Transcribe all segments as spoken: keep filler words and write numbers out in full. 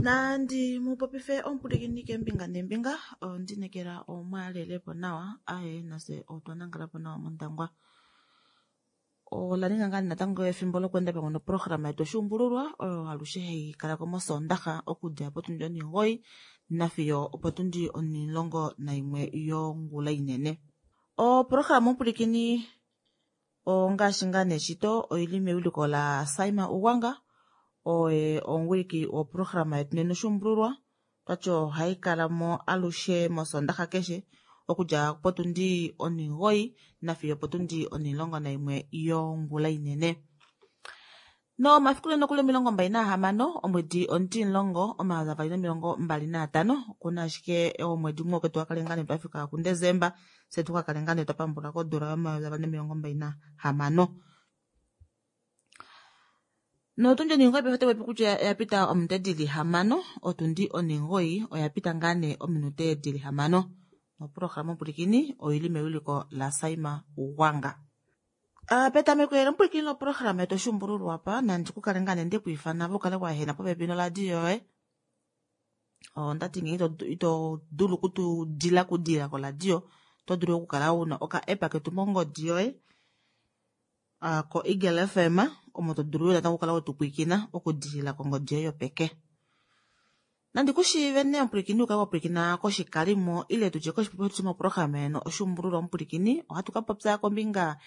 Nandi mupopife omupulikini keembinga neembinga ondinekela omwalelepo nawa aye nafye otwa nangalapo nawa mondangwa. Ola ninga ngaa natango efimbo lokweenda pamwe noprograma yetu oshuumbululwa oyo alushe hai kalako mosondaxa okudja potundi onimugoyi nafiyo opotundi onimulongo naimwe yongula inene. Oprograma omupulikini ongaashi ngaa neshito oili mewiliko la Saima Ugwanga oye omuwiliki woprograma yetu nena oshuumbululwa twati ohai kalamo alushe mosondaxa keshe okudja potundi onimugoyi nafiyo opotundi onimulongo naimwe yongula inene. Nomafiku nena okuli omilongo mbali nahamano omwedi omutimulongo omayovi avali nomilongo mbali naatano okuna ashike omwedi umwe oke tukakale ngaa nee twafika kuDesemba fye tukakale ngaa nee twapambula kodula yomayovi avali nomilongo mbali nahamano. Notundi onimugoyi paife otayi popi kutya oyapita ominute dili hamano otundi onimugoyi oyapita ngaa nee ominute dili hamano. Noprograma omupulikini oili mewiliko la Saima Ugwanga. Uh, petameko elo omupulikini loprograma yetu oshuumbululwa apa nandi kukale ngaa nee ndekwiifana ove ukale waehena popepi noladio yoye. Ondati ngenge ito dulu okutudila okudilila koladio oto dulu okukala una oka app ketu mongodi yoye uh, ko Eagle F M omo to dulu natango okukala wetupwiikina okudilila kongodi yoye yopeke. Nandi kushiive nee omupulikini ukale wapwilikina koshikalimo ile tutye koshipopiwa shetu shomoprograma yeno oshuumbululwa omupulikini ohatu ka popya kombinga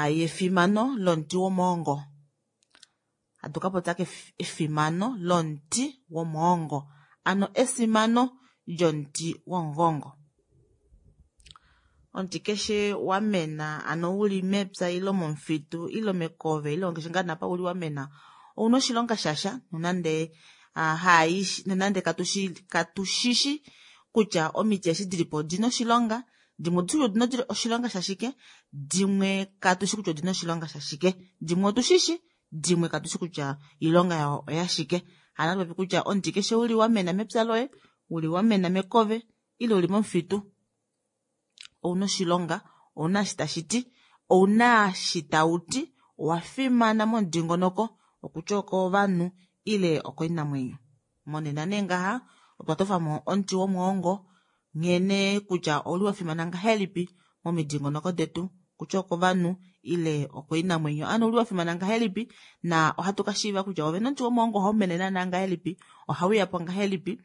yefimano lomuti womwoongo. Hatu ka popya efimano lomuti womwoongo, ano esimano lyomuti womugongo. Omuti keshe wamena ano uli mepya ile momufitu ile mekove ile keshe ngaa napa uli wamena ouna oshilonga shasha nonande hai nonande katushi katushishi kutya omiti eshi dilipo odina oshilonga, dimwe otushi odina oshilonga shashike, dimwe katushi kutya odina oshilonga shashike, dimwe otushishi, dimwe katushi kutya iilonga yawo oyashike. Hano popi kutya omuti keshe uli wamena mepya loye, uli wamena mekove ile uli momufitu ouna oshilonga, ouna eshi tashi ti, ouna eshi tauti, owa fimana momudingonoko okutya okovanhu ile okoinamwenyo. Monena nee ngaha otwa tofamo omuti womwoongo nghene kutya ouli wafimana ngahelipi momidingonoko detu kutya okovanhu ile okoinamwenyo, ano ouli wafimana ngahelipi na ohatu kashiiva kutya ovene omuti womwoongo ohau mene naana ngahelipi, ohauyapo ngahelipi,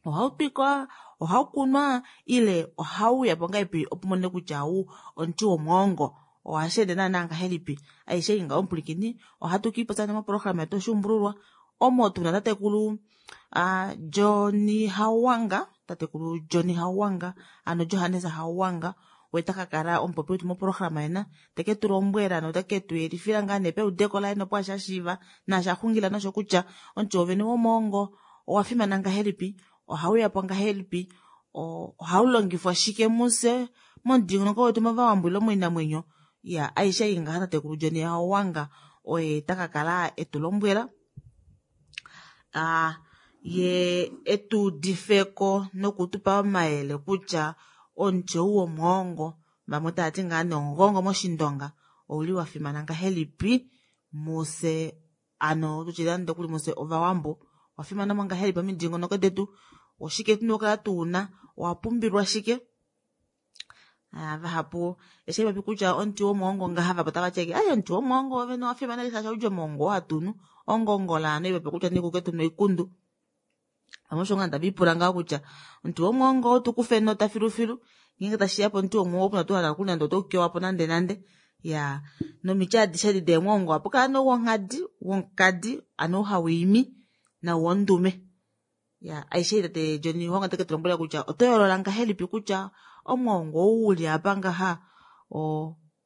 ohau twikwa, ohau kunwa ile ohauyapo ngahelipi opo umone kutya ou omuti womwoongo ohashi ende naana ngahelipi. Aishe ei ngaho omupulikini ohatu kiipopya moprograma yetu oshuumbululwa omo tuna tatekulu Johnny Hauwanga, tatekulu Johnny Hauwanga ano Johannes Hauwanga oye takakala omupopi wetu moprograma yena teke tu lombwela noteke tu yelifila ngaa nee peudeko laye nopo asha shiiva naasha xungila nosho kutya omuti wovene womwoongo owa fimana ngahelipi, ohauyapo ngahelipi, ohaulongifwa shike mufye momudingonoko wetu movawambo ile moinamwenyo. Ya aishe ei ngaha tatekulu Johnny Hauwanga oye takakala etu lombwela ye etuudifeko nokutupa omayele kutya omuti ou womwoongo vamwe tavati ngaa nee omugongo moshindonga ouli wafimana ngahelipi mufye, ano tutye nande okuli mufye ovawambo owafimana mo ngahelipi momidingonoko detu, oshike tuna okukala tuuna, owa pumbilwa shike. Vahapu eshi haipopi kutya omuti womwoongo ngaha vapo tavati ashike ai omuti womwoongo wovene owafimana shaashi ohaudji omwoongo oo hatunu ongongola hano haipopi kutya nikuke tuna oikundu. Vamwe osho ngaa tavipula ngaho kutya omuti womwoongo otukufe nota filufilu ngeenge tashiya pomuti womwoongo opuna tuu hala nande otaukewapo nande nande. Ya nomiti adishe edi deemwoongo ohapu kala nee wonghadi, womukadi ano ou hawiimi nau wondume. Ya aishe tate Johnny Hauwanga teke tulombwela kutya oto yoolola ngahelipi kutya omwoongo ou uli apa ngaha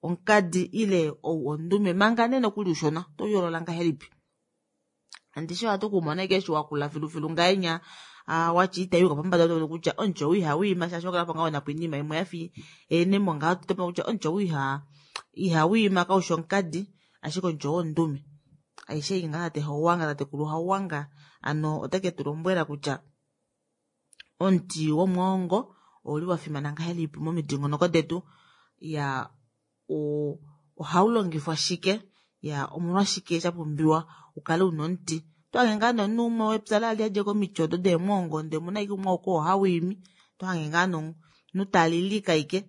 omukadi ile ou ondume manga nee nokuli ushona oto yoolola ngahelipi. Andishi ohatu kumona ashike eshi wakula filufilu ngahenya watya itayuka pombada otomono kutya omuti ou ihawiima shaashi wakala po ngaho napo oinima imwe yafa eenemo ngaho otomono kutya omuti ou ihawiima kaushi omukadi ashike omuti ou wondume. Aishe ei ngaha tate Hauwanga, tatekulu Hauwanga ano oteke tulombwela kutya omuti womwoongo ouli wafimana ngahelipi momidingonoko detu, ya ohaulongifwa shike, ya omolwashike shapumbiwa ukale una omuti Tohange ngaa nee omunhu umwe wepya lali adja komiti odo deemwoongo ndee omuna ashike umwe oo hawiimi tohange ngaa nee omunhu talilike ashike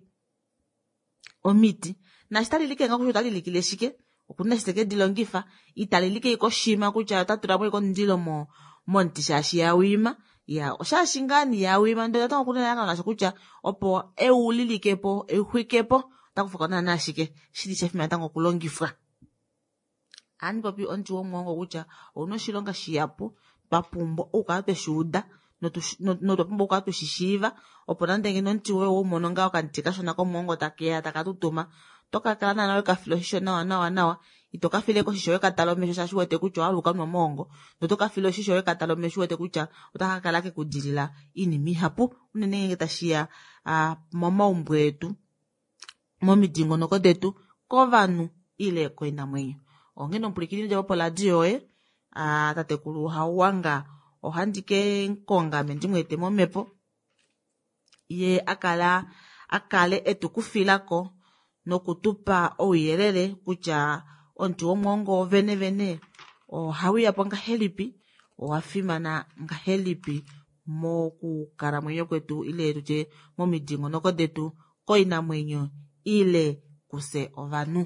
omiti naashi talilike ngaho kutya otalilikile shike okuna eshi tekedilongifa italilike ashike oshima kutya otatulamo ashike omundilo momuti shaashi yawiima iya oshaashi ngaa nee yawiima ndee natango okuna elalakano lasho kutya opo eulilikepo euxwikepo otakufako naana ashike shili shafimana natango okulongifwa. Ohandi popi omuti womwoongo kutya ouna oshilonga shihapu twapumbwa okukala tweshuuda notwa pumbwa okukala tweshishiiva opo nande ngeno omuti woye owaumono ngaho okamuti kashona komwoongo takeya takatutuma otokakala naana wekafila oshisho nawa nawa nawa ito kafileko oshisho wekatala omesho shaashi uwete kutya owahala ukanwe omwoongo noto kafile oshisho wekatala omesho uwete kutya otakakala kekudilila oinima ihapu unene ngeenge tashiya momaumbo etu momidingonoko detu kovanhu ile koinamwenyo. Onghene omupwilikini djapo poradio yoye tatekulu Hauwanga ohandi kemukonga ame ndimweete momepo yee akala akale etukufilako nokutupa ouyelele kutya omuti womwoongo wovene vene ohauyapo ngahelipi owafimana ngahelipi mokukalamwenyo kwetu ile tutye momidingonoko detu koinamwenyo ile kufye ovanhu.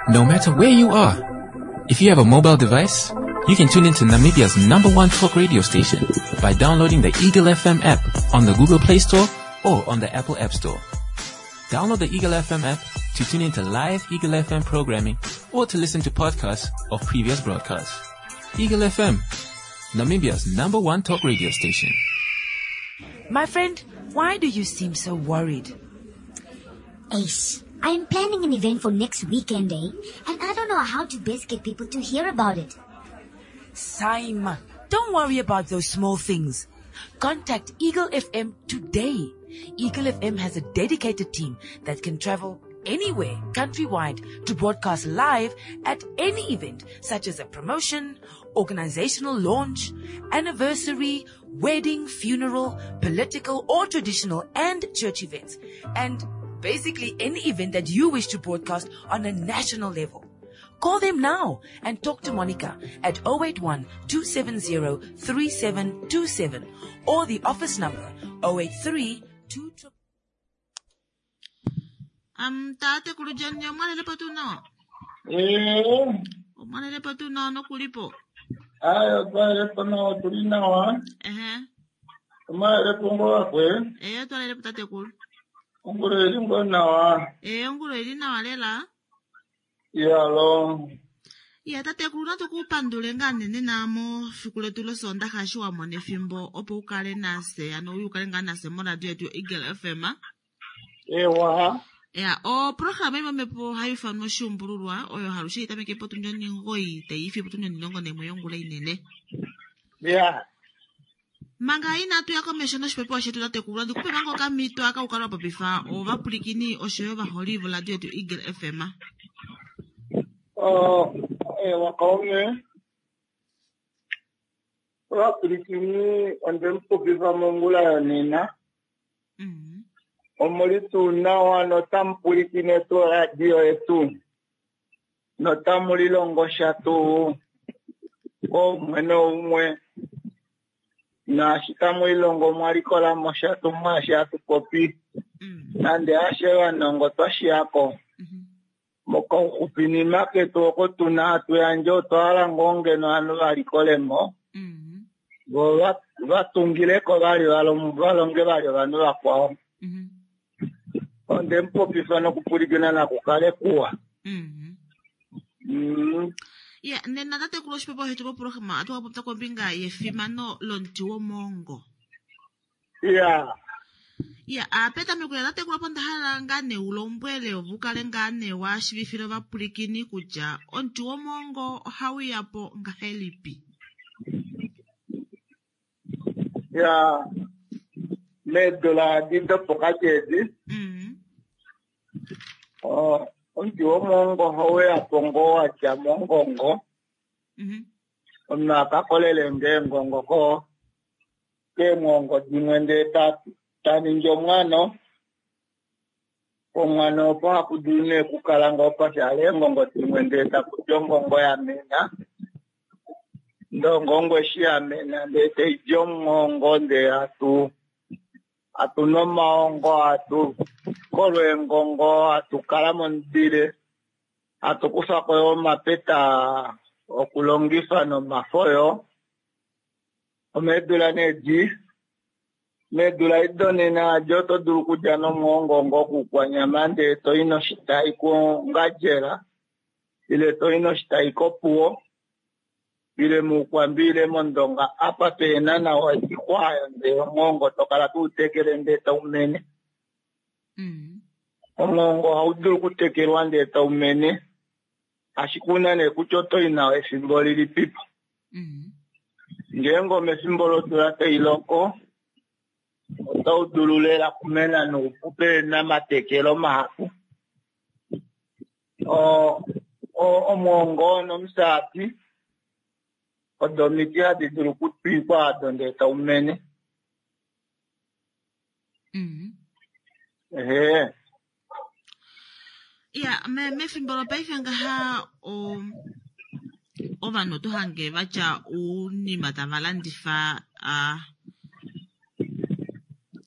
No matter where you are, if you have a mobile device, you can tune into Namibia's number one talk radio station by downloading the Eagle F M app on the Google Play Store or on the Apple App Store. Download the Eagle F M app to tune into live Eagle F M programming or to listen to podcasts of previous broadcasts. Eagle F M, Namibia's number one talk radio station. My friend, why do you seem so worried? Ace, I am planning an event for next weekend, eh? And I don't know how to best get people to hear about it. Saima, don't worry about those small things. Contact Eagle F M today. Eagle F M has a dedicated team that can travel anywhere countrywide to broadcast live at any event, such as a promotion, organizational launch, anniversary, wedding, funeral, political or traditional and church events, and basically any event that you wish to broadcast on a national level. Call them now and talk to Monica at oh eight one, two seven zero, three seven two seven or the office number oh eight three, two triple Um, tatekulu John, omwalelepo tuu nawa? Eh. Omwalelepo tuu nawa nokulipo? Ayo, twalelepo nawa, tuli nawa. Ehe. Omwalelepo ngoo wakwe? Eh, twalelepo tatekulu. Ongolo ili ngoo nawa. Eh, ongolo ili nawa lela. Yalo. Ya, tatekulu natu kupandule ngaa nene namo fiku letu losondaxa eshi wa mona efimbo opo ukale nase, ano uye ukale ngaa nase moradio yetu Eagle F M. Ewa. Ya, oprograma imwe mepo hayi ifanwa oshuumbululwa oyo halushe itameke potundi oningoi tayi ifi potundi onilongo naimwe yongula inene. Ya. Manga inatu ya komesho noshipepewa shetu tatekulu, ndikupe manga okamito aka ukale wa popifa ovapulikini oshoyo ovaholi voradio yetu Eagle F M. Oh, ewa kaume. Ovapulikini onde mupopifa mongula yonena. Mm. Omuli tuu nawa notamupulikine tuu radio yetu. Notamulilongo sha tuu koumwe noumwe. Naashi tamulilongo mwalikolamo sha tuu mwaashi hatu popi. Mm. Nande ashe vanongo twashiyako. Mm-hmm. Mokauxupinima ketu oko tuna hatu yandje otwa hala ngoo ngeno ovanhu valikolemo. Mm-hmm. Vo va-, vatungileko vali valong-, valonge vali ovanhu vakwao. Mm-hmm. Onde mupopifa nokupulikina nakukale kuwa. Mm-hmm. Mm. Ya, nena tatekulu oshipepewa shetu moprograma ohatu ka popya kombinga yefimano lomuti womwoongo. Ya. Ya, a petameko ya tatekulu opo nda hala ngaa nee ulombwele ove ukale ngaa nee wa shiivifile ovapulikini kutya omuti womwoongo ohauya po ngahelipi. Ya, meedula adi dopokati edi. Mm. Oh, omuti womwoongo ohauya po ngoo watya mongongo. Mm-hmm. Omunhu akakolele ngeengongo ko keemwongo dimwe ndee ta, ta ningi omwano. Pomwana opo hapu dulu nee okukala ngoo pashaala eengongo dimwe ndee taku di ongongo ya mena. Ndee ongongo eshi ya mena ndee taidi omwongo ndee hatu hatu nu omaongo, hatu kolo eengongo, hatu kala momudile, hatu kufako yo omapeta okulongifa nomafo yo. Omeedula nee di meedula edi donena adi oto dulu okulya nomwoongo ngoo kuukwanyama ndee toi noshitai kOngandjera ile toi noshitai kOpuwo ile mUukwambi ile mOndonga apa pena nawa oixwa oyo ndee omwoongo tokala toutekele ndee taumene. Mm. Omwoongo ohaudulu okutekelwa ndee taumene ashike una nee kutya otoi nao efimbo lilipipo. Mm. Ngeenge omefimbo lodula tailoko otaudulu lela okumena noupu pena omatekelo mahapu. Omwoongo nomusati odo omiti hadi dulu okutwikwa ado ndee taumene. Mm. Ehe. Ya, me, mefimbo lopaife ngaha o ovanhu oto hange vatya ounima tava landifa a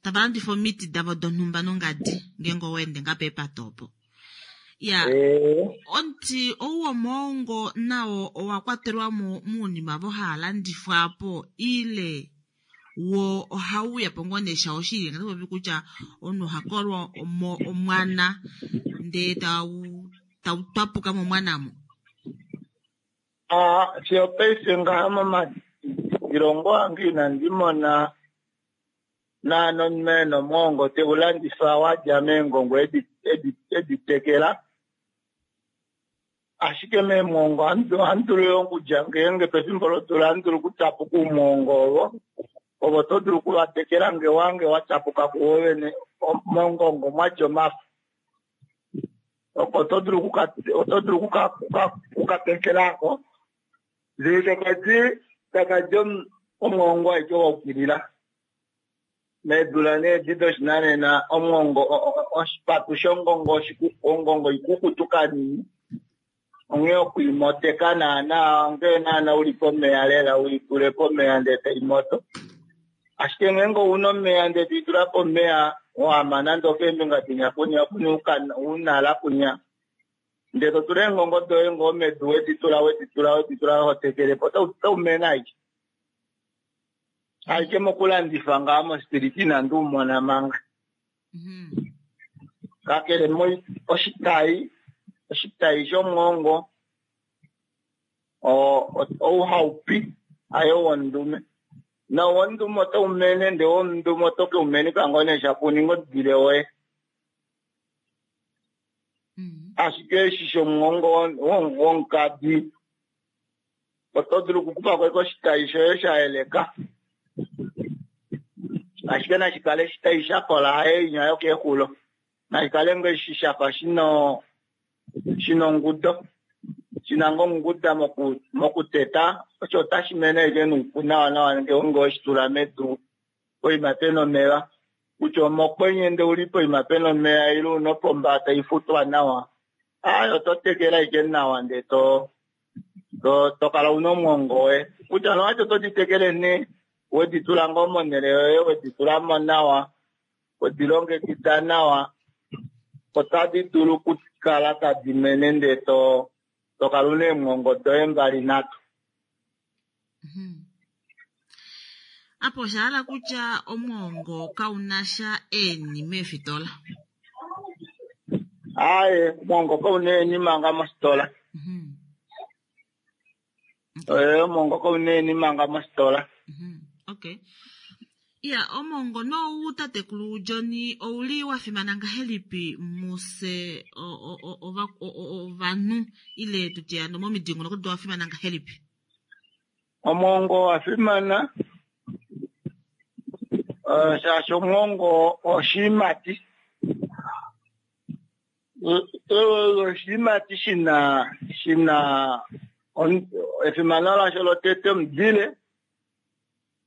tava landifa omiti davo donhumba nongadi ngeenge owa ende nga peepata opo. Ya, omuti ou womwoongo nao owa kwatelwa mo muunima vo haa landifwa po ile wo ohauya po ngoo nee shao shili ngati popi kutya omunhu oha kolwa omo omwana ndee tau tau twapuka momwana mo. Ah, fiyo paife ngaha momadilongo ange inandi mona naana omumeno omwoongo teulandifa wadja meengongo edi edi editekela. Ashike meemwongo ohandi dulu yo okulya ngeenge pefimbo lodula ohandi dulu okutyapuka oumwongo ovo ovo to dulu okuvatekela nge wange watyapuka kuwo vene mongongo mwadja omafo. Oko oto dulu okuka oto dulu okukatekelako ndee takadi takadi omwoongo aike waukilila. Meedula nee edi doshinanena omwoongo oshipatu shongongo ongongo ikukutu kanini onghee okuimoteka naana onghee naana uli pomeya lela uitule pomeya ndee taimoto. Ashike ngeenge ouna omeya ndee toitula pomeya wama nande okeembinga dinya kunya kuna unala kunya ndee totula eengongo doye ngoo medu weditula weditula weditula hotekelepo otaumene aike. Aike mokulandifa ngaa mostiliti inandi umona manga. Kakele oshitai oshitai shomwoongo ou haupi haye wondume. Na wondume otaumene ndee wondume oto keumenifa ngoo nee shapo uninge omudile woye. Ashike eshi shomwoongo womukadi oto dulu okukufako ashike oshitai shoye shayeleka. Ashike nashikale oshitai shakola haye inya yokeexulo. Nashikale ngoo eshi shafa shina shina ongudo shina ngoo onguda mokuteta osho otashi mene ashike noupu nawa nawa ngeenge oweshitula medu poima pena omeva. Kutya omokwenye ndee uli poima pena omeya ile una opomba taifutwa nawa aaye oto tekele ashike nawa ndee to to kala una omwoongo woye. Kutya nowati oto ditekele nee weditula ngoo monhele yoye weditulamo nawa wedilongekida nawa otadi dulu okukala tadi mene ndee to tokala una eemwongo doye mbali nhatu. Apo oshahala kutya omwoongo kaunasha eeni meefitola. Aaye, omwoongo kauna eeni manga mositola. Ee, omwoongo kauna eeni manga mositola. Okay. Ya, omwoongo nou tatekulu John ouli wafimana ngahelipi muse ovanhu ile tutye hano momidingonoko wafimana ngahelipi? Omwoongo owafimana shaashi omwoongo oshiimati. Oshiimati shina shina efimano lasho lotete omudile.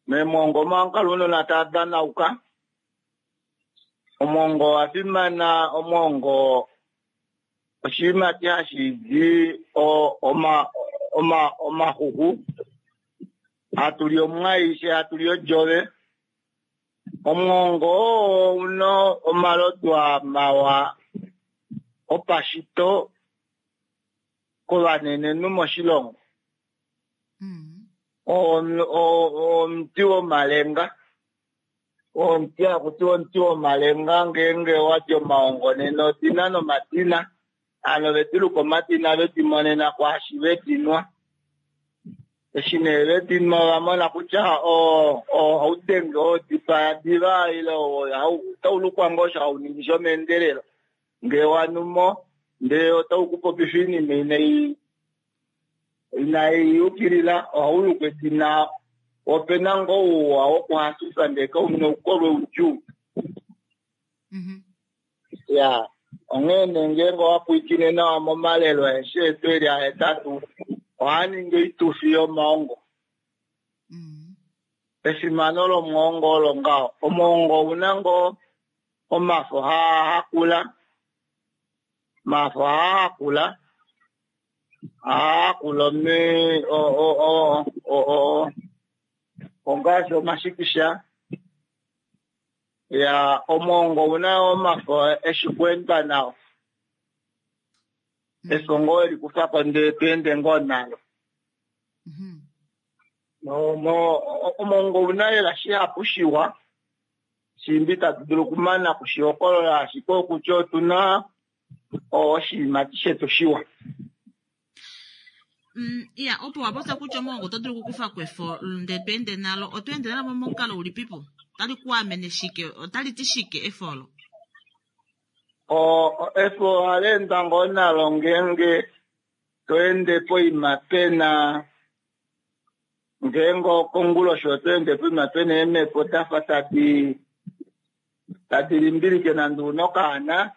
Meemwongo omo ohamukala ounona tava danauka. Omwongo owa fimana, omwongo oshiimati hashi di omaxuku, hatu li omwai, she hatu li odjove. Omwongo oo una omalodwa mawa opashito kovanenenhu moshilongo. Omuti womalenga, omuti hakutiwa omuti womalenga ngeenge wadi omaongo nena odina nomadina, hano vediluka omadina vedimonena kwaashi vedinwa. Eshi nee vedinwa ovamona kutya ohaudenge odipaya diva ile otaulukwa ngoo osho hauningi shomeendelelo ngee wanumo ndee otaukupopifa oinima inai inai yukilila ohaulukwa edina. Opena ngoo ouwa wokuhafifa ndee kauna oukolwe oudjuu. Ya onghee nee ngeenge owapwilikine nawa momalelo aeshe etu eli ahetatu ohaa ningi oitufi yomaongo. Efimano lomwoongo olo ngaho. Omwoongo ouna ngoo omafo haahakula, omafo haahakula haahakula ongaashi omashikisha. Ya omwoongo ouna omafo eshi kweendwa nao, efo ngoo welikufako ndee tweende ngoo nalo. Omwoongo ouna lela shihapu shiwa shimbi tatu dulu okumana kushihokolola, ashike okutya otuna oshiimati shetu shiwa. Ya opo wapopya kutya omwoongo oto dulu okukufa kwefo ndee tweende nalo, oto ende nalo momukalo ulipipo? Otali ku amene shike? Otali ti shike efo olo? Efo ohali endwa ngoo nalo ngeenge to ende poima pena, ngeenge okonguloshi oto ende poima pena eemhepo dafa tadi tadi limbilike nande una okaana,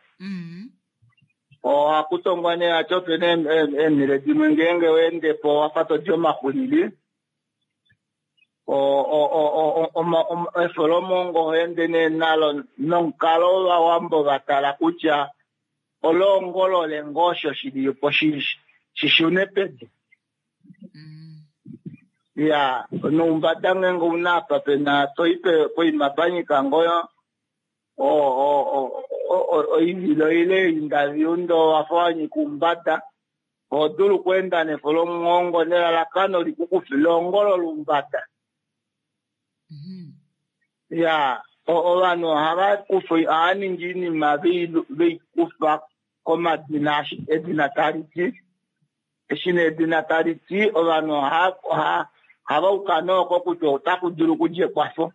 ohaku tongwa nee hati opena eenhele dimwe ngeenge weendepo wafa todi omaxulili. Efo lomwoongo oho ende nee nalo nomukalo wovawambo vatala kutya oloongolole ngoo osho shilipo shishune pedu. Ya noumbada ngeenge una apa pena toi poima panyika ngoo oivilo ile eindaviundo wafa wanyika oumbada, oho dulu okweenda nefo lomwoongo nelalakano likukufe loongolola oumbada. Ya ovanhu ohava kufa ohava ningi oinima veikufa komadina edina tali ti. Eshi nee edina tali ti ovanhu ohava uka nooko kutya otaku dulu okudja ekwafo.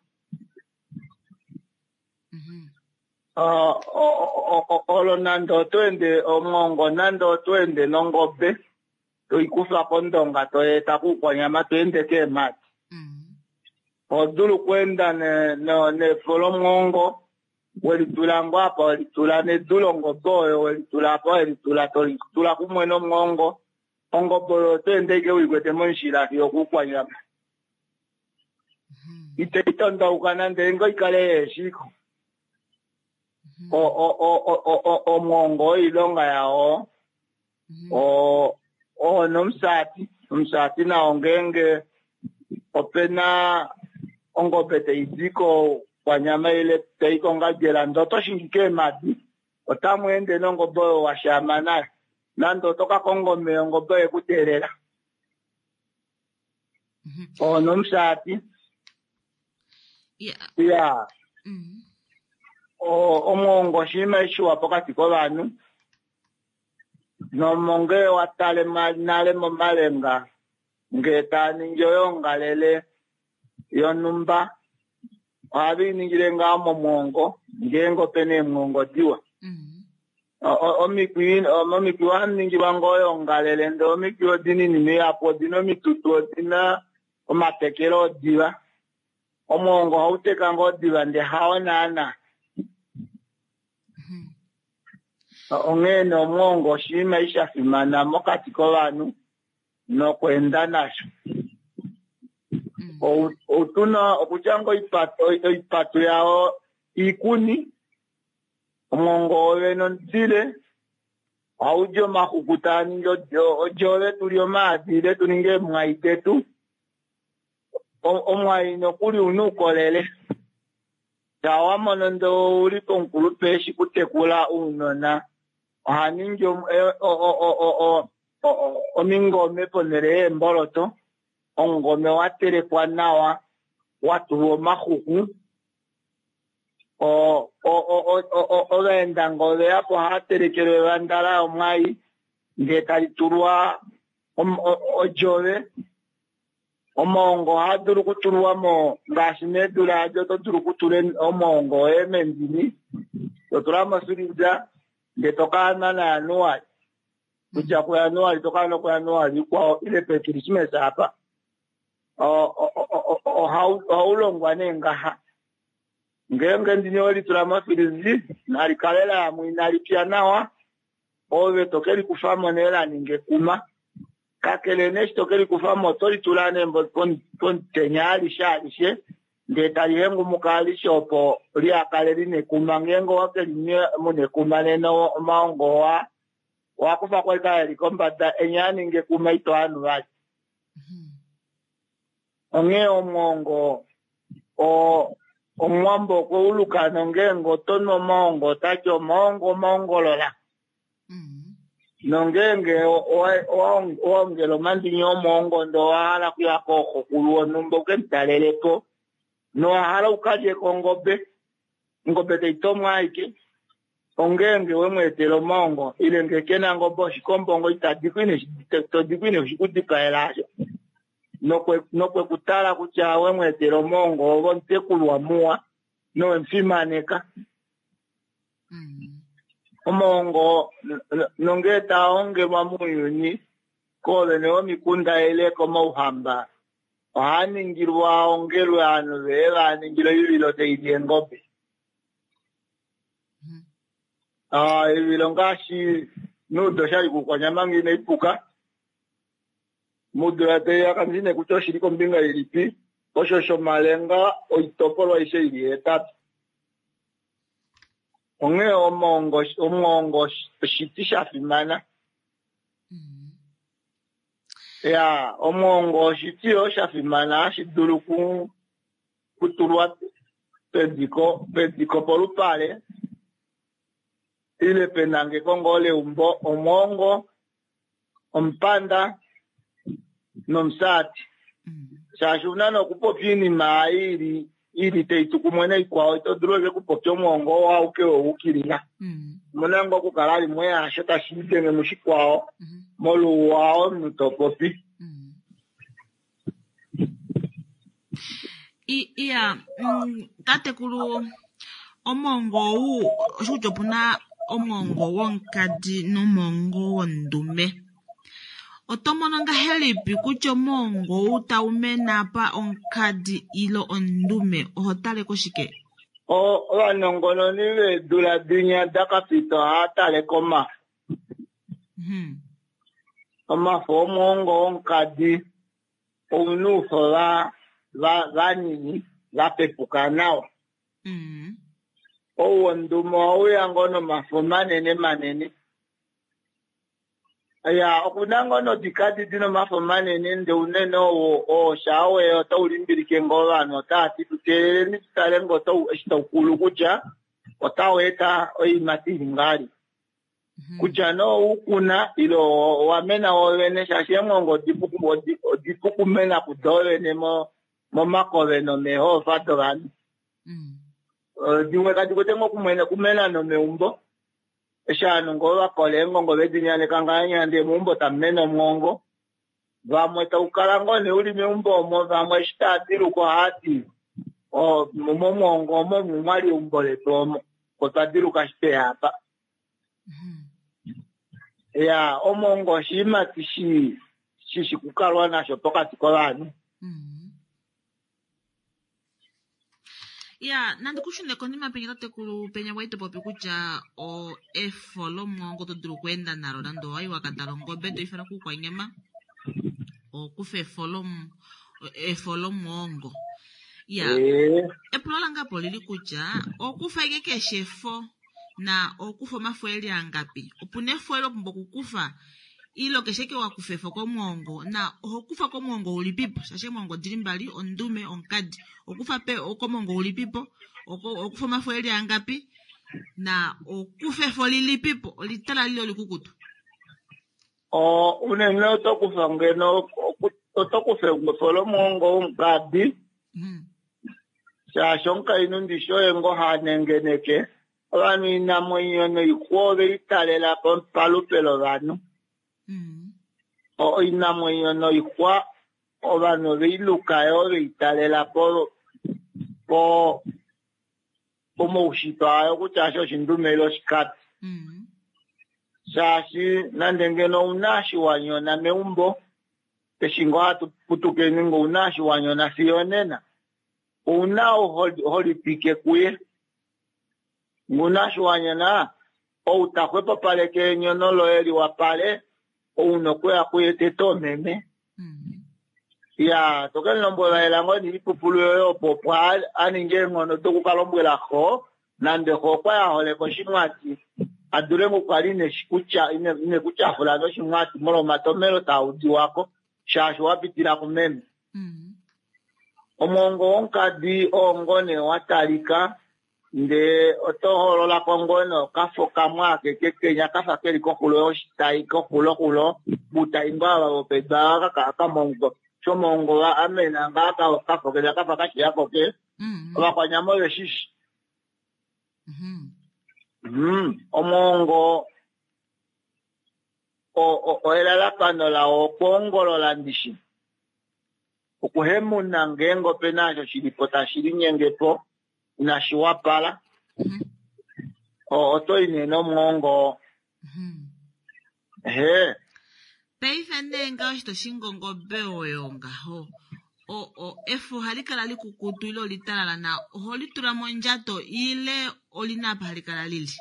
Olo nande oto ende omwoongo nande oto ende nongobe toikufa kondonga toyeeta kuukwanyama to ende keemhadi, oho dulu okweenda nefo lomwoongo welitula ngoo apa welitula nedu longobe oyo welitula apa welitula tolitula kumwe nomwoongo, ongobe oyo oto ende ashike uikwete momushila fiyo okuukwanyama, itei tondauka nande ngoo ikale yeeshiko. Omwoongo oilonga yao oo nomusati, omusati nao ngeenge opena ongobe taidi kokwanyama ile tai kongadjela ndee oto shingi keemhadi, otamu ende nongobe oyo washaama nayo, nande oto ka konga omeya ongobe oye kuteelela. Oo nomusati. Ya omwoongo oshinima shiwa pokati kovanhu, nomonge watale nale momalenga ngee taaningi oyoongalele yonhumba ohave iningile ngaho momwoongo ngeenge opena eemwoongo diwa. Omikwi ohamu ningilwa ngoo oyoongalele ndee omikwi odina oinima ihapu, odina omitutu, odina omatekelo odiva. Omwoongo ohauteka ngoo diva ndee hao naana. Onghee nee omwoongo oshinima sha fimana mokati kovanhu nokweenda nasho. Outuna okutya ngoo oipatu yao iikuni, Omwoongo wovene omudile ohaudi omaxuku taa ningi odjove tuli omaadi ile tuninge eemwai detu. Omwai nokuli una oukolele. Shaa wamono ndee ouli pomukulupe eshi kutekula ounona oha ningi omingome ponhele yeemboloto, omungome watelekwa nawa watulwa omaxuku. Ovaenda ngee oveyapo ohava telekelwa evandala lomwai ndee tali tulwa odjove. Omaongo ohaa dulu okutulwamo ngaashi meedula adi oto dulu okutula omaongo oye mendini totula mofilija ndee tokaanwa naJanuali, kudja kuJanuali tokaanwa kuJanuali ikwao ile peKrismesa apa. Ohaulongwa nee ngaha ngeenge ndini owelitula mofiliji nali kale layamo inali pya nawa ove tokelikufamo nee laninga ekuma. Kakele nee eshi tokelikufamo otolitula nee pomutenya alishe alishe ndee tali hengumuka alishe opo lihakale lina ekuma. Ngeenge owakelinwa muna ekuma nena omaongo owa owakufako ashike eli kombada enya aninga ekuma ito anu vali. Onghee omwoongo omuwambo okweuluka nongeenge otonu omaongo otati omaongo omaongolola. Nongeenge owaongela omandini omwoongo ndee owahala okuya kooxokulu wonhumba ukemutalelepo nowahala ukalyeko ongobe, ongobe taitomwa ashike ongeenge wemweetela omaongo ile ngee kena ongobe oshikombo ngo itodiko ine shikudipaela asho nokwekutala kutya wemweetela omaongo ove omutekulwa muwa nowemufimaneka. Omaongo nongee taongelwa mounyuni koovene vomikunda ile komauhamba ohaa ningilwa ongelwe ovanhu vee vaningile oivilo taili eengobe. Oivilo ngaashi nuudo oshali kuukwanyama ngee inaipuka mudula taiya kandine kutya oshili kombinga ilipi osho shomalenga oitopolwa aishe ili hetatu. Onghee omwoongo omwoongo oshiti shafimana. Ya omwoongo oshiti yoo shafimana hashi dulu kutulwa pediko pediko polupale ile penangeko ngoo leumbo. Omwoongo, omupanda nomusati, shaashi una nokupopya oinima ili ili taitu kumwe naikwao ito dulu ashike okupopya omwoongo oo auke wewukilila. Omuna ngoo okukala limwe yaasho tashi lidenge mushikwao moluwa omunhu topopi. Iya, tatekulu omwoongo ou oshikutya opuna omwoongo womukadi nomwoongo wondume. Oto mono ngahelipi kutya omwoongo ou taumene apa omukadi ile ondume oho tale koshike? Ovanongononi veedula dinya dakapita ohava tale komafo. Omafo omwoongo womukadi ouna oufo vanini vapepuka nawa. Ou wondume ohauya ngoo nomafo manene manene. Ya okuna ngoo nodikadi dina omafo manene ndee unene oo shaa otaulimbilike ngoo ovanhu otavati tuteeleleni tutale ngoo eshi taukulu kutya otau eta oiimati ili ngahelipi. Kutya nee oukuna ile owamena woovene shaashi eemwongo odipu okumena kudoovene momakove nomeehoofa dovanhu. Dimwe kadi kwete ngoo okumena nomeumbo eshi ovanhu ngoo vakola eengongo vedinyaneka ngahenya ndee meumbo tamumene omwoongo. Vamwe taukala ngoo nee uli meumbo omo, vamwe eshi tava diluka ohavati momwoongo omo mwali eumbo letu omo otwa diluka eshi tweya apa. Ya omwoongo oshiimati shishi kukalwa nasho pokati kovanhu. Ya nandi kushune konima penya tatekulu penya wali topopi kutya efo lomwoongo oto dulu okweenda nalo nande owayi wakatala ongobe toifana kuukwanyama okufa efo lomwoongo. Ya epulo lange apo olili kutya okufa ashike keshe efo Na okufa omafo eli angapi? Opuna efo elo pumbwa okukufa ile keshe ke wakufa efo komwoongo na oho kufa komwoongo ulipipo shaashi eemwoongo odili mbali ondume onkadi okufa pe komwoongo ulipipo okufa omafo eli angapi na okufa efo lilipipo olitala lile olikukutu. O unene oto kufa ngeno oto kufa efo lomwoongo womukadi shaashi omukainhu ndishi oye ngo hanengeneke ovanhu inamwenyo noixwa ove italela palupe lovanhu. Oinamwenyo noixwa ovanhu ove iluka yo ove italela po po pomaushitwa ayo kutya asho oshindume ile oshikadi. Shaashi nande ngeno ouna eshi wanyona meumbo eshi ngoo hatu putukeni ngo ouna eshi wanyona fiyo onena ouna holipike kuye nguna eshi wanyona ou taxwepopaleke enyono loye liwapale ouna okuya kuye tete omeme. Ya tokemulombwela elango niipupulu yoye opo opo aninge eenghono dokukalombwela xo nande xo okwa yaholeka oshimwati adule ngokukala ine kutyafula noshimwati molwa omatomelo taudiwako shaashi wapitila kumeme. Omwoongo womukadi oo nee watalika ndee oto hoololako ngoo nee okafo kamwe akeke kenya kafa keli koxulo yoshitai koxuloxulo butai ngoo ava vopedu ava kamongo shomwongo amena ngaa kafo kenya kafa kashiyako ke ovakwanyama oveshishi. Omwongo elalakano lawo okwoongolola ndishi okuhemuna ngeenge opena osho shilipo tashi linyengepo inashi wapala oto i nee nomwongo. Ehe paife nee nga oshi toshingongobe oyo ngaho o efo ohali kala likukutu ile olitalala na oho litula mondjato ile olina apa hali kala lili?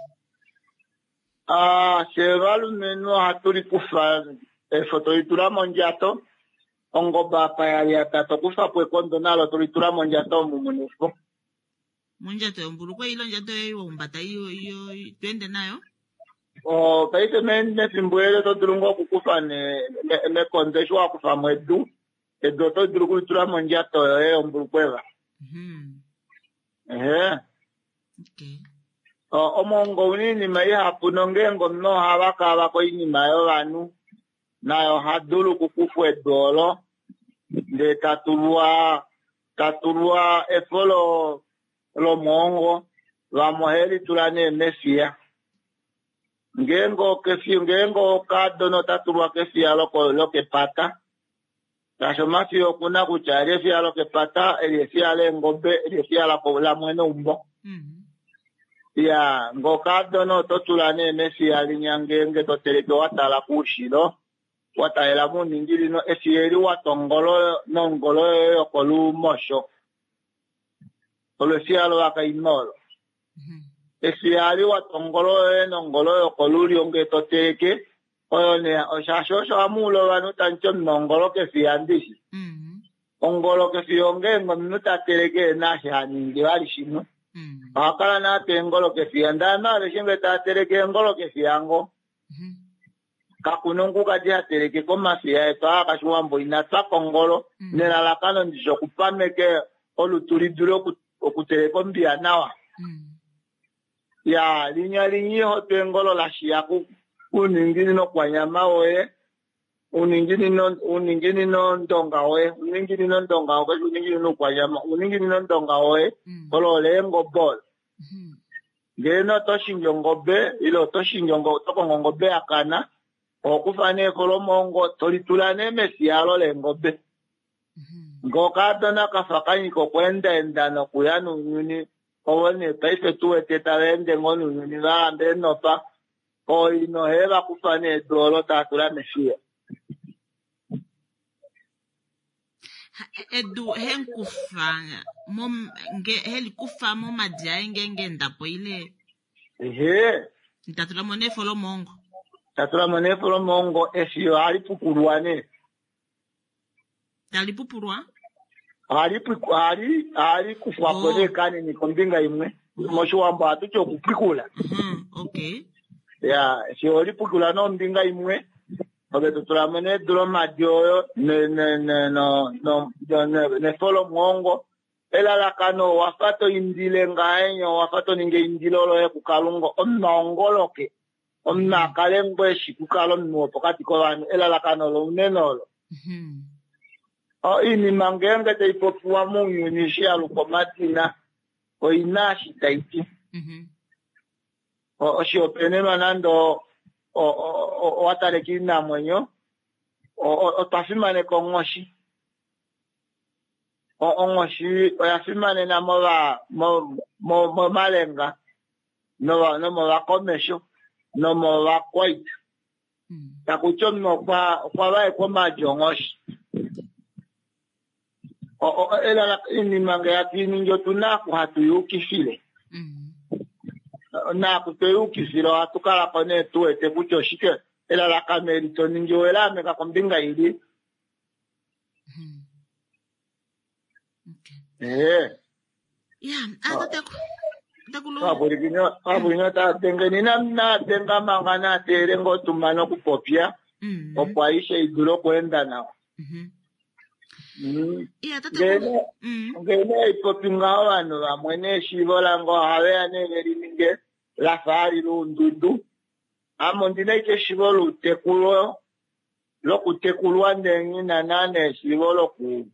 Ah, fye valumenhu ohatu likufa efo tolitula mondjato ongobe apa yalyata tokufapo ekondo nalo tolitula mondjato omu muna efo. Mondjato yombulukwe ile ondjato yoye waumbata tweende nayo? O paife mefimbo eli oto dulu ngoo okukufa mekondo eshi wakufamo edu edu oto dulu okulitula mondjato yoye yombulukweva. Ehe omwongo una oinima ihapu nongeenge omunhu ohava kava koinima yovanhu naye oha dulu okukufwa edu olo ndee tatulwa tatulwa efo lomwongo vamwe ohelitula nee mefiya ngeenge okefiya ngeenge okadona otatulwa kefiya lokepata shaashi omafiya okuna kutya eli efiya lokepata eli efiya leengobe eli efiya lamwene umbo. Ya ngokadona oto tula nee mefiya linya ngeenge toteleke watala koushilo watalela mouninginino efiya eli watongolo nongolo yoye yokolumosho olo efiya lovakainhu olo. Efiya eli watongolo yoye nongolo yokolulyo ngee toteleke oyo nee shaashi osho hamuula ovanhu tamuti omunhu ongolo kefiya ndishi. Ongolo kefiya ongeenge omunhu tateleke ena eshi haningi vali shimwe ohakala naatwa eengolo kefiya ndee ovanhu aveshe ngee tava teleke eengolo kefiya ngo kakuna omukukadi hateleke komafiya etu aa kashiwambo inatwa kongolo nelalakano ndishi okupameka olutu lidule okuteleka ombiya nawa. Ya linya linyi ihotwa eengolo lashiya kuuninginino kwanyama woye uninginino uninginino ndonga woye uninginino ndonga woye uninginino kwanyama uninginino ndonga woye olo leengobe olo. Ngeene oto shingi ongobe ile oto shingi oto kongo ongobe yakana ohokufa nee efo lomwongo tolitula nee mefiya olo leengobe. Ngee okadona kafa kanyika okweendaenda nokuya nounyuni ovo nee paife tuwete tava ende ngoo nounyuni valamba eenopa ooina ohe vakufa nee edu olo tava tula mefiya. Edu henkufa helikufa momadi aye ngeenge endapo ile ehe tatulamo nee efo lomwongo tatulamo nee efo lomwongo efiya ohali pukulwa nee tali pupulwa ohali ohali ohali kufwapo nee kanini kombinga imwe moshiwambo ohatuti okupwikula. Okay. Ya, eshi holipukula nombinga imwe, ove to tula mo nee lomadi oyo ne- ne- ne- no- no- no- nefo lomwoongo. Elalakano owafa to indile ngahenya, owafa to ningi eindilo loye kuKalunga, omunhu aongoloke, omunhu a kale ngoo eshi kukala omunhu wopokati kovanhu. Elalakano lounene olo. Mhm. Oinima ngeenge tai popiwa mounyuni eshi ya lukwa omadina, oina eshi tai ti. Mhm. Oshihopaenenwa nande owa tale koinamwenyo, otwa fimaneka onghoshi. Onghoshi oya fimanena momalenga, nomovakomesho, nomovakwaita. Takuti omunhu okwa vaekwa omaadi onghoshi. Oinima ngee hatu iningi otuna oku hatu yukifile. Naaku tweyukifile ohatu kalako nee tuwete kutya oshike elalakano eli toningi owelaameka kombinga ili. Ee. Ya, ah, tatekulu. Ovapwilikini otava nadenga manga nateele ngoo tumane okupopya opo aishe idule okweenda nawa. Ya, tatekulu. Ngee nee ipopi ngaho ovanhu vamwe neeshiivo lange ohaveya nee velininge lafa hali luundudu. Ame ondina ashike eshiivo loutekulwa lokutekulwa ndee nghina naana eshiivo loku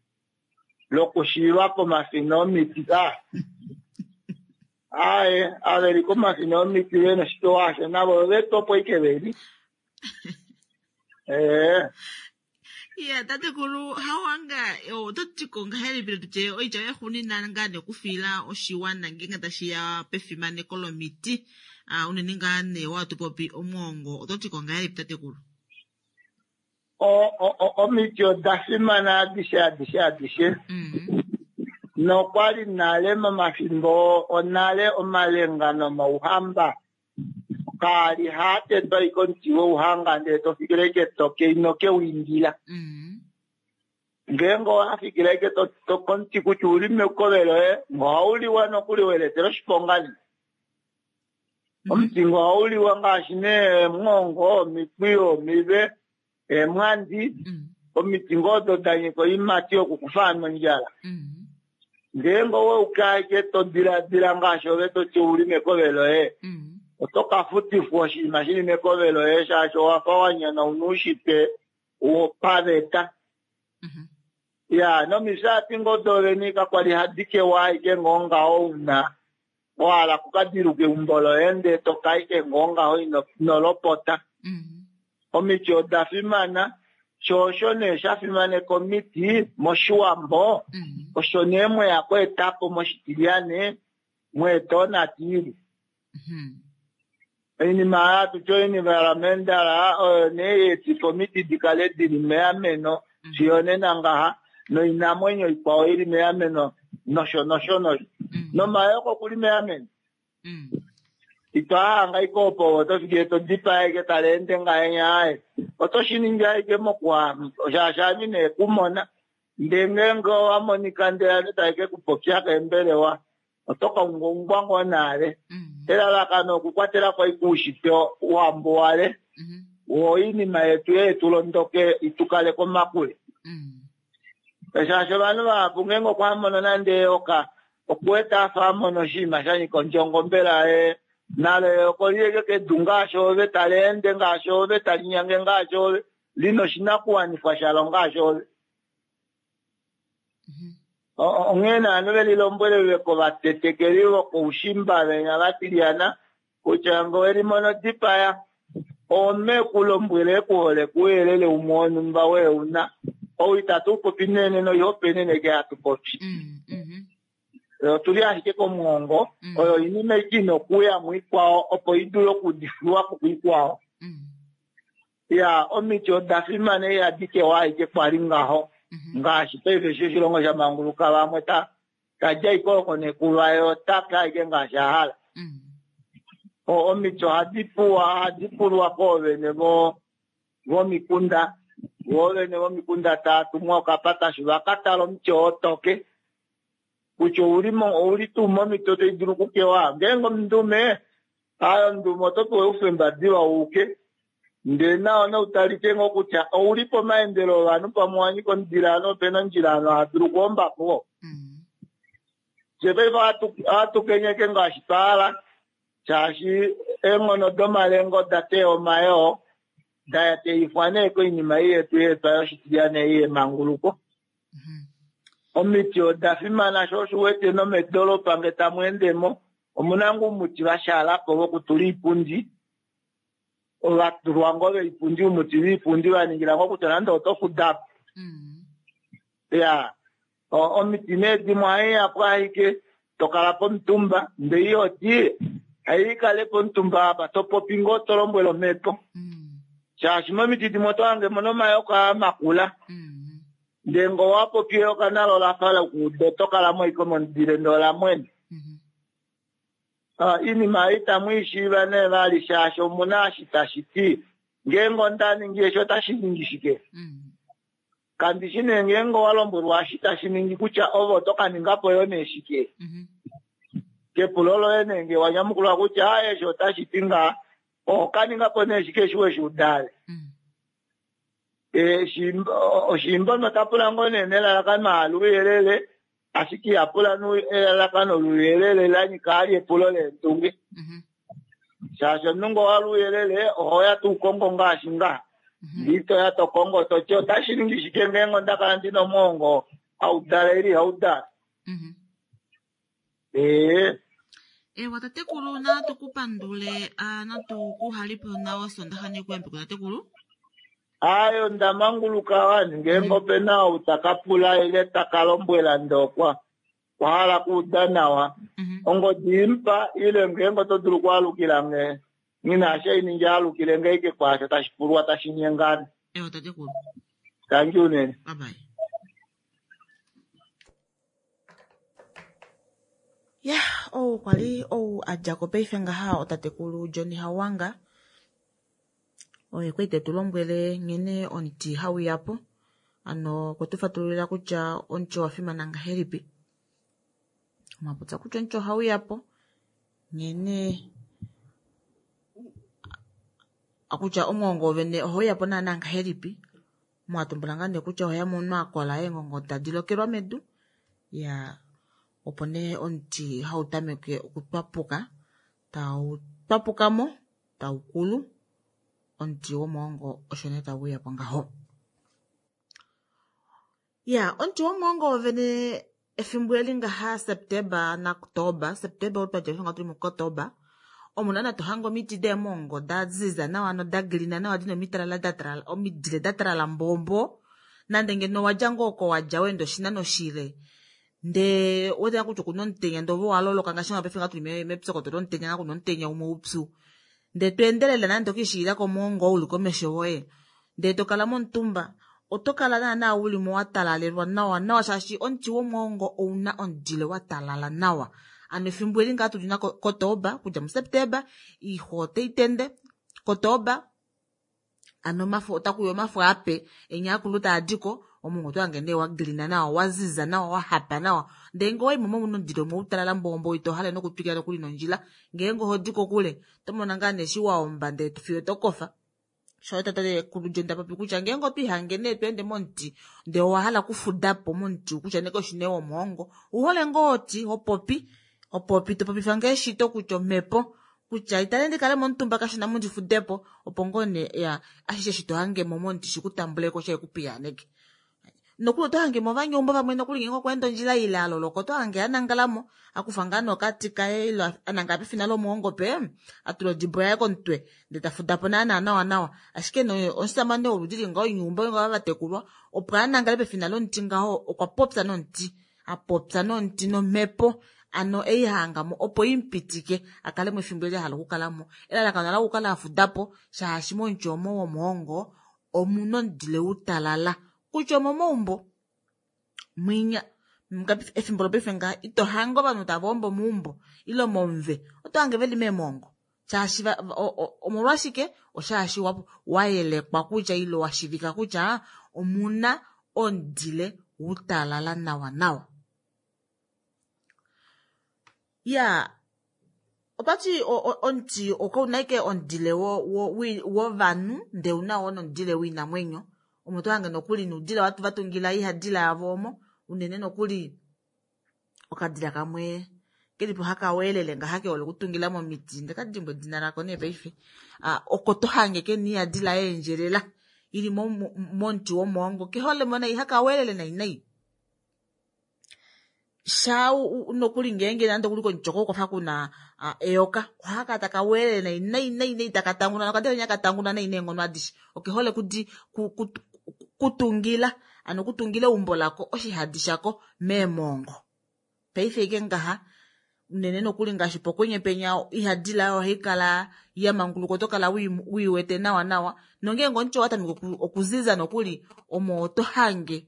lokushiiva pomafina omiti. Aaye, aveli komafina omiti vena oshito asho navo ovetopo ashike veli. Ee. Ya, tatekulu, hawanga oto ti ko ngahelipi tutye oitya yaxuuninwa ngaa nekufiila oshiwana ngeenge tashiya pefimaneko lomiti, unene ngaa nee watupopi omwoongo, oto ti ko ngahelipi tatekulu? Omiti oda fimana adishe adishe adishe. Nokwali nale momafimbo onale omalenga nomauhamba kaali haatetwa ashike omuti wouhanga ndele tofikile ashike toke ino kewindila. Ngeenge owafikile ashike komuti kutya uli mekove loye, ohauliwa nokuli weletela oshiponga nee. Omuti ngo ohauliwa ngaashi nee omwoongo, omikwiyu, omive, eemwandi, omiti ngoo odo da nyika oiimati yokukufa ovanhu ondjala. Ngeenge oweuka ashike to diladila ngaashi ove toti ouli mekove loye, oto ka futifwa oshinima shili mekove loye shaashi owafa wanyana oushitwe wopaveta. Ya, nomifyaati ngoo dovene kakwali hadi kewa ashike ngoo ngaho una wahala kukadiluka eumbo loye ndee toka ashike ngoo ngaho ino lopota. Omiti oda fimana, sho osho nee sha fimaneka omiti moshiwambo, osho nee mweya kweetapo moshitilyane mweeta onatiili. Oinima hatuti oenvironmental oyo nee yeetifa omiti dikale dili meameno fiyo nena ngaha, noinamwenyo ikwao ili meameno nosho nosho nosho. Nomayoko okuli meameno. Itwahanga ashike opo oto fikile to dipaya ashike tali ende ngahenya aaye. Oto shiningi ashike mokuha shaashi ame ine kumona. Ndee ngeenge owa monika ndele ovanhu tave ke kupopya keembelewa, oto ka ungaungwa ngoo nale. Elalakano okukwatela ko ashike oushitwe wambuwale, wo oinima yetu yetulondoke itukale komakule. Shaashi ovanhu vahapu ngeenge okwa mono nande eyoka, okuwete afa amona oshinima sha nyika ondjongo mbela ye nalo eyoka olili ashike kedu ngaashi ove, tali ende ngaashi ove, tali nyange ngaashi ove, lina oshinakuwanifwa shalo ngaashi ove. Onghee nee ovanhu velilombwele kovatetekeli vokoushimba venya vatilyana kutya ngee owelimono dipaya, ome kulombwele ekuhole kuuyelele umwe wonhumba weuna. Ou itatu popi nene noihopaenene ke hatu popi. Otuli ashike komwoongo, oyo oinima ashike ina okuuya muikwao opo idule okudifiwa po kuikwao. Ya, omiti oda fimana ihadi kewa ashike kwali ngaho. Ngaashi paife eshi oshilongo sha manguluka vamwe tadja ashike oko nekuva ye otaka ashike ngaashi a hala. Omiti ohadi puwa, ohadi pulwa koovene vomikunda, voovene vomikunda tava tumwa okapatashu vaka tale omuti oo toke kutya ouli tuu momiti tai dulu okukewa. Ngeenge omundume Ayo ndumo oto pewa oufemba diva uke ndee nawa noutalike ngoo kutya ouli pomaendelo ovanhu pamwe wanyika omudilano opena ondjila hadulu okuombapo. Fye paife ohatu kenyeke ngaashi twahala shaashi eenghono domalenga oda teya omayoo da teyifwa nee koinima ei yetu yeetwa yoshitilyane ei yemanguluko. Omiti oda fimana sho osho uwete nomedoolopa nge tamu endemo omuna ngoo oumuti vashaalapo vokutula iipundi ovatulwa ngoo veipundi oumuti viipundi vaningila ngoo kutya nande oto fudapo. Ya omiti nee dimwe ohaiyapo ashike tokala pomutumba ndee ihoti haikale pomutumba apa topopi ngoo tolombwele omhepo shaashi momiti dimwe oto hange muna omayoka makula ndee ngee owapopi eyoka nalo olafa lokuuda oto kalamo ashike momudile ndee olamwene. Iinima ei itamu ishiiva nee vali shaashi omuna eshi tashi ti ngeenge onda ningi eshi otashi ningi shike. Kandishi nee ngeenge owalombwelwa eshi tashi ningi kutya ove oto kaningapo yoo nee shike. Kepulo loye nee ngee wanyamukulwa kutya aaye eshi otashi ti ngaha oho kaningapo nee shike eshi weshiuda ale. Oshiimba otapula ngoo nee nelalakano ahala ouyelele ashike ihapula elalakano louyelele lanyika ali epulo leendunge. Shaashi omunhu ngee owahala ouyelele ohoya tuukongo ngaashi ngaha ndee itoya tokongo toti otashi ningi shike ngeenge ondakala ndina omwoongo haudala ile ihaudala. Ee Ewa tatekulu natu kupandule natu kuhalipe nawa osondaxa nekuyambeko tatekulu. Ayo ndamanguluka wani ngeenge opena ou takapula ile takalombwela ndee okwa wahala okuuda nawa ongodi imupa ile ngeenge oto dulu okwaalukila nge nghina shainingi alukile nge ashike kwaasho tashi pulwa tashi nyengana. Ewa tatekulu. Tangi unene. Bye bye. Ya, ou kwali ou adjako paife ngaha otatekulu Johnny Hawanga oye kwali tetu lombwele nghene omuti hauyapo ano okwe tufatululila kutya omuti owafimana ngahelipi. Omwapopya kutya omuti ohauyapo nghene kutya omwoongo wovene ohauyapo naana ngahelipi mwatumbula ngaa nee kutya oheya omunhu akola eengongo tadi lokelwa medu ya opo nee omuti hautameke okutwapuka tau twapukamo taukulu omuti womwoongo osho nee tauuyapo ngaho. Ya omuti womwoongo wovene efimbo eli ngaha September naOctober, September otwadja paife tuli muOctober omo naana tohange omiti deemwoongo daziza nawa noda green nawa dina omitalala datalala omidile datalala mbombo nande ngeno owadja ngoo oko wadja waenda oshinano shile ndee ouwete kutya okuna omutenya ndee ove owaloloka ngaashi paife ngaha tuli mepyokoto lomutenya nga kuna omutenya umwe upyu ndee toendelele nande okwiishilila komwoongo oo uli komesho woye ndee tokala momutumba oto kala naana ulimo watalalelwa nawa nawa shaashi omuti womwoongo ouna omudile watalala nawa. Ano efimbo eli ngaha tuli kotoba okudja muSeptember oixwa otaitende kotoba ano omafo otakuuya omafo ape enya akulu taadiko omwoongo otohange nee wagreen nawa waziza nawa wahapa nawa ndee ngee owaimo muna omudile umwe utalala mbombo ito hale nokutwikila nokuli nondjila ngeenge ohodi kokule otomona ngaa nee eshi waomba ndee fiyo tokofa. Sho tatekulu John tapopi kutya ngeenge otwiihange nee tweende momuti ndee owahala okufudapo momuti kutya nee kaushi nee womwoongo ouhole ngoo oti hopopi hopopi topopifa ngoo eshito kutya omhepo kutya itale ndikale momutumba kashona mundifudepo opo ngoo nee ya ashishe eshi tohangemo momuti shikutambuleko shihekupiyaaneke. Nokuli oto hangemo ovanyeumbo vamwe nokuli ngeenge okwaenda ondjila ile aloloka oto hange anangalamo akufa ngaa nee okati kaye ile anangala pefina lomwoongo pe atula odibo yaye komutwe ndee tafudapo naana nawa nawa ashike nee omushamane woludi li ngaho oinyeumbo ngaho vatekulwa opo anangale pefina lomuti ngaho okwa popya nomuti apopya nomuti nomhepo ano eihangamo opo imupitike akalemo efimbo eli ahala okukalamo elalakano ola okukala afudapo shaashi momuti omo womwoongo omuna omudile utalala kutya omomaumbo mwinya efimbo lopaife ngaha ito hange ovanhu tava ombo meumbo ile momuve oto hange veli meemwoongo shaashi omolwashike oshaashi wayelekwa kutya ile washivika kutya omuna omudile utalala nawa nawa. Ya Otwati omuti okauna ashike omudile wovanhu ndee ouna yoo nomudile woinamwenyo. Omo tohange nokuli noudila vatungila oihadila yavo omo unene nokuli okadila kamwe kelipo haka weelele ngaha kehole okutungila momiti ndekadimbwa edina lako nee paife. Oko tohange kena oihadila yaendjelela ili momuti womwoongo keholemo nai haka weelele nai nai. Sha nokuli ngeenge nande okuli komuti oko kwafa kuna eyoka ohakakala taka weelele nai nai nai nai taka tanguna nokadila kenya katanguna nai neenghono adishe. Okehole kutungila ano okutungila eumbo lako oshihadi shako meemongo. Paife ashike ngaha unene nokuli ngaashi pokwenye penya oihadila ohaikala yamanguluka oto kala wiiwete nawa nawa nongeenge omuti owatameke okuziza nokuli omo oto hange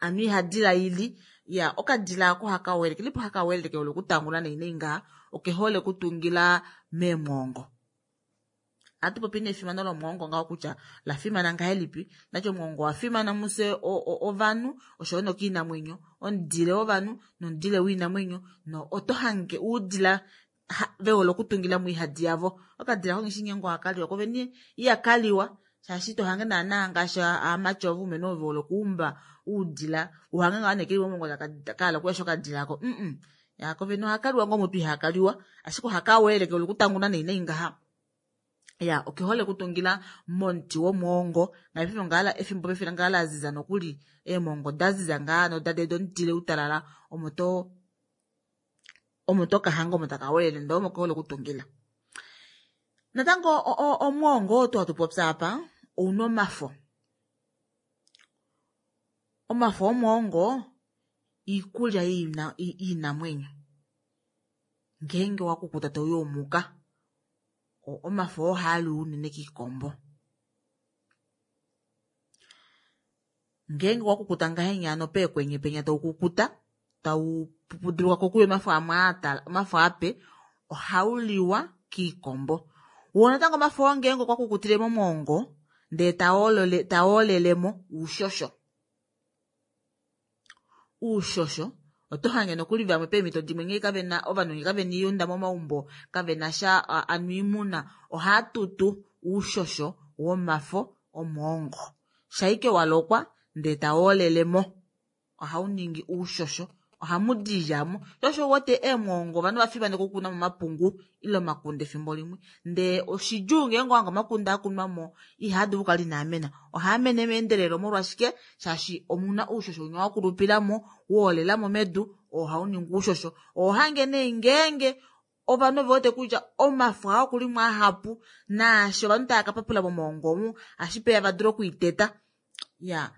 ano oihadila ili ya okadila ako haka weelele kelipo haka weelele kehole okutanguna nai nai ngaha okehole okutungila meemwongo. Ohatu popi nee efimano lomwoongo ngaho kutya lafimana ngahelipi nati omwoongo owafimana mufye ovanhu oshoyo nokiinamwenyo omudile wovanhu nomudile woinamwenyo no oto hange oudila vehole okutungila moihadi yavo. Okadila ko ngeshi ngeenge ohakaliwa kovene ihakaliwa shaashi tohange naana ngaashi aamati ovo unene ovo vehole okuumba oudila uhange ngaa nee keli momwoongo kahala okuyasha okadila ako mm ya kovene ohakaliwa ngoo mutu ihakaliwa ashike ohakaweelele kehole okutanguna nai nai ngaha. Ya okehole okutungila momuti womwoongo ngaashi ngala efimbo pefimbo ngaa laziza nokuli eemongo daziza ngaa nodade omudile utalala omo to omo tokahanga omo taka weelele ndee omo kehole okutungila. Natango omwoongo oo hatu popi apa ouna omafo. Omafo omwoongo iikulya yoinamwenyo ngeenge wakukuta tauyomuka omafo oo ohaaliwa unene kiikombo. Ngeenge wakukuta ngahenya hano peekwenye penya taukukuta taupupuduluka kokuya omafo amwe omafo ape ohauliwa kiikombo. Woo natango omafo oo ngeenge okwa kukutile momwoongo ndee tawoolelemo oushosho. Oushosho oto hange nokuli vamwe peemhito dimwe ngee kavena ovanhu ngee kavena oiyunda momaumbo kavena sha anu oimuna ohaatutu oushosho womafo omwoongo. Shaike walokwa ndee tawoolelemo ohauningi oushosho ohamudi oidja omo. Sho osho uwete eemwoongo ovanhu ovafimaneka okukunamo omapungu ile omakunde efimbo limwe ndee oshidjuu ngeenge owahange omakunde akunwamo ihaadulu okukala inaamena ohaamene meendelelo molwashike shaashi omuna oushosho winya wakulupilamo woolelamo medu oo ohauningi oushosho. Ohohange nee ngeenge ovanhu ovewete kutya omafo aa okulimo ahapu naashi ovanhu tava kapapula momwoongo omu ohashi vadule okwiiteta ya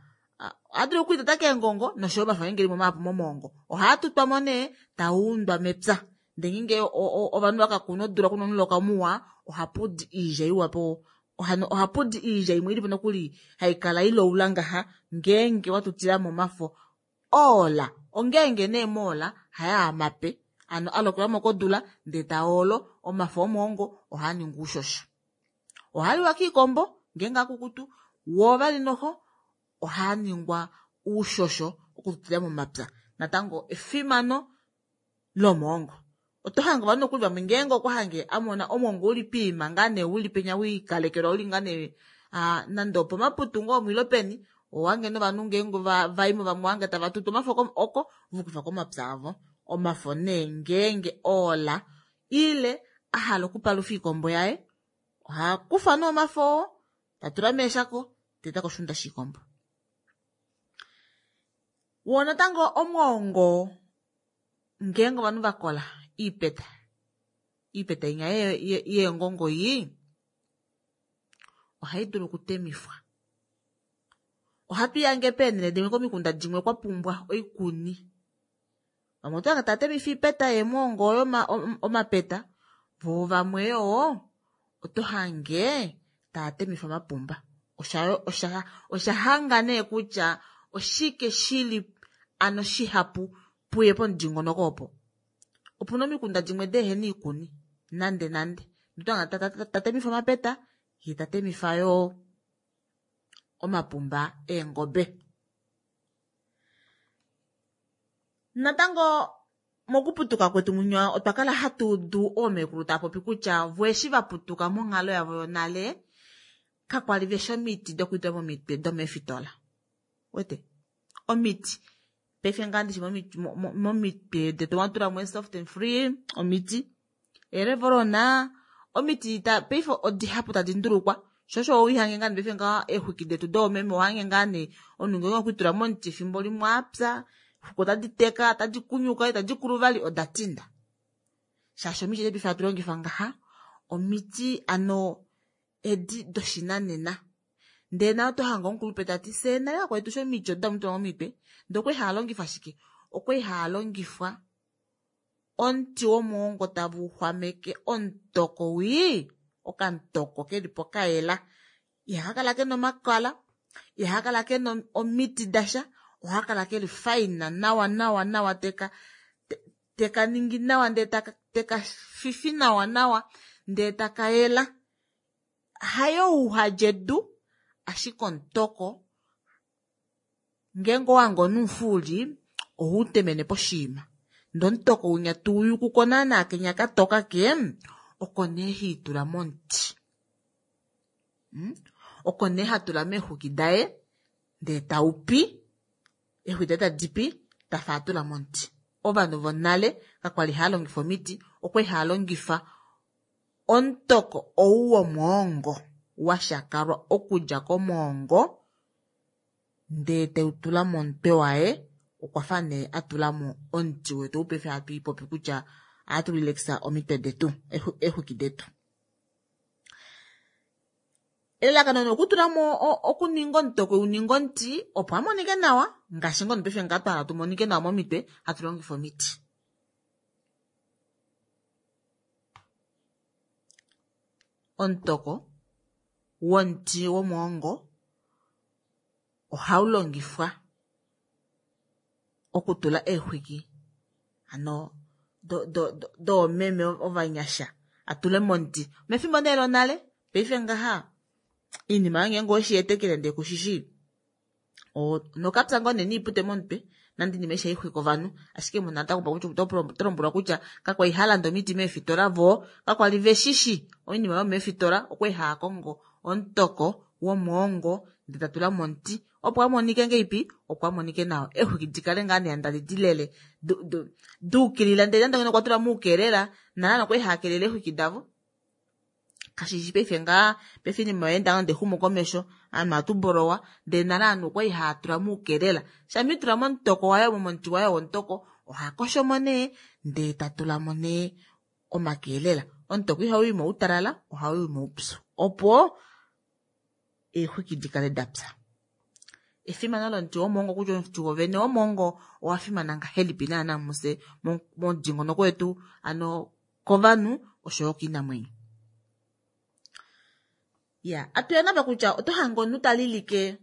ohadulu okwiiteta keengongo noshoyo omafo ngeenge elimo mahapu momwoongo ohaatutwamo nee tauundwa mepya ndee ngeenge ovanhu vakakuna odula kuna omuloka muwa ohapudi oidja iwa po ohapudi oidja imwe ilipo nokuli haikala iloula ngaha ngeenge watutilamo omafo oola ongeenge nee moola hayaa mape ano alokelwamo kodula ndee taolo omafo omwoongo ohaaningi oushosho. Ohaliwa kiikombo ngeenge akukutu woo vali noxo ohaaningwa oushosho okututila momapya. Natango efimano lomwoongo oto hange ovanhu nokuli vamwe ngeenge okwa hange amona omwoongo uli poima ngaa nee uli penya wiikalekelwa uli ngaa nee nande opomaputu ngoo omwilo peni owange novanhu ngeenge vaimo vamwe owange tava tutu omafo oko vokufa komapya avo. Omafo nee ngeenge oola ile ahala okupalufa oikombo yaye ohakufa nee omafo oo tatula meeshako teta koshiunda shiikombo. Woo natango omwoongo ngeenge ovanhu vakola iipeta iipeta inya yeengongo iyi ohaidulu okutemifwa. Ohatu ihange peenele dimwe komikunda dimwe kwapumbwa oikuni vamwe otohange taatemifa oipeta yeemwoongo oyo omapeta voo vamwe yoo oto hange taatemifa omapumba. Osha oshahanga nee kutya oshike shili ano shihapu puye pomudingonoko opo. Opuna omikunda dimwe deehena oikuni nande nande otohange tatemifa omapeta yee tatemifa yoo omapumba eengobe. Natango Mokuputuka kwetu munywa otwa kala hatu udu oomekulu tava popi kutya vo eshi vaputuka monghalo yavo yonale kakwali veshi omiti dokutula momitwe domeefitola. Wete omiti paife ngaa ndishi momitwe detu mwatulamo soft and free omiti erevorona omiti paife odihapu tadi ndulukwa shosho oihange ngaa paife ngaa eexwiki detu doomeme ohange ngaa nee omunhu ngenge okwitula momuti efimbo limwe apya xuku otadi teka tadi kunyuka tadi kulu vali oda tinda shaashi omiti paife hatu longifa ngaha omiti ano edi doshinanena ndee nayo tohanga omukulupe tati fye nale kakwetu sho omiti odo tamutula momitwe ndee okwali haalongifwa shike okwali haalongifwa omuti womwoongo tava xwameke omutoko wii okamutoko kelipo kayela ihakakala kena omakala ihakakala kena omiti dasha ohakakala keli faina nawa nawa nawa teka teka ningi nawa ndee teka fifi nawa nawa ndee takayela hayo uhalya edu ashike omutoko ngeenge owange omunhu ohautemene poshiima ndee omutoko winya tuuyukuko naana kenya katoka ke oko nee haitula momuti oko nee hatula meexwiki daye ndee taupi eexwiki daye tadipi tafa atula momuti. Ovanhu vonale kakwali haalongifa omiti okwali haalongifa omutoko ou womwoongo washakalwa okudja komwoongo ndee teutula momutwe waye okwafa nee atulamo omuti wetu ou paife hatu ipopi kutya ohatu relaxa omitwe detu eexwiki detu. Elalakano nokutulamo okuninga omutoko uninga omuti opo amonike nawa ngaashi ngono paife ngaa twahala tumonike nawa momitwe hatu longifa omiti. Omutoko womuti womwoongo ohaulongifwa okutula eexwiki ano doomeme ovanyasha atule momuti mefimbo nee lonale paife ngaha iinima ngeenge oweshiyetekele ndee kushishi nokapya ngoo nee noipute momutwe nande iinima aishe haixwike ovanhu ashike munhu otalombwelwa kutya kakwali halanda omiti meefitola voo kakwali veshishi oinima yomeefitola okwali haakongo omutoko womwoongo ndee tatula momuti opo amonike ngeipi opo amonike nawa eexwiki dikale ngaa nee tadi dilele duukilila ndee nande okwa tula muukelela nale okwali haakelele eexwiki davo kashishi paife ngaa paife iinima oyaenda nande exumo komesho ovanhu ohatu bolowa ndee nale ovanhu okwali haatula muukelela shamha itula momutoko waye momuti waye womutoko ohakoshomo nee ndee tatulamo nee omakelela. Omutoko ihauyi moutalala ohauyi moupyu opo eexwiki dikale dapya. Efimano lomuti womwoongo kutya omuti wovene womwoongo owafimana ngahelipi naana mufye momudingonoko wetu ano kovanhu oshoyo koinamwenyo. Ya atuya napa kutya oto hange omunhu talilike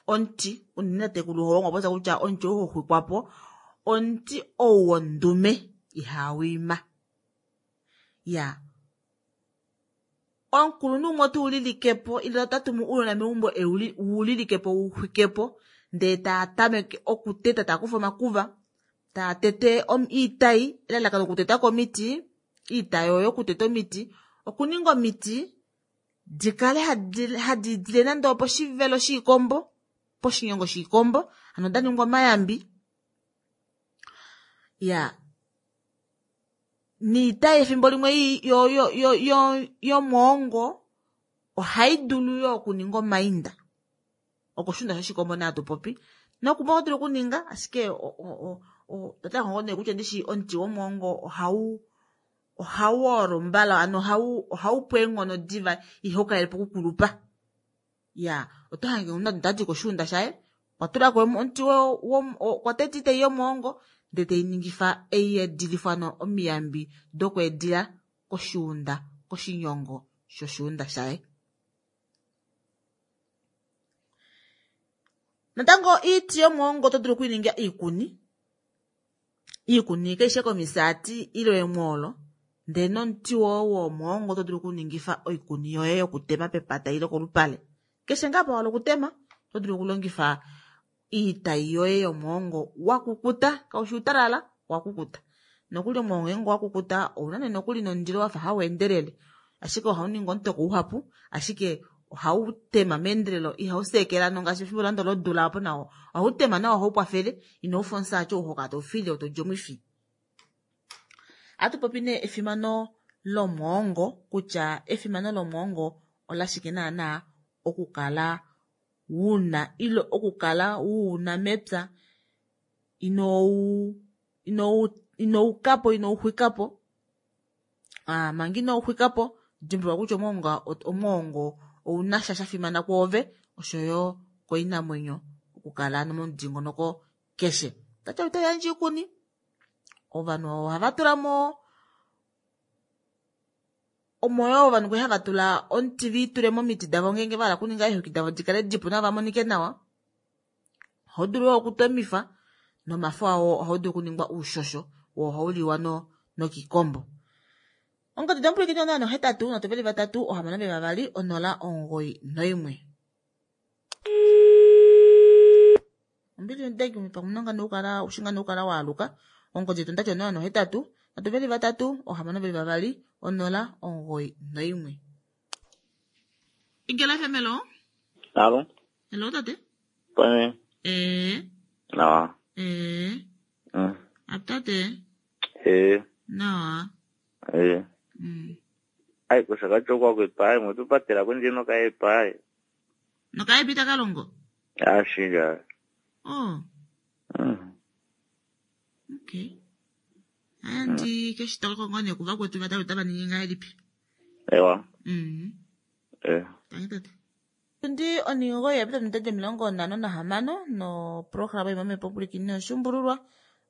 omuti unene tatekulu holongo popya kutya omuti ou hoxwikwapo omuti ou wondume ihawiima. Ya omukulunhu umwe otuulilikepo ile otatumu ounona meumbo wuulilikepo wuxwikepo ndee taatameke okuteta taakufa omakuva taatete oitai elalakano okutetako omiti iitai oyo okuteta omiti okuninga omiti dikale hadi dile nande oposhivelo shiikombo poshinyongo shiikombo hano daningwa omayambi ya niitai efimbo limwe yomwoongo ohaidulu yoo okuninga omainda okoshuunda shoshikombo nee hatupopi nokumwe oto dulu okuninga ashike otaxongo nee kutya ndishi omuti womwoongo ohau ohauolo mbala ano ohaupu eenghono diva ihaukalelepo okukulupa. Ya oto hange omunhu tadi koshuunda shaye okwatulako omuti okwa teta oitai yomwoongo ndee teiningifa eiedilifwa ano omiyambi dokweedila koshuunda koshinyongo shoshuunda shaye. Natango oiti yomwoongo oto dulu okuininga oikuni iikuni kaishi komisaati ile emwoolo ndee nomuti woo womwoongo oto dulu okuningifa oikuni yoye yokutema pepata ile kolupale keshe ngaa apa wahala okutema oto dulu okulongifa iitai yoye yomwoongo wakukuta kaushi utalala Owakukuta nokuli omwoongo ngeenge owakukuta ouna nee nokuli nomundilo wafa haweendelele ashike ohauningi omutoko uhapu ashike ohautema meendelelo ihauseekela ngaashi efimbo nande lodula opo nawo ohautema nawa ohaukwafele inaufa omufyaati ou hokala taufile todi omwifi. Ohatupopi nee efimano lomwoongo kutya efimano lomwoongo olashike naana okukala una ile okukala uuna mepya ino ino inoukapo inouxwikapo aa manga inouxwikapo dimbuluka kutya omwoongo omwoongo ounasha shafimana kwoove oshoyo koinamwenyo okukala momudingonoko keshe. Tati otayandje oikuni ovanhu ohava tulamo omo yoo ovanhu kwali hava tula omuti viitule momiti davo ngeenge vahala okuninga eexwiki davo dikale dipu nawa vamonike nawa. Ohaudulu yoo okutomifa nomafo awo ohaudulu okuningwa oushosho woo ohauliwa nokiikombo. Ongodi domupwilikini onola nohetatu nhatu veli vatatu ohamano veli vavali onola omugoyi noimwe. Ombili denge pamwe nokala ushinga nokala waaluka ongodi yetu ondati onola nohetatu nhatu veli vatatu ohamano veli vavali onola omugoyi noimwe. Igela F M hello. Alo. Hello tate. Pame. Eh. Nawa. Eh. Mm. Atate. Eh. Nawa. Eh. Mm. Ai kusaka chokwa kwepai mutupatira kunje nokaepai. Nokaepita kalongo. Ashinga. Oh. Mm. Okay. Andi keshitoloko ngone kuva kwetu vatatu tavaningi ngahelipi. Ewa. Mm. Eh. Tangi tate. Tundi oningo yapita omitete omilongo nhano nahamano noprograma imwe mepopulikini oshumbululwa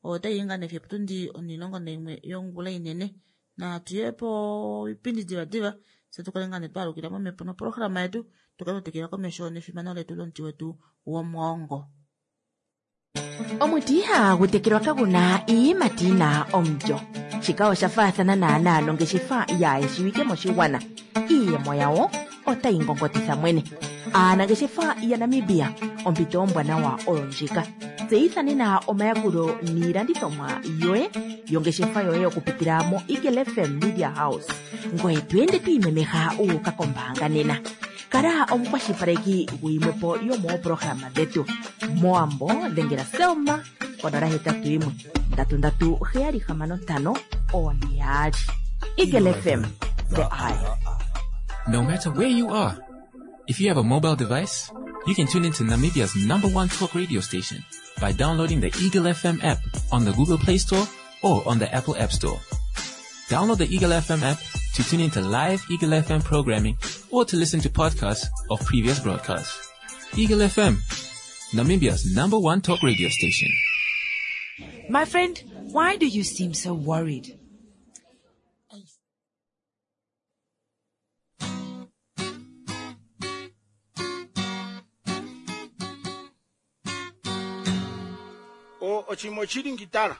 otayi nga fiyo oputundi onilongo naimwe yongula inene natuyepo oipindi diva diva fye tukale nga nee twalukila momhepo noprograma yetu tukale twatekela komesho nefimano letu lomuti wetu womwoongo. Omuti ihagu tekelwa kaguna iiyimati yina omulyo. Shika osha faathana naanaa nongeshefa yaayeshiwike moshigwana. Iiyemo yawo otayi ngongotitha mwene. Aanangeshefa yaNamibia ompito ombwanawa oyo ndjika. Tseyitha nena omayakulo niilandithomwa yoye yongeshefa yoye okupitila mo Eagle F M Media House. Ngoye to ende to imemeha wu uka kombaanga nena. Kala omukwashilipaleki guyimwepo yomooprograma dhetu. Moambo dhengela Selma konola hetatu yimwe ndatu ndatu heyali hamano ntano one yaali. Eagle F M, the eye. No matter where you are, if you have a mobile device, you can tune into Namibia's number one talk radio station by downloading the Eagle F M app on the Google Play Store or on the Apple App Store. Download the Eagle F M app to tune into live Eagle F M programming or to listen to podcasts of previous broadcasts. Eagle F M, Namibia's number one talk radio station. My friend, why do you seem so worried? O ochimo chilingitala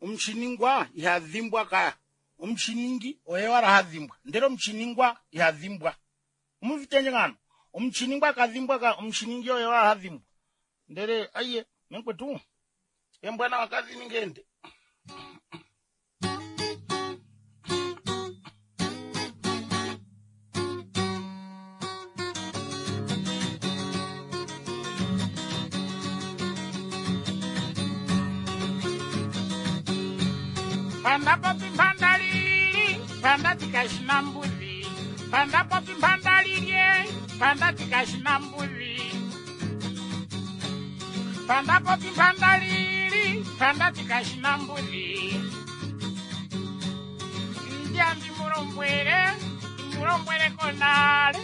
omuchiningwa ihadhimbwa kaya omuchiningi oye wala hadhimbwa ndele omuchiningwa ihadhimbwa omuvitenje ngano omuchiningwa kadhimbwa ka omuchiningi oye wala hadhimbwa ndele aiye menkwetu embwana wakazi ningende. Panda popi panda lili, panda tikashina mbuzi. Panda popi panda lilie, panda tikashina mbuzi. Panda popi panda lili, panda tikashina mbuzi. Ndiambi mulombwele, mulombwele konale,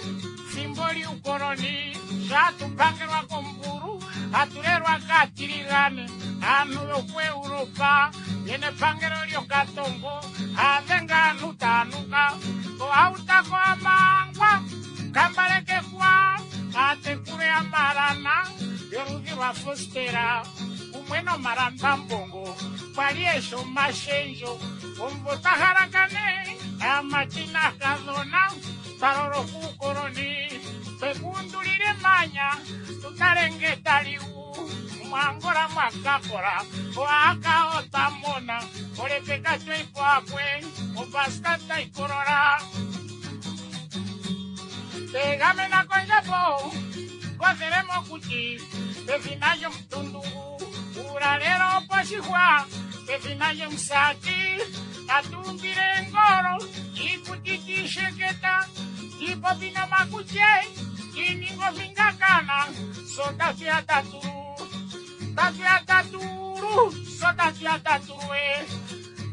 simboli ukoloni, shatupangelwa komburu, atulelwa katiligane, anu yoku Europa, yene pangelo lyokatongo, avenga anu tanuka, koautako amangwa, kambaleke kwa, atekule amalana, yoludhi lwa Fostera, umwe nomalamba mbongo, kwali esho mashenjo, omvo tahalakane, amatina kadhona, talolo kuukoloni, twekundulile manya, tutalenge taliu, Mwangola mwakakola oaka otamona olepeka tweipoakwe opaska taikolola tegamena kondjapo kothele mokuti pefina lyomutundungu uulalelo poshihwa pefina lyomusati tatumbile ngolo iikuti tiisheketa tiipopi nomakutye tiiningo fingakana so tatuya tatulu tatuya tatulu so tatuya tatulu e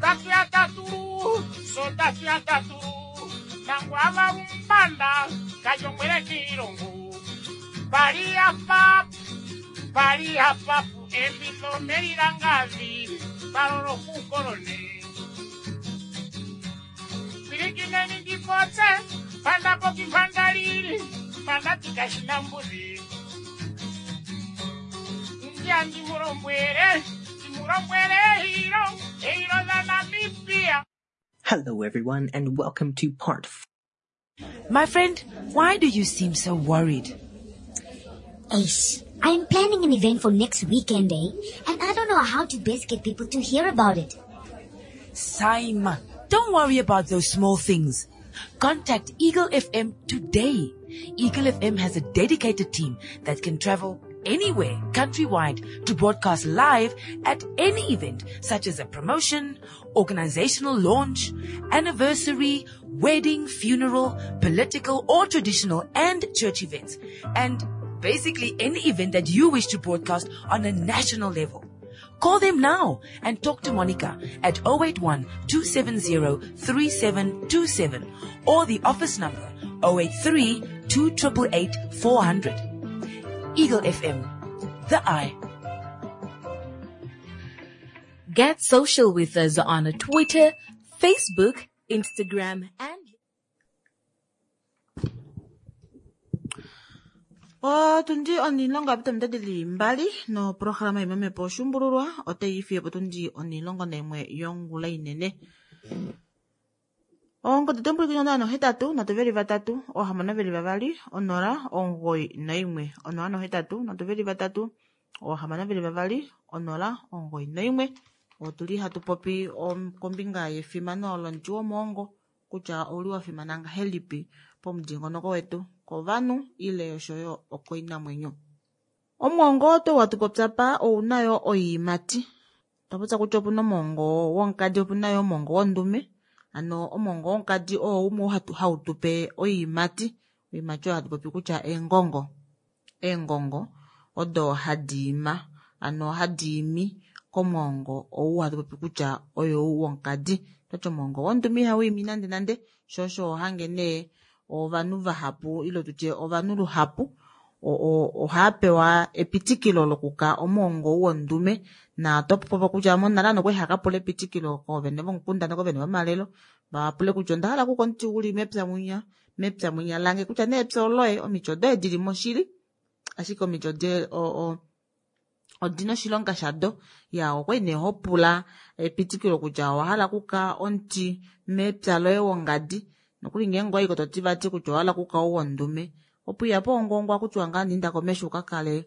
tatuya tatulu so tatuya tatulu nangwava umbanda kajongwele kiilongo pali apapu pali apapu embitho melilangavi palolo kukolone pilikineni ndipotse pandapoki pandalili pandati kashina mbuzi ndiya ndimulombwele ndimulombwele ehilo ehilo dha Namibia. Hello, everyone, and welcome to part four. My friend, why do you seem so worried? Ace, I'm planning an event for next weekend, eh? And I don't know how to best get people to hear about it. Saima, don't worry about those small things. Contact Eagle F M today. Eagle F M has a dedicated team that can travel anywhere countrywide to broadcast live at any event such as a promotion, organizational launch, anniversary, wedding, funeral, political or traditional and church events, and basically any event that you wish to broadcast on a national level. Call them now and talk to Monica at oh eight one, two seven zero, three seven two seven or the office number oh eight three, two triple eight, four hundred. Eagle F M, the eye. Get social with us on Twitter, Facebook, Instagram, and Otundi onilongo apita mitatu li mbali no programa imemepo oshumbululwa otayi fiye po tundi onilongo naimwe yongula inene. Oongodhi dhombulukino ntano hetatu nhatu veli vatatu oohamano veli vavali onola omugoyi naimwe onola nohetatu nhatu veli vatatu oohamano veli vavali onola omugoyi naimwe. Otuli hatu popi kombinga yefimano lomuti womwoongo kutya ouli wa fimana ngahelipi pomudingonoko wetu kovanhu ile oshoyo okoinamwenyo. Omwoongo oto watu popya pa ouna yo oiimati. Twapopya kutya opuna omwoongo womukadi, opuna yo omwoongo wondume. Ano omwoongo womukadi oo umwe hatu hautupe oiimati. Oiimati oyo hatu popi kutya eengongo. Eengongo odo hadi ima, ano hadi imi komwoongo ou hatu popi kutya oyo womukadi. Twati omwoongo wondume ihau imi nande nande, sho osho hange nee ovanhu vahapu ile tutye ovanhu luhapu ohava pewa epitikilo lokuka omwoongo wondume. Na topopo kutya monale ano kwali haka pula epitikilo koovene vomukunda nokovene vomalelo, vapule kutya onda hala kuka omuti uli mepya mwinya, mepya mwinya lange kutya nee epya oloye, omiti odoye dili moshili, ashike omiti ode odina oshilonga shado. Ya okwali nee ho pula epitikilo kutya owa hala kuka omuti mepya loye wongadi, nokuli ngeenge owayi ko toti vati kutya owa hala kuka ou wondume, opo iya po ongongwa kutya ngaa inda komesho uka kale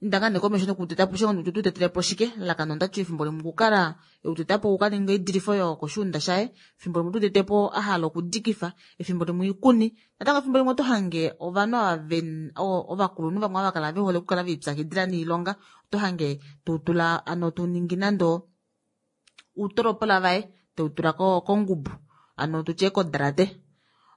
inda ngaa nee komesho nokuteta po shike, nokutu tetele po shike, lalakano ondati efimbo limwe okukala euteta po uka ninga oidilifo yokoshuunda shaye, efimbo limwe otutete po a hala okudikifa, efimbo limwe oikuni. Natango efimbo limwe oto hange ovanhu ava ven-, o-, ovakulunhu vamwe ava kala ve hole okukala ve ipyakidila noilonga, oto hange tutula ano tuningi nando uutolopola vaye teutula ko-, kongubu, ano tutye kodrate.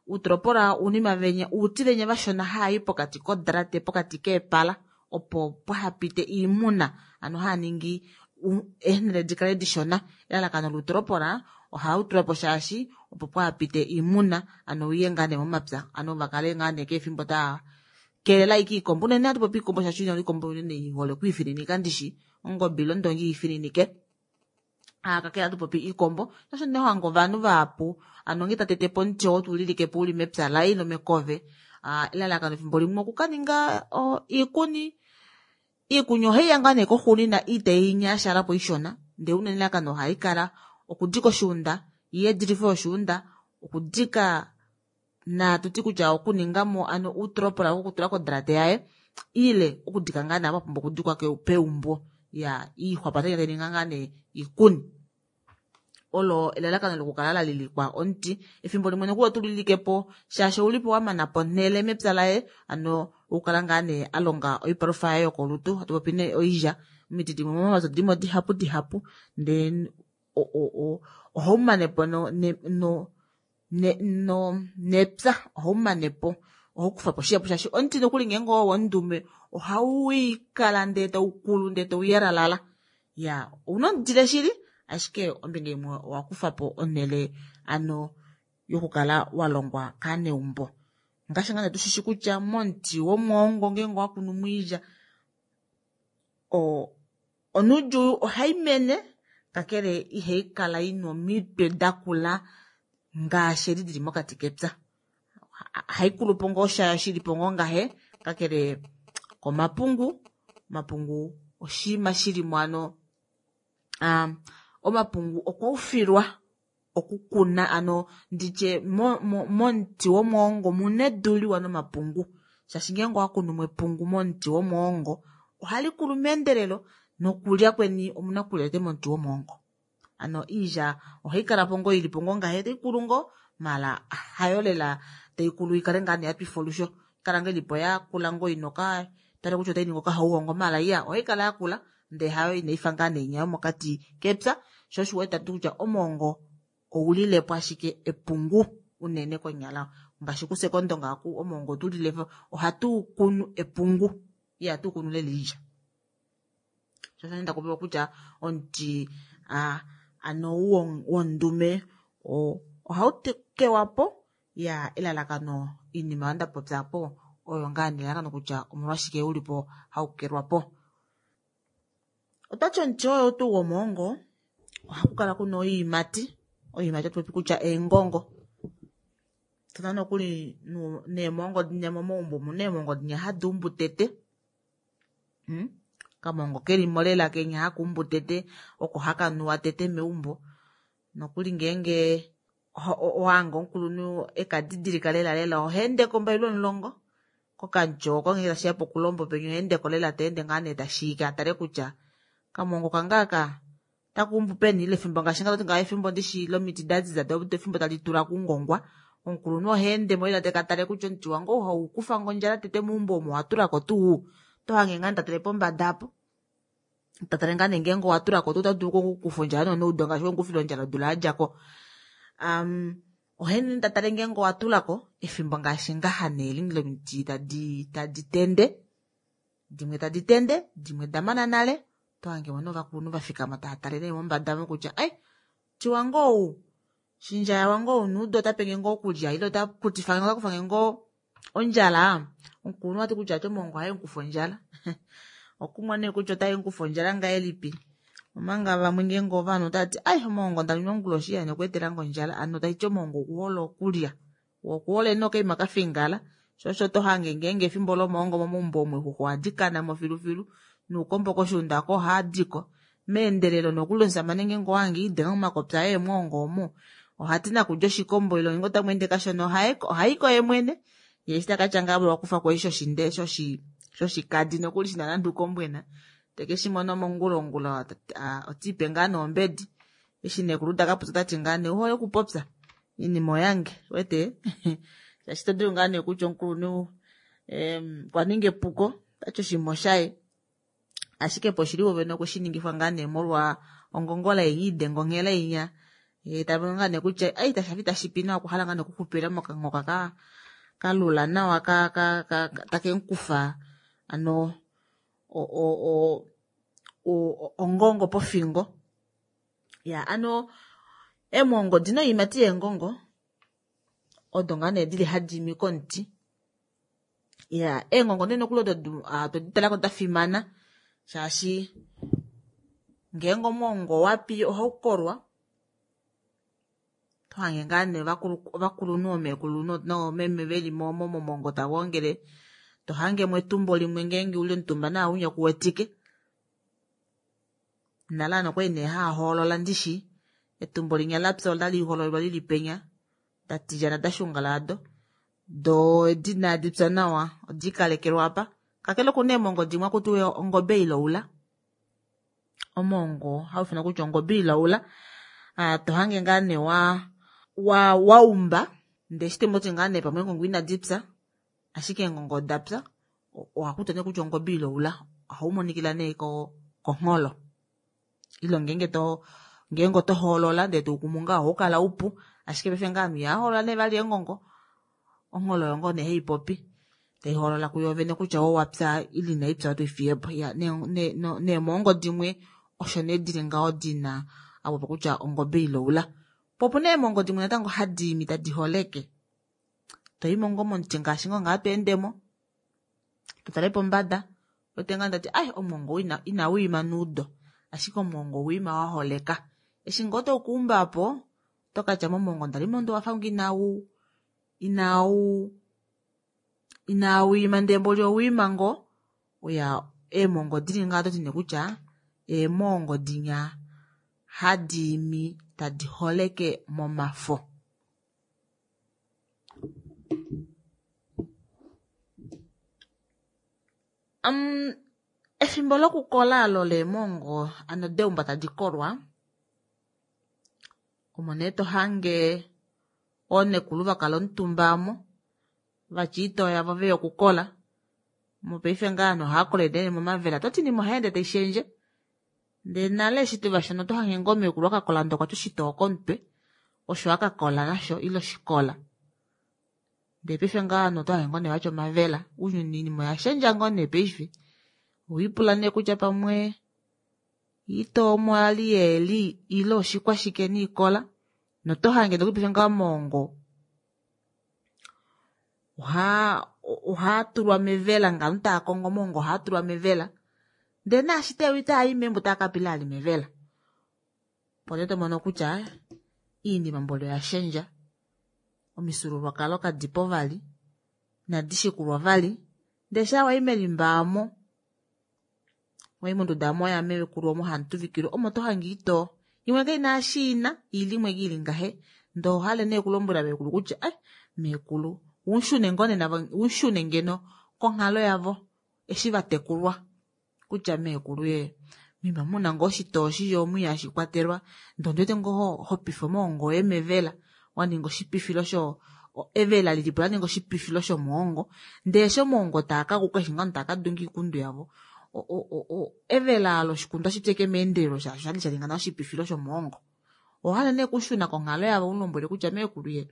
Uutolopola uunima venya, uuti venya vashona haayi pokati kodrate, pokati keepala, opo pwahapite iimuna, ano haaningi u-, eenhele dikale dishona. Elalakano luutolopola ohau tula po shaashi opo pwahapite iimuna, ano uye ngaa nee momapya, ano vakale ngaa nee keefimbo taa keelela ike iikombo. Unene hatu popi iikombo shaashi iikombo unene i hole okwiifininika ndishi, ongobe ile ondongi iifininike. Ah, kakele hatu popi iikombo, shaashi unene hange ovanhu vahapu, ano nge ta tete po omuti oo tulilike po uli mepya laye ile mekove. Ah, elalakano efimbo limwe okukaninga, o, iikuni. Iikuni ohayi ya ngaa nee koxuunina itayi nyashala po ishona, ndele unene elalakano ohali kala okudika oshuunda, yeedilifo yoshuunda, okudika na tuti kutya okuninga mo ano uutropola wokutula kodrate yaye. Ile okudika ngaa nee apa pumbwa okudikwa peumbo ya iixwa tai ninga ngaa nee ikuni. Olo elalakano lokukala la lilikwa omuti. Efimbo limwe nokuli otu lilikepo shaashi oulipo wamana ponhele mepya laye, ano okukala ngaa nee alonga oipalufa yaye yokolutu, hatu popi nee oilya. Omiti dimwe momapya odimo dihapu dihapu, ndee ohaumanepo no no no nepya, ohaumanepo ohaukufapo shihapu shaashi omuti nokuli ngeenge oo wondume ohauikala ndee taukulu ndee tauyalalala. Ya ouna omudile shili, ashike ombinga imwe owakufapo onhele ano yokukala walongwa kaneumbo. Ngaashi ngaa tushishi kutya momuti womwoongo ngeenge owakunu moilya, onuudjuu ohaimene kakele ihaikala ina omitwe dakula ngaashi edi dili mokati kepya. Haikulupo ngoo shayo shilipo ngoo ngahe, kakele komapungu. Omapungu oshiima shilimo ano omapungu okwaufilwa okukuna ano nditye momuti womwoongo omuna edu liwa nomapungu, shaashi ngeenge owakunu epungu momuti womwoongo ohalikulu meendelelo nokulya kweni omuna okulya tete momuti womwoongo. Ano iilya ohaikalapo ngoo ilipo ngoo ngahe taikulu ngoo, maala hayo lela taikulu ikale ngaa nee yatwifa olusho, ikala ngoo ilipo yakula ngoo inoka tale kutya otainingi okahauhongo, maala iya ohaikala yakula ndee hayo inaifa ngaa nee inya yomokati kepya. Sho osho uwete kutya omwoongo oulilepo ashike epungu unene konyala, ngaashi kusekondonga aku omwoongo otulilepo ohatu kunu epungu, ihatu kunu lela iilya. Sho osho ndakupewa kutya omuti ano wondume ohautekewapo ya elalakano iinima oyo ndapopyapo oyo ngaa nelalakano kutya omolwashike ulipo haukelwapo. Otwati omuti oyo tuu womwoongo ohakukala kuna oiimati. Oiimati otopopi kutya eengongo. Tuna nokuli neemwongo dinya momaumbo omuna eemwongo dinya hadi umbu tete. Kamwongo kelimo lela kenya haka umbu tete, oko hakanuwa tete meumbo. Nokuli ngeenge owange omukulunhu ekadidilika lela lela ohaendeko ombailo omulongo kokamutyo oko ngeenge tashiya pokulombo penya ohaendeko lela taende ngaa nee tashiika atale kutya kamwongo kange aka otakuumbu peni, ile efimbo ngaashi nga efimbo ndishi lomiti daziza do efimbo tali tula kungongwa, omukulunhu ohaendemo lela tekatale kutya omuti wange ou haukufa ngo ondjala tete meumbo omo owatulako tuu, otohange ngaa tatale pombada apo tatale ngaa nee ngeenge owatulako tuu otadulu okukufa ondjala noneudo ngaashi wemukufile ondjala odula yadjako. Ohaende tatale ngeenge owatulako efimbo ngaashi ngaha nee lomiti tadi tadi tende, dimwe tadi tende, dimwe damana nale, tohange mo novakulunhu vafikama tava tale nee mombada mo kutya ai muti wange ou shindjaya wange ou neudo otapenge ngoo okulya ile otakutifange otakufange ngoo ondjala. Omukulunhu ati kutya ati omwoongo ohaemukufa ondjala. Okumwa nee kutya otaemukufa ondjala ngahelipi, omanga vamwe ngeenge ovanhu otavati ai omwoongo ndalima onguloshi yani okweetelange ondjala, ano taiti omwoongo okuhole okulya, okuhole nokaima kafingala. Sho osho tohange ngeenge efimbo lomwoongo momaumbo omo eexuxwa ohadi kanamo filufilu noukombo koshuunda oko ohaadiko meendelelo. Nokuli omusamane ngeenge owahange iidenga momakopya aye emwoongo omo ohati nakulya oshikombo ile ngeenge otamweende kashona ohaiko yemwene, ye eshi takatya ngaa wakufako eshi shoshinde shoshikadi nokuli shina nande ukombwena tekeshimono mongula ongula otiipe ngaa noombedi. Eshi nekulu takapopya otati ngaa nee ouhole okupopya iinima oyange wete shaashi todulu ngaa nee kutya omukulunhu okwaninga epuko otati oshinima oshaye, ashike poshili vovene okweshiningifwa ngaa nee molwa ongongola yenya idenga onghela inya, ye tamono ngaa nee kutya ai tashafi tashipi nawa okuhala ngaa nee okuxupila mokanhoka ka kalula nawa ka ka ka takemukufa ano o o ongongo pofingo. Ya ano eemwongo dina oiimati yeengongo odo ngaa nee dili hadi imi komuti. Ya eengongo nee nokuli odo todi talako dafimana shaashi ngeenge omwoongo wapi ohaukolwa, tohange ngaa nee ovakulunhu omeekulu noomeme veli momwoongo tava ongele, tohangemo etumbo limwe ngeenge uli omutumba naaunya kuwetike. Nale ano okwali nee haahoolola ndishi etumbo linya lapya otali hoololwa lili penya datilyana dashungala ado do edi inadi pya nawa odiikalekelwa apa Kakele okuna eemongo dimwe akutiwa ongobe iloula. Omongo haufanwa kutya ongobe iloula. Ah, tohange ngaa nee wa wa waumba ndee eshi tomoti ngaa nee pamwe eengongo inadi pya, ashike eengongo oda pya, ohakuti nee kutya ongobe iloula. Ohaumonikila nee ko kongholo. Ile ngeenge to ngeenge oto hoolola ndee toukumu ngaho ohaukala upu, ashike paife ngaa ovanhu ihava hoolola nee vali eengongo, ongholo oyo ngoo nee haipopi. Taiholola kuyo vene kutya owapya ile inaipya otoifiyepo. Ya neemongo dimwe osho nee dili ngaho dina apopo kutya ongobe iloula. Po opuna eemongo dimwe natango hadi imi tadi holeke. Toimo ngoo momuti ngaashi ngoo ngaa tweendemo, totale pombada, wete ngaa ndati ai omwongo ina inawiima nuudo, ashike omwongo owiima wa holeka. Eshi ngoo tokuumbapo, tokatya momwongo ndali mondo wafa ngo inau inau inawiima ndee mboli owiima ngoo. Oya eemongo dili ngaho toti nee kutya eemongo dinya hadi imi tadi holeke momafo. Um, efimbo lokukola alo leemongo ano deumba tadi kolwa, omo nee tohange oonekulu vakala omutumba omo vatya oitoo yavo veya okukola. Mopaife ngaa ovanhu ohava kolele nee momavela, toti oinima ohayeende taishendje. Ndee nale eshi tuvashona otohange ngoo meekulu akakola ndee okwatya oshitoo komutwe, osho akakola nasho ile oshikola. Ndee paife ngaa ovanhu otohange ngoo nee vatya omavela. Ounyuni oinima oyashendja ngoo nee paife. Owiipula nee kutya pamwe oitoo omo yali yeeli ile oshikwashike niikola, notohange nokuli paife ngaa omoongo ohaa ohaatulwa mevela ngano ovanhu tava kongo omoongo ohaatulwa mevela. Ndee naashi teya itaai meumbo otaa kapila ali mevela. Opo nee tomono kutya iinima mboli oyashendja, omifyuululwakalo kadipo vali, inadi shikulwa vali. Ndee shaa wayi melimba omo, wayi monduda omo yameekulu omo hamu tuvikilwa, omo tohange oitoo. Imwe kaina eshi ina, ili imwe ili ngahe. Ndee ohale nee okulombwela meekulu kutya ai meekulu unshune ngoo nee navo, unshune ngeno konghalo yavo eshi vatekulwa kutya meekulu ye mima muna ngoo oshitoo shili omu ihashi kwatelwa, ndee ondiwete ngoo hopifa omoongo woye mevela, waninga oshipifilo sho evela lilipo laninga oshipifilo shomoongo, ndee eshi omoongo taakakuka eshi ngoo taakadunga oikundu yavo, evela olo oshikundu ohashi pi ashike meendelelo shaashi oshali shaninga nale oshipifilo shomoongo. Owahala nee okushuna konghalo yavo ulombwele kutya meekulu ye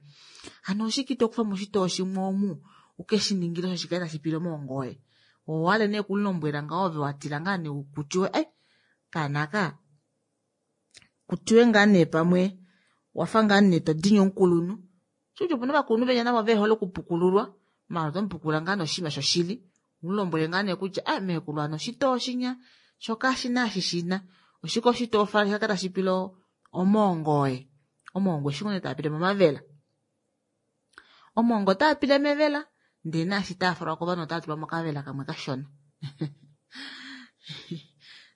hano oshike itokufamo oshitoo shimwe omu ukeshiningile osho shikale tashi pile omoongo woye. Owahala nee okulombwela ngaho ove watila ngaa nee kutiwe ai kaana aka kutiwe ngaa nee pamwe wafa ngaa nee todini omukulunhu. Shikuti opuna ovakulunhu venya navo vehole okupukululwa, maala otomupukula ngaa noshinima shoshili, umulombwele ngaa nee kutya ai meekulu hano oshitoo shinya sho kashina eshi shina, oshike oshitoo shaka tashi pile omoongo woye. Omoongo eshi ngoo nee taapile momavela. Omoongo otaapile mevela, ndee naashi taafalwa kovanhu otaatulwa mokavela kamwe kashona.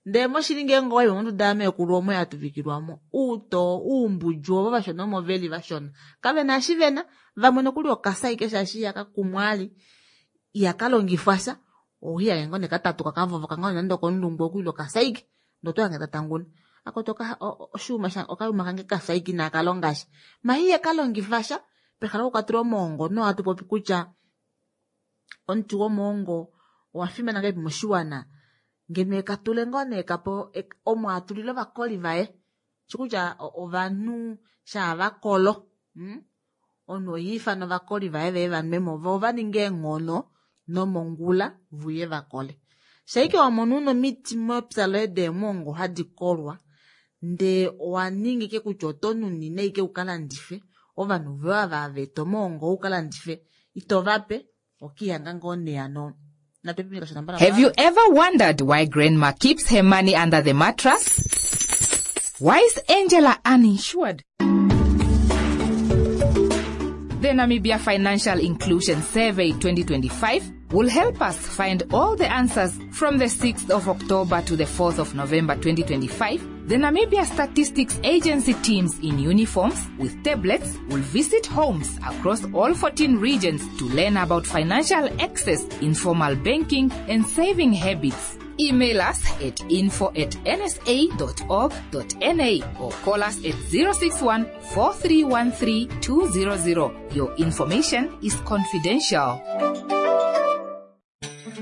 Ndee moshili ngeenge owayi monduda yameekulu omo yatuvikilwamo, uutoo uumbudju ovo vashona omo veli vashona. Kavena eshi vena, vamwe nokuli okasa ashike shaashi ihakakumwa ali, ihakalongifwa sha, ohihange ngoo nee katatuka kavovoka ngoo nande okomulungu oku ile okasa ashike, ndee otohange tatanguna. Akoto oshuuma okayuma kange kafya ashike inakalonga sha. Ma ihakalongifa sha, pehala lokukatula omoongo nohatu popi kutya omuti womoongo owafimana ngahelipi moshiwana, ngeno ekatule ngoo nee kapo omo atulile ovakoli vaye. Shikutya ovanhu shaa vakolo, omunhu oha ifana ovakoli vaye veye vanwemo vo ovaninge eenghono nomongula vuye vakole. Shaike wamona una omiti mepya loye deemongo hadi kolwa, ndee owaninga ike kutya oto nunine ike ukalandife, ovanhu voye ava vaeta omoongo ukalandife itovape, okihanga ngoo nee hano. Have you ever wondered why grandma keeps her money under the mattress? Why is Angela uninsured? The Namibia Financial Inclusion Survey twenty twenty-five will help us find all the answers from the sixth of October to the fourth of November twenty twenty-five. The Namibia Statistics Agency teams in uniforms with tablets will visit homes across all fourteen regions to learn about financial access, informal banking and saving habits. Email us at info at n s a dot org dot n a or call us at zero six one, four three one three, two zero zero. Your information is confidential.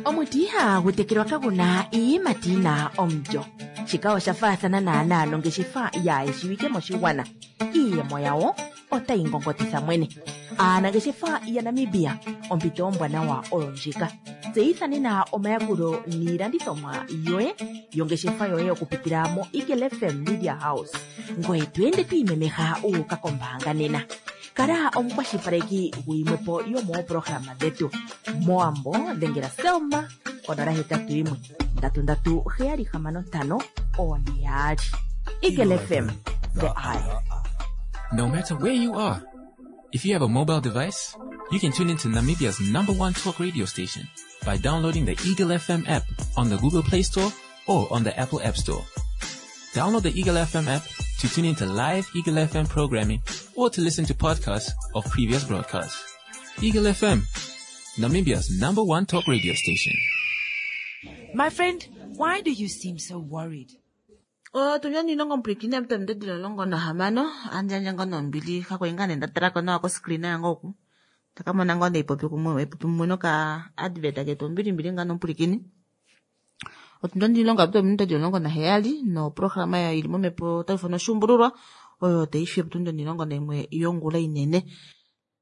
Omuti ihagu tekelwa kaguna iiyimati yina omulyo. Shika osha faathana naanaa nongeshefa yaayeshiwike moshigwana. Iiyemo yawo otayi ngongotitha mwene. Aanangeshefa yaNamibia, ompito ombwanawa oyo ndjika. Tseyitha nena omayakulo niilandithomwa yoye yongeshefa yoye okupitila mo Eagle F M Media House. Ngoye to ende to imemeha u uka kombaanga nena. Kala omukwashilipaleki guyimwepo yomooprograma dhetu. Moambo dhengela Selma konola hetatu yimwe ndatu ndatu heyali hamano ntano one yaali. Eagle F M, the eye. No matter where you are, if you have a mobile device, you can tune into Namibia's number one talk radio station by downloading the Eagle F M app on the Google Play Store or on the Apple App Store. Download the Eagle F M app to tune into live Eagle F M programming or to listen to podcasts of previous broadcasts. Eagle F M, Namibia's number one talk radio station. My friend, why do you seem so worried? Oh, tunyani nongo mplikine mpe mdedilo longo na hamano, anja njango no mbili, kako ingane ndatarako na wako screen yango oku. Takamo nango ne ipopi kumwe, ipopi mwe ka advert aketo mbili mbili ngano mplikini. Otunyani longo mpe mdedilo longo na heyali, no programa ya ilimo mepo telefono shumbururwa, oyo teishi mtunyani longo na imwe yongula inene.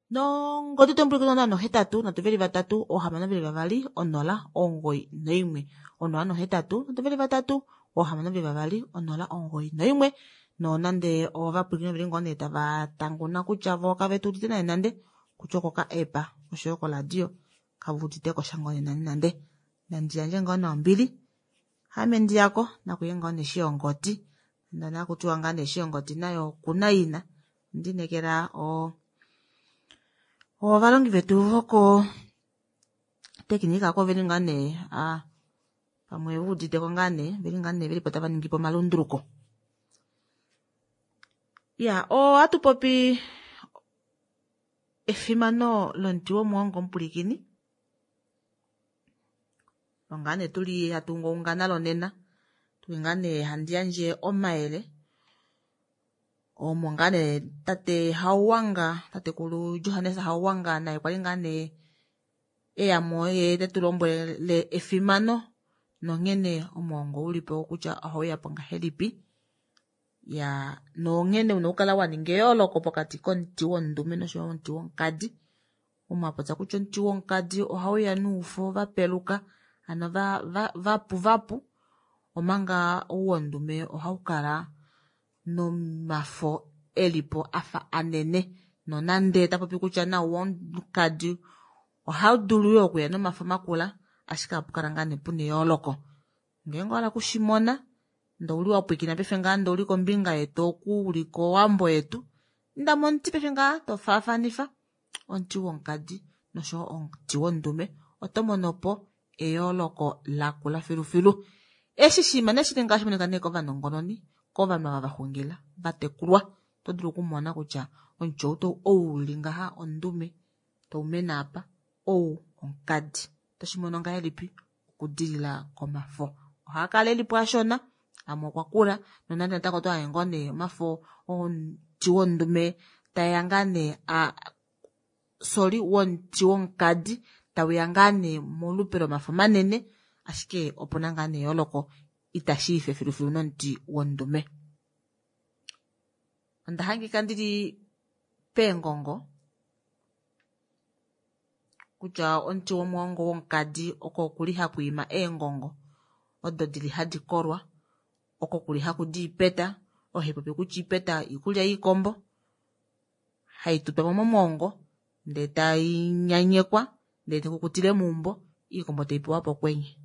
No ngoti tomplikini no hetatu, na tuveli vatatu, ohamano veli vavali, onola, ongoi, noimwe. Onola no hetatu, na tuveli vatatu, ohamano veli vavali, onola, ongoi, noimwe. No nande ovapwilikini veli ngone tava tanguna kutya vo kave tudite naye nande, kutya oko ka epa, oshoyo koradio, kavudite ko shangone nande nande. Nandi yandje ngone ombili, hame ndiyako, nakuye ngone shiyongoti. Ndana kutiwa ngane shiyongoti nayo kuna ina. Ndinekela o ovalongi vetu voko tekinika ko veli ngane, a pamwe vudite ko ngane, veli ngane veli pota vaningi po malunduluko. Ya, o atupopi efimano lomuti womuhongo omupulikini. Ongane tuli hatungoungana lonena. Tuli ngane handi yandje omayele. Omo ngane tate Hauwanga, tatekulu Johannes Hauwanga naye kwali ngane eyamo ye tetulombwele efimano nonghene omuhongo ulipo kutya ohauya po ngahelipi. Ya, nonghene una okukala wa ninga eyooloko pokati komuti wondume noshoyo omuti wonkadi. Omwapotsa kutya omuti wonkadi ohauya nuufo vapeluka, ano va, va, vapu vapu, omanga ou wondume ohaukala nomafo elipo afa anene. Nonande tapopi kutya na wonkadi ohaudulu yo okuya nomafo makula, ashike apukala ngaa ne puna eyooloko. Ngenge wala kushimona, ndo uli wapwikina pefe ngaa ndo uli kombinga yetu oku uli kowambo yetu, ndamo omuti pefe ngaa tofaafanifa omuti wonkadi noshoyo omuti wondume, oto mono po eyooloko lakula filufilu. Eshi shima neshili ngaashi monika nee kovanongononi, kovanhu ava vaxungila, vatekulwa, oto dulu okumona kutya omuti ou to-, ou uli ngaha ondume, toumene apa, ou onkadi. Oto shi mono ngahelipi? Okudilila komafo. Ohaa kala elipo ashona, amwe okwa kula, nonande natango oto hange ngoo nee omafo omuti wondume taeya ngaa nee a-, sorry, womuti wonkadi, tauya ngaa nee molupe lomafo manene, ashike opuna ngaa nee eyooloko, itashi ife filufilu nomuti wondume. Onda hangika ndili peengongo kutya omuti womuhongo wonkadi oko kuli haku ima eengongo odo dili hadi kolwa, oko kuli haku di ipeta, ohe popi kutya ipeta iikulya yiikombo, hai tutwa mo momuhongo ndee tai nyanyekwa, ndee tai kukutile meumbo, iikombo tai pewa pokwenye.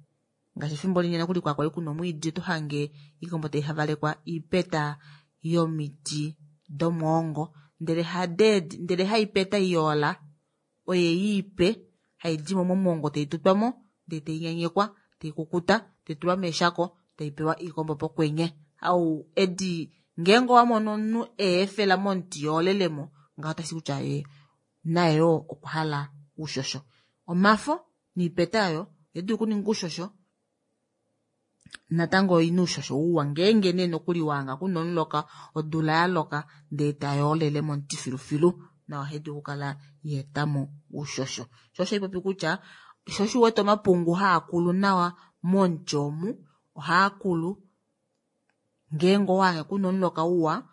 Ngaashi efimbo linyena kuli kwa kwali kuna omwiidi, oto hange iikombo tai havalekwa iipeta yomiti domuhongo, Ndele hadeedi ndele haipeta iyoola oye iipe haidimo momwoongo taitutwamo ndee tainyanyekwa taikukuta taitulwa meeshako taipewa iikombo pokwenye. Au edi ngeenge owamono omunhu eefela momuti yoolelemo ngaho otashi kutya ye naye yoo okwa hala oushosho. Omafo niipeta oyo ohaidulu okuninga oushosho natango oina oushosho uwa ngeenge nee nokuli wahanga kuna omuloka odula yaloka ndee tayoolele momuti filufilu nayo ohaidulu okukala yaetamo oushosho. Sho osho haipopi kutya sho osho uwete omapungu haakulu nawa momuti omu ohaakulu ngeenge owahange kuna omuloka uwa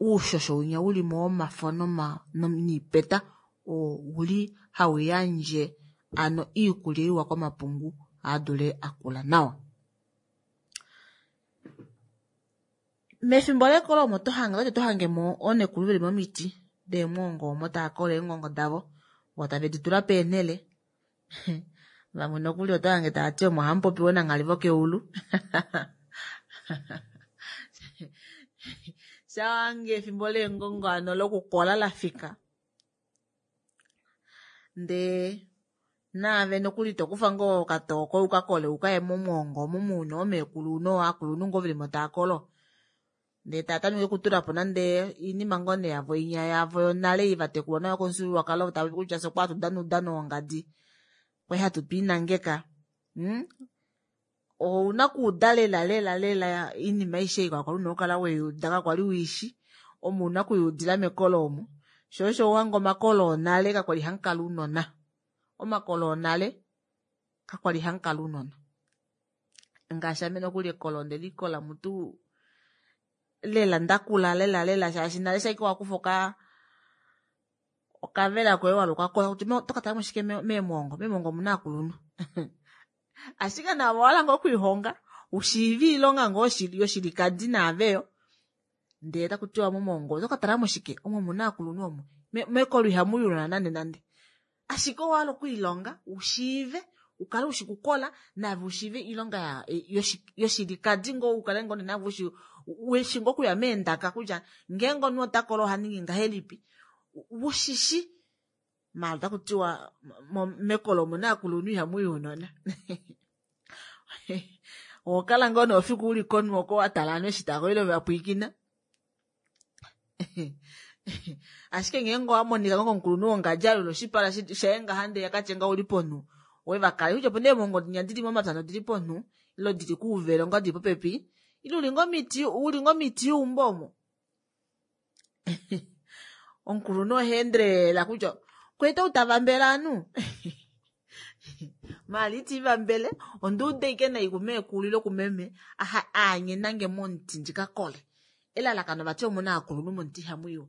oushosho winya ulimo womafo noma niipeta oo uli hauyandje ano iikulya iwa komapungu adule akula nawa. Mefimbo lekolo omo tohange oto tohangemo oonekulu veli momiti deemwoongo omo taakola eengongo davo voo tave ditula peenhele vamwe nokuli otohange taati omo hamupopiwa nanghali vokeulu shawange efimbo leengongo hano lokukola lafika ndee naave nokuli tokufa ngoo okatoo ukakole ukaye momwoongo omo muna oomekulu nooakulunhu ngoo velimo taakolo ndee taatameke okutulapo nande oinima ngoo nee yavo inya yavo yonale ei vatekulwa nayo komufyuululwakalo tavapopi kutya fye okwali hatu dana oudano wongadi kwali hatu twiinangeka mm? Ouna okuuda lela lela lela oinima aishe ei kwali una okukala weyuuda kakwali uishi omo una okuyuudila mekolo omo sho osho uhange omakolo onale kakwali hamukala ounona omakolo onale kakwali hamukala ounona ngaashi ame nokuli ekolo ondelikola mutu lela ndakula lela lela shaashi nale shaike wakufa oka okavela koye waluka kola kutya otokatala shike meemwongo meemwongo omuna aakulunhu ashike naavo owahala ngoo okwiihonga ushiive iilonga ngoo yoshilikadi naaveyo ndee takutiwa momwongo otokatala shike omo omuna aakulunhu omo mekolo ihamuyi ounona nande nande ashike owahala okwiilonga ushiive ukale ushi kukola naave ushiive iilonga yoshilikadi ngoo ukale ngoo naave ushi weshi ngoo okuya meendaka kutya ngeenge omunhu otakola ohaningi ngahelipi ushishi maala otakutiwa mekolo omuna aakulunhu ihamuyi ounona ohokala ngoo nee ofiku uli konhu oko watala ovanhu eshi taakolo ile vapwiikina ashike ngeenge owamonika ngoo komukulunhu wongadi alula oshipala shaye ngaha ndee akatye ngaho uli ponhu wevakale kutya opena eemwongo dinya dili momapya nodili ponhu ile dili kuuvelo ngoo dili popepi ile uli ngoo miti uli ngoo miti yeumbo omo omukulunhu ohaendelela kutya kwete outavambele ovanhu maala itiivambele onduuda ashike nai kumeekulu ile kumeme aanyenange momuti ndikakole elalakano vati omuna aakulunhu momuti ihamuiwa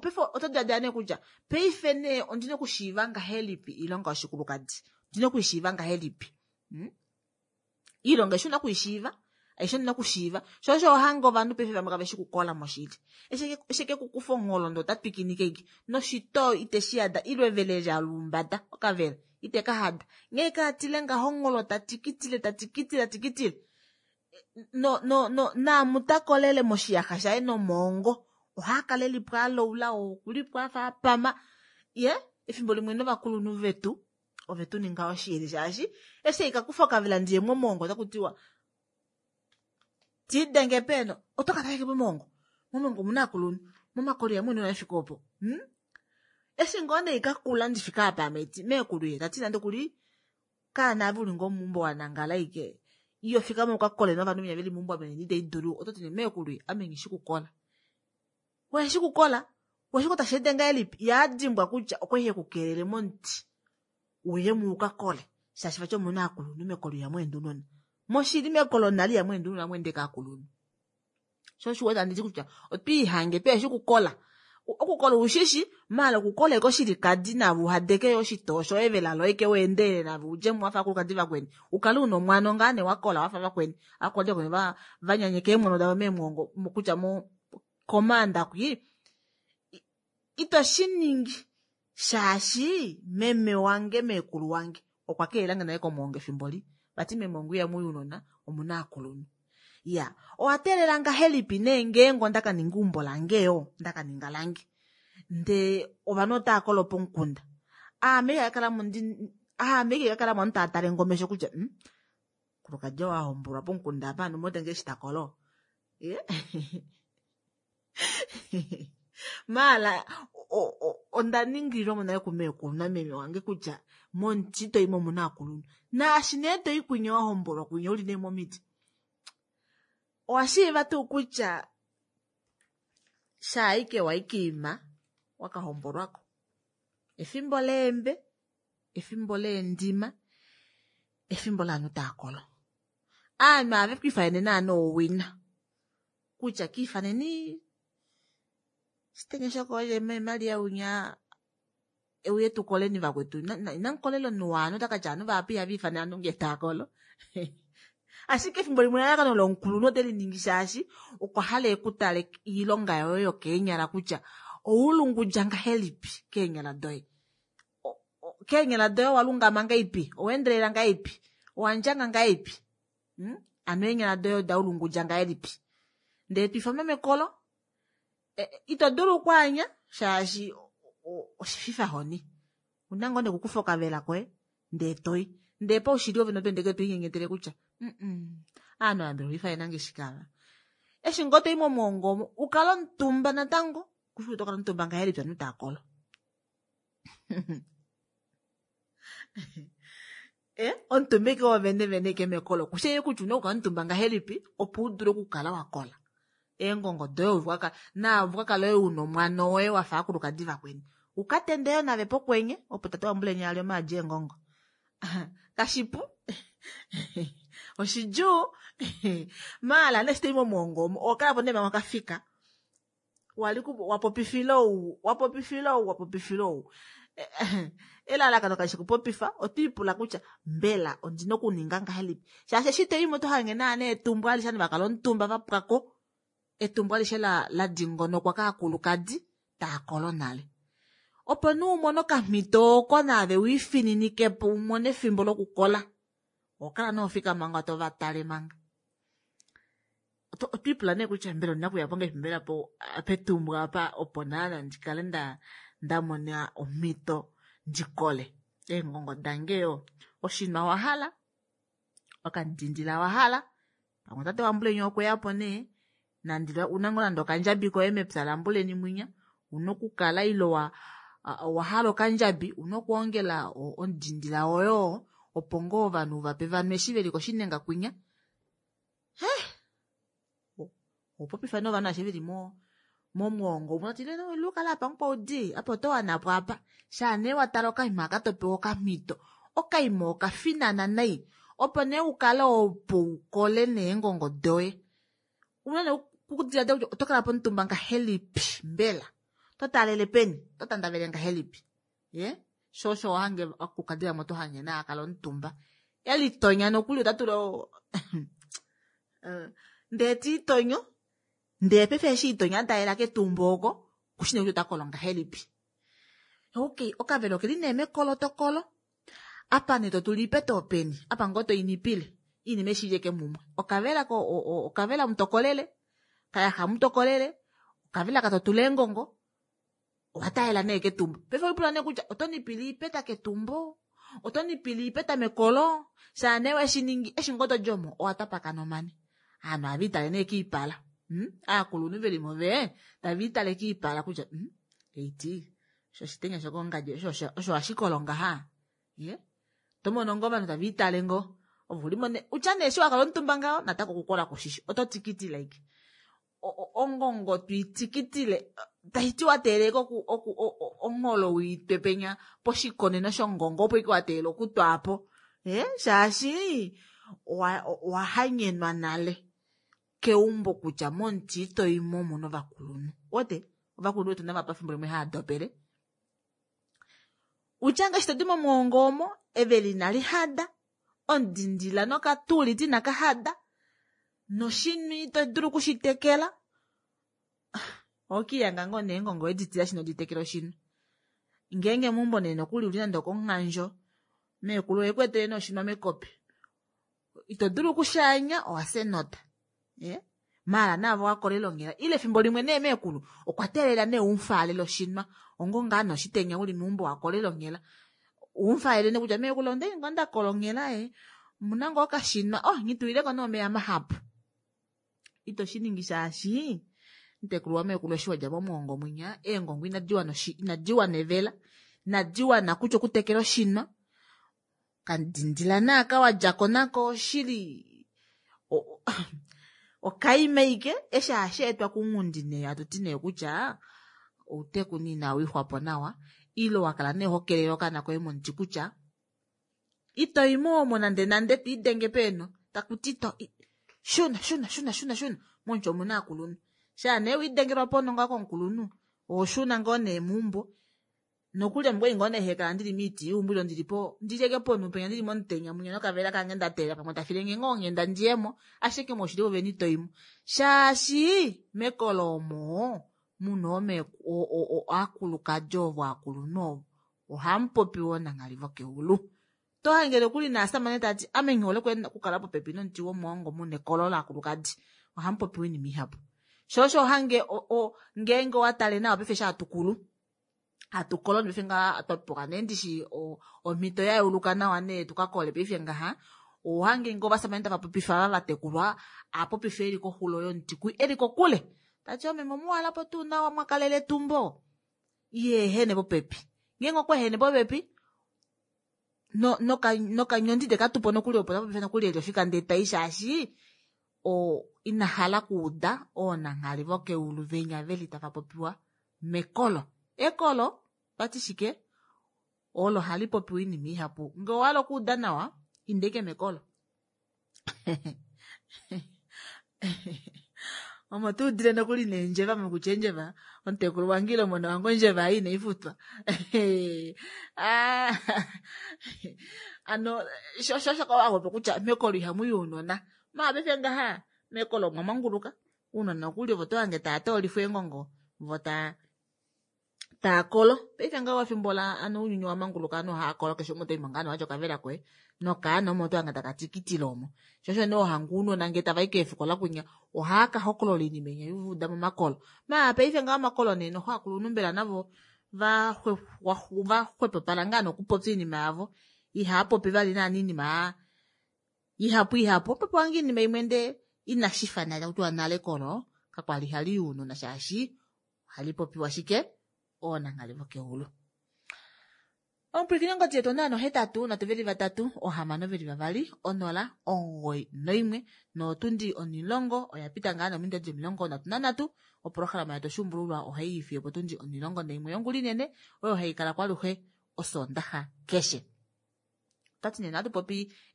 paife oto diladila nee kutya paife nee ondina okushiiva ngahelipi iilonga yoshikulukadi ondina okwiishiiva ngahelipi hmm? Iilonga aishe una okwiishiiva aishe ondina okushiiva sho osho ohange ovanhu paife vamwe kaveshi kukola moshili eshi kekukufa ongholo ndee ota twikinike ike noshitoo iteshi yada ile evele lalumbada okavela ite kahada nghee kaatile ngaho ongholo tatikitile tatikitile tatikitile no no no naamutakolele moshiyaxa shaye nomoongo ohaakala elipo aloula okulipo afa apama ye efimbo limwe novakulunhu vetu ove tu ninga oshili shaashi eshi ikakufa okavela ndiye momongo otakutiwa tidenge peno otokatala momongo momongo omuna aakulunhu momakolo ihamu enda efika opo hmm? Eshi ngoo nee ikakula ndifika apa ame meekulu ye tati nande kuli kaana ave uli ngoo meumbo wanangala ike iyo fikama ukakole novanhu venya veli meumbo ame ite idulu ototi nee meekulu ye ame nghishi kukola weshi kukola weshi tashi ende ngahelipi yaadimbwa kutya okwali hekukelele momuti uye muukakole shaashi vati omuna aakulunhu mekolo ihamu ende ounona moshili mekolo nale ihamu ende ounona hamu ende kaakulunhu sho osho uwete anditi kutya otwiihange tweeshi kukola okukola ushishi maala okukola eke oshilikadi naave uhadeke yo oshitoo shoye evela loye ke weendelele naave udjemo wafa aakulukadi vakweni ukale una omwano ngaa nee wakola wafa vakweni aakulukadi vakweni va vanyanyeka eemwano davo meemwongo kutya mo komaanda kwi ito shiningi shaashi meme wange meekulu wange okwa keelange naye komwoongo efimbo li vati meemwongo ihamuyi ounona omuna aakulunhu ya owateelela ngahelipi nee ngeenge ondakaninga eumbo lange yo ndakaninga lange Ndee ovanhu otava kolo pomukunda. Aame ikakala mo ndi aame ikakala mo ntaatale ngomesho kutya mm, kulukadja wahombolwa pomukunda apa anu motenge eshi takolo. Ye maala onda ningililwa mo nale kumeekulu nameme wange kutya momuti toyi mo omuna aakulunhu. Naashi nee toyi kwinya wahombolwa kwinya uli nee momiti. Owashiiva tuu kutya shaaike waikiima wakahombolwako. Efimbo leembe, efimbo leendima, efimbo laanhu taakolo. Aanhu ave kwiifanene naana owina. Kutya kiifaneni shitenya shokoye Maria winya euye tukoleni vakwetu. Inamukolela omunhu waanhu otakatya ovanhu vahapu ihava ifana ovanhu ngee taakolo. Ashike efimbo limwe elalakano lomukulunhu ote liningi shaashi okwa hala ekutale oilonga yoye yokeenyala kutya oulungudja ngahelipi keenyala doye. Keenyala doye owalungama ngahelipi, oweendelela ngahelipi, owandjanga ngahelipi. Hmm? Ano eenyala doye odaulungudja ngahelipi. Ndee twiifanwa mekolo, ito dulu okwaanya shaashi oshififahoni. Una ngoo nekukufa okavela koye ndee toyi. Ndee paushili ove notoendeke toinyenyetele kutya mm aanhu ava mbela oifanena nge shikava. Eshi ngoo toyi momwoongo omo ukala omutumba natango kushi kutya otokala omutumba ngahelipi ovanhu taakolo. Eh, omutumba ike wovene vene ike mekolo kushi kutya una okukala omutumba ngahelipi opo udule okukala wakola. Eengongo doye uvukakala naa uvukakala oye una omwana woye wafa aakulukadi vakweni. Ukatendeyo nave pokwenye opo tate wambuleni ali omaadi eengongo. Kashipu oshidjuu maala neshi toyi momwoongo omo owakala po nee manga wakafika. Wali wapopifila ou wapopifila ou wapopifila ou. Elalakano kalishi kupopifa otwiipula kutya mbela ondina okuninga ngahelipi. Shaashi eshi toyimo oto hange naana etumbo alishe ovanhu vakala omutumba vapwako. Etumbo alishe la la dingonokwa kaakulukadi taakolo nale. Opo nee umone okamhito oko naave wiifininikepo umone efimbo lokukola. Owakala nee ofika manga tovatale manga. Otwiipula nee kutya mbela ondina okuyapo ngahelipi mbela po petumbo apa opo naana ndikale nda ndamona omhito ndikole. Eengongo dange yo oshinwa wahala, okandindila wahala, pamwe tate wambuleni okweyapo nee nandila una ngoo nande okandjabi koye mepya lambuleni mwinya una okukala ile wa owahala okandjabi una okwoongela omudindila woyo opo ngoo ovanhu vape vanwe eshi veli koshinenga kwinya. Heh, opopifa novanhu ashe veli mo momwoongo umwe no lukala apa mukwaudi apa oto wanapo apa shaa nee watala okaima aka topewa okamhito okaima okafinana nai opo nee ukale opo ukole neengongo doye. Una nee okudiladila kutya oto kala pomutumba ngahelipi mbela totalele peni totandavele ngahelipi. Ye sho osho wahange akukadila mo tohange naa akala omutumba elitonya nokuli otatula ndee tiitonyo ndee paife eshi itonya atalela ketumbo oko kushine kutya otakolo ngahelipi. Okay, okavelo okeli nee mekolo tokolo apa nee totula iipeta openi apa ngoo toinipile iinima eshi ili mumwe. Okavela ko okavela mutokolele kayaxa mutokolele okavela katotula eengongo owatalela nee ketumbo. Paife oipula nee kutya oto nipile iipeta ketumbo oto nipile iipeta mekolo shaa nee weshiningi eshi ngoo todjomo owatapakana omane. Aanhu ohava itale nee kiipala. Hmm? Aakulunhu velimo ve tava itale kiipala kutya hmm? Eiti osho oshitenya shokongadji osho osho hashikolo ngaha. Ye tomono ngoo ovanhu tava itale ngoo ovo ulimo ne utya nee eshi wakala omutumba ngaho natako okukola kushishi oto tikiti like ongongo twiitikitile taiti wateeleka oku oku ongholo wiitwe penya poshikoneno shongongo opo ike wateela okutwaapo. Eh, shaashi owahanyenwa nale keumbo kutya momuti itoyimo omuna ovakulunhu. Ote ovakulunhu vetu nava pafimbo limwe haadopele. Utya ngaashi todi momwoongo omo eveli inali hada, omudindila nokatuliti inaka hada, noshinwi ito dulu okushitekela. Okiyanga ngoo neengongo editila shino ditekela oshinwi. Ngeenge meumbo nee nokuli uli nande okomunghandjo meekulu oye nee oshinwa mekopi. Ito dulu okushaanya owafya enota. Ye Maala naavo wakolela onghela ile efimbo limwe nee meekulu okwa teelela nee umufaalele oshinwa ongo ngaa noshitenya uli meumbo wakolela onghela umufaalele nee kutya meekulu onde ngo ndakola onghela e omuna ngoo okashinwa oh nghitulileko nee omeya mahapu ito shiningi shaashi mutekulu wameekulu eshi wadja momwoongo mwinya eengongo inadi wana inadi wana evela inadi wana kutya okutekela oshinwa kandindila naaka wadjako nako oshili okaima ike eshi hashi etwa kunghundi nee hatuti nee kutya outeku nee inawixwapo nawa ile wakala nee hokelele okaana koye momuti kutya itoimo omo nande nande twiidenge peeno takuti to shuna shuna shuna shuna shuna momuti omuna aakulunhu shaa nee wiidengelwa ponho ngaho komukulunhu ohoshuna ngoo nee meumbo nokuli ame okwali ngoo nee hekala ndili moiti yeumbo ile ndilipo ndileke ponhu penya ndili momutenya mwinya nokavela kange ndateelela pamwe tafilenge ngoo onghenda ndiyemo ashike moshili vovene itoimo shaashi mekolo omo muna aakulukadi ovo aakulunhu ovo ohamupopi woo nanghali vokeulu tohange nokuli naasamane tati ame nghihole okukala popepi nomuti womwoongo muna ekolo laakulukadi ohamupopiwa oinima ihapu sho osho hange ngeenge owatale nawa paife eshi hatukulu hatukolo paife ngaha twapewa nee ndishi omhito yayeuluka nawa nee tukakole paife ngaha ohange ngoo ovasamane tava popifa ava vatekulwa apopifa eli koxulo yomuti kwi eli kokule tati omeme omuwalapo tuu nawa mwakalele etumbo iha ehene popepi ngeenge okwa ehene popepi nokanyondi tekatupo nokuli opo tapopifa nokuli eli ofika ndee tai shaashi inahala okuuda oonanghali vokeulu venya veli tava popiwa mekolo. Ekolo vati shike olo hali popiwa oinima ihapu ngee owahala okuuda nawa inda ashike mekolo omo tuudile nokuli neendjeva mokutya eendjeva omutekulu wange ile omona wange ondjeva ei inaifutwa ano sho osho wapopi kutya mekolo ihamuyi ounona maala paife ngaha mekolo omwa manguluka ounona nokuli ovo tohange tava toolifwa eengongo vo taa taakolo paife ngaho efimbo la ano ounyuni wa manguluka ovanhu ohaakolo keshe umwe otoimo ngaa watya okavela koye nokaana omo otohange taka tikitile omo sho osho nee ohange ounona ngee tavai keefikola kwinya ohaaka hokolola oinima inya yuuda momakolo maala paife ngaho omakolo nee noxo aakulunhu mbela navo vaxwepopala ngaa nokupopya oinima yavo ihaapopi vali naana oinima ihapu ihapu opopiwa ngoo oinima imwe ndee inashifa nale takutiwa nale ekolo kakwali hali ounona shaashi ohali popiwa shike oonanghali vokeulu. Omupwilikini ongodi yetu onola nohetatu nhatu veli vatatu ohamano veli vavali onola omugoyi noimwe notundi onilongo oya pita ngaa nominute dili omilongo nhatu nanhatu oprograma yetu oshuumbululwa ohai fiyo potundi onilongo naimwe yongula inene oyo haikala kwaluhe osoondaxa keshe. Otwati nee ohatu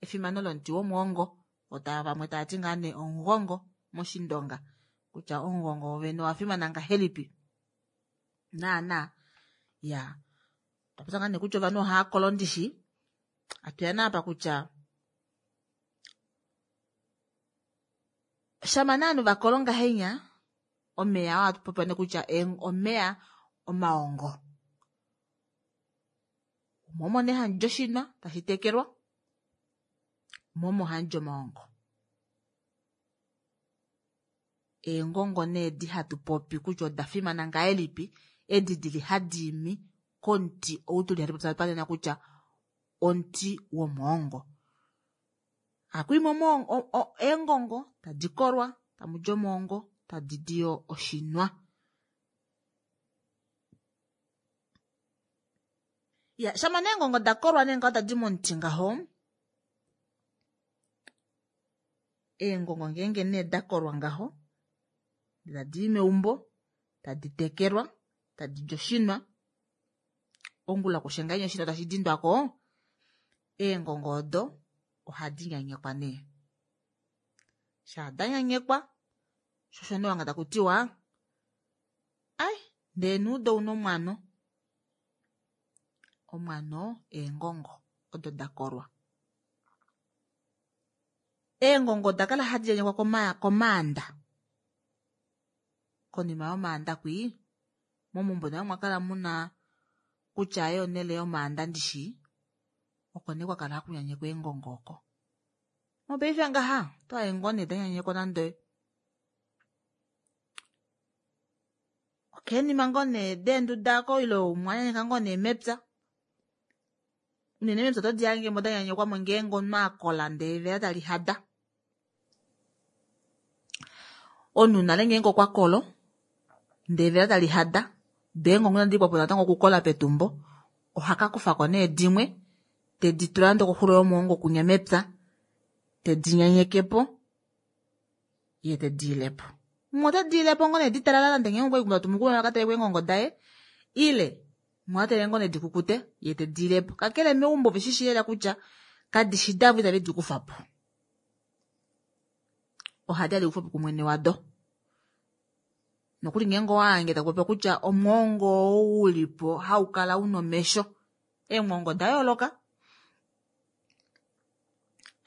efimano lomuti womwoongo ota vamwe tavati ngaa nee omugongo moshindonga kutya omugongo wovene owafimana ngahelipi naana ya twapopya ngaa nee kutya ovanhu ohaakolo ndishi atuya naapa kutya shama nee ovanhu vakolo ngahenya omeya oo ohatu nee kutya omeya omaongo momo nee hamudi oshinwa tashi tekelwa momo hamudi omaongo eengongo nee edi hatu popi kutya oda fimana ngahelipi edi dili hadi imi komuti ou tuli hatu popi panena kutya omuti womwoongo hakwiimi eengongo tadi kolwa tamudi omwoongo tadi diyo oshinwa. Ya shama nee eengongo dakolwa nee ngaho tadi momuti ngaho eengongo ngeenge nee dakolwa ngaho tadi meumbo tadi tekelwa tadi di oshinwa ongula kushe ngahenya oshinwa tashi dindwako eengongo odo ohadi nyanyekwa nee shaa danyanyekwa sho osho nee wanga takutiwa ai ndee neudo una omwano omwano eengongo odo dakolwa eengongo odakala hadi nyanyekwa komaanda konima yomaanda kwii momaumbo nale omwakala muna kutya aaye onele yomaanda ndishi oko nee kwakala hakunyanyekwa eengongo oko mopaife ngaha otohange ngoo nee danyanyekwa nande Okenima ngoo nee deenduda ako ile umwe anyanyeka ngoo nee mepya. Unene mepya oto di hange mo danyanyekwamo ngeenge omunhu akola ndee evela tali hada. Omunhu nale ngeenge okwa kolo ndee evela tali hada doo eengongo inadi pwapo natango okukola petumbo, ohaka kufako nee dimwe tedi tula nande okoxulo yomwoongo kunya mepya, tedi nyanyekepo ye tedi ilepo. Umwe otedi ilepo ngoo nee ditalala nande ngeenge okwali tatu aka taleko eengongo daye, ile umwe ota ngoo nee dikukute ye tedi ilepo. Kakele meumbo veshi lela kutya kadishi davo itave di kufapo, ohadi adi kufwapo kumwene wado. Nokuli ngeenge owahange takupopiwa kutya omwoongo oo ulipo haukala una omesho, eemwoongo oda yooloka.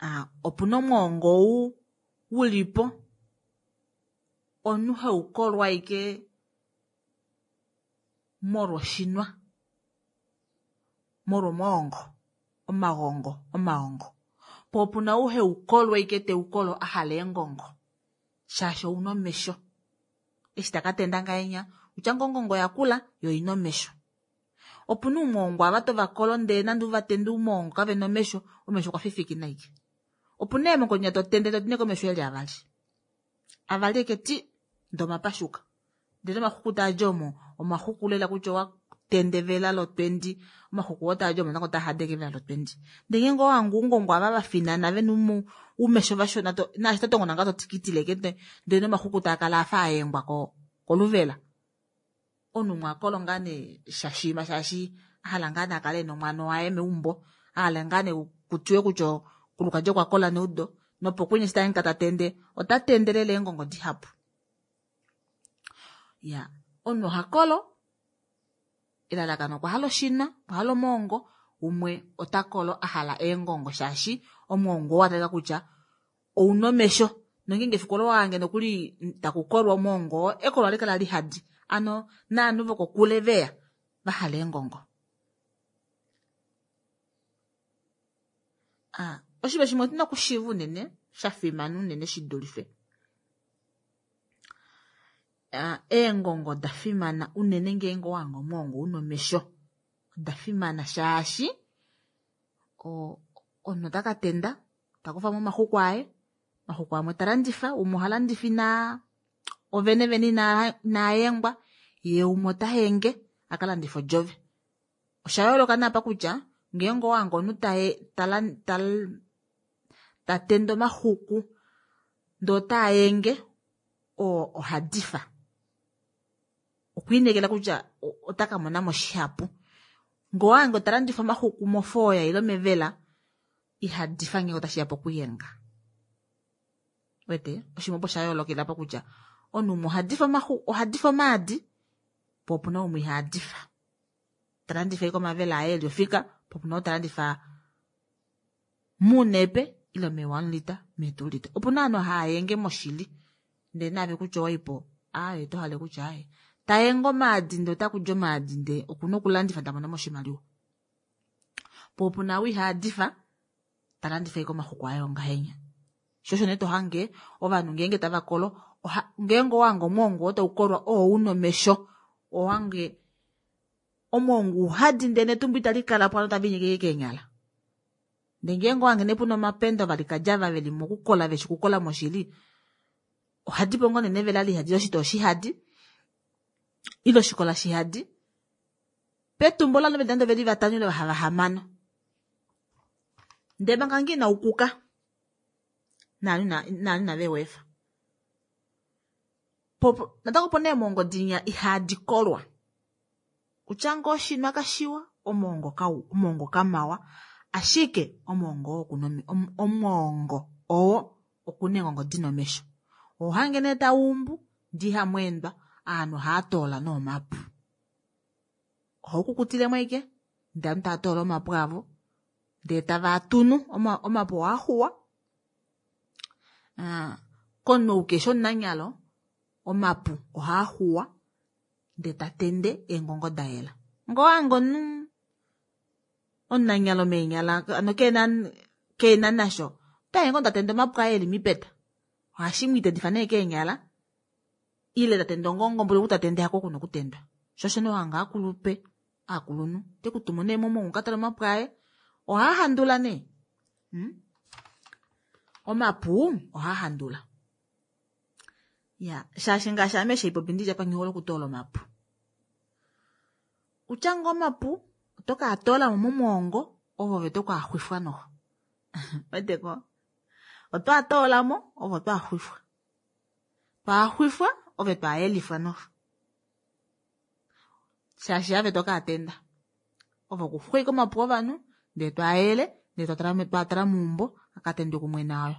Ah, opuna omwoongo ou ulipo omunhu haukolwa ashike molwa oshinwa, molwa omwoongo, omagongo, omaongo. Po opuna ou haukolwa ashike teukolo ahala eengongo shaashi ouna omesho. Eshi takatenda ngahenya kutya ngoo ongongo yakula yo oina omesho. Opuna oumwoongo ava tovakolo ndee nande uvatende oumwoongo kavena omesho, omesho okwa fifikina ashike. Opuna eemongo dinya totende toti komesho eli avali avali eke ti ndee omapashuka, ndele omaxuku taadi omo omaxuku lela kutya owa tendevela lotwendi, omaxuku oo taadi omo natango otaa hadeke evela lotwendi. Ndee ngeenge owahange oungongo ava vafinana vena oumesho vashona naashi totongona ngaho totikitile ashike ndee nomaxuku taakala afa ayengwa koluvela. Omunhu umwe akolo ngaa nee shashima shaashi ahala ngaa nee akale ena omwana waye meumbo, ahala ngaa nee kutiwe kutya kulukadi okwa kola neudo, nopokwenye eshi tahange tatende ota tende lela eengongo dihapu. Ya, omunhu oha kolo elalakano okwa hala oshinwa, okwa hala omwoongo, umwe ota kolo ahala eengongo shaashi omwoongo oo watalika kutya ouna omesho, nongeenge efiku olo wahange nokuli takukolwa omwoongo oo, ekolo ohali kala lihadi, ano naanhu vokokule veya vahala eengongo. Ah, oshinima shimwe otuna okushiiva unene shafimana unene shidulife eengongo oda fimana unene ngeenge owahange omwoongo una omesho, oda fimana shaashi omunhu otaka tenda takufamo omaxuku aye, omaxuku amwe talandifa, umwe ohalandifa inaa ovene vene inaayengwa, yee umwe otahenge akalandife odjove. Osha yooloka naapa kutya ngeenge owahange omunhu tatende omaxuku ndee otaayenge, oo ohadifa, okwiinekela kutya otakamonamo shihapu. Ngee owahange talandifa omaxuku mofooya ile mevela, ihadifa ngeenge otashiya pokuyenga. Uwete oshinima opo osha yoolokela apa kutya omunhu umwe ohadifa omaxuku, ohadifa omaadi, po opuna umwe ihadifa, talandifa ashike omavela aye eli ofika, po opuna ou talandifa muunepe ile mee one litre, mee two litre. Opuna ovanhu haayenge moshili ndee naave kutya owaipo aaye oto hale kutya aaye taenge omaadi ndee otakudi omaadi ndee okuna okulandifa tamono oshimaliwa. Po opuna ou ihadifa talandifa ashike omaxuku aye ongahenya. Sho osho nee tohange ovanhu ngeenge tava kolo, ngeenge owahange omwoongo oo taukolwa oo una omesho, ohange omwoongo uhadi ndee netumbo itali kalapo ovanhu otava linyeke keenyala. Ndee ngeenge owahange nee puna omapenda ovalikadi ava veli mokukola veshi kukola moshili, ohadipo ngoo nee nevela lihadi oshitoo shihadi ile oshikola shihadi, petumbo lovanhu veli nande oveli vatano ile vahamano, ndee manga ngoo inaukuka naanhu inaveweefa. Natango opuna eemwoongo dinya ihadi kolwa, kutya ngoo oshinwa kashiwa, omwoongo kau omwoongo kamawa, ashike omwoongo oo okuna omwoongo oo okuna eengongo dina omesho. Ohange nee tauumbu ndee ihamweendwa, ovanhu ohaatoola noomapu, ohaukukutilemo ashike ndee ovanhu tava toola omapu avo ndee tavaatunu, omapu ohaaxuwa. Komunhu ou keshi omunanyalo omapu ohaaxuwa ndee tatende eengongo dayela. Ngee owahange omunhu omunanyalo meenyala ano kena kena nasho, otahange ngoo tatende omapu aye eli mipeta, ohashi mwiitendifa nee keenyala Ile tatende ongongo mboli kutatende hako kuna okutendwa. Shosho nohanga akulupe akulunhu te kutumu nee momongo katala omapu aye ohaa handula nee. Hmm? Omapu ohaa handula. Ya, shaashi ngaashi ame sheipopi ndija pa nghihole okutoola omapu. Utya ngo omapu oto ka toola mo momwoongo ovo ve to ka xwifwa noho. Weteko? Oto atoola mo ovo to axwifwa. Twa xwifwa ove twa yelifwa noho. Shaashi ave to ka atenda. Ovo kuxwika omapu ovanhu ndee twa yele ndee twatala twatala muumbo akatendwe kumwe nayo.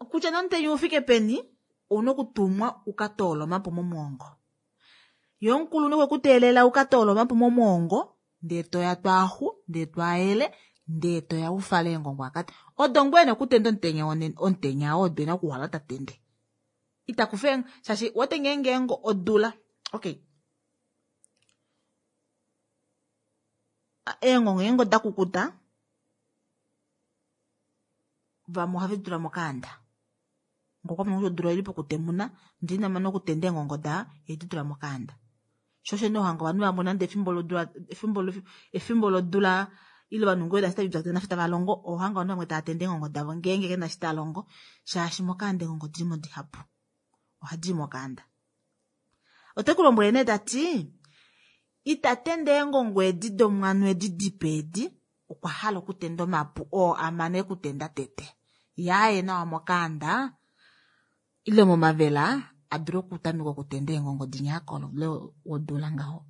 Kutya nomutenya ufike peni ouna okutumwa ukatoola omapu momwoongo. Ye omukulunhu kwekuteelela ukatoola omapu momwoongo ndee toya twaaxu ndee twayele ndee toya ufale eengongo akati. Odo ngwene okutenda omutenya omutenya oo odwena okuhala tatende. Itakufe shaashi wote ngeenge ngo odula. Okay. Eengongo ngeenge odakukuta vamwe ohave di tula mokaanda. Ngokwa mona kutya odula oili pokutemuna ndee ina mana okutenda eengongo da edi tula mokaanda. Shosho nee ohanga ovanhu vamwe nande efimbo lodula efimbo efimbo lodula ile ovanhu ngoo nafye tava longo ohanga ovanhu vamwe tava tende eengongo davo ngeenge kena shi ta longo shaashi mokaanda eengongo odili mo dihapu. Ohadi mokaanda. Ote ku lombwele nee tati itatende eengongo edi domwano edi dipe edi okwa hala okutenda omapu oo amane okutenda tete. Yaye nawa mokaanda ile momavela adule okutameka okutenda eengongo dinyakolo le wodula ngaho.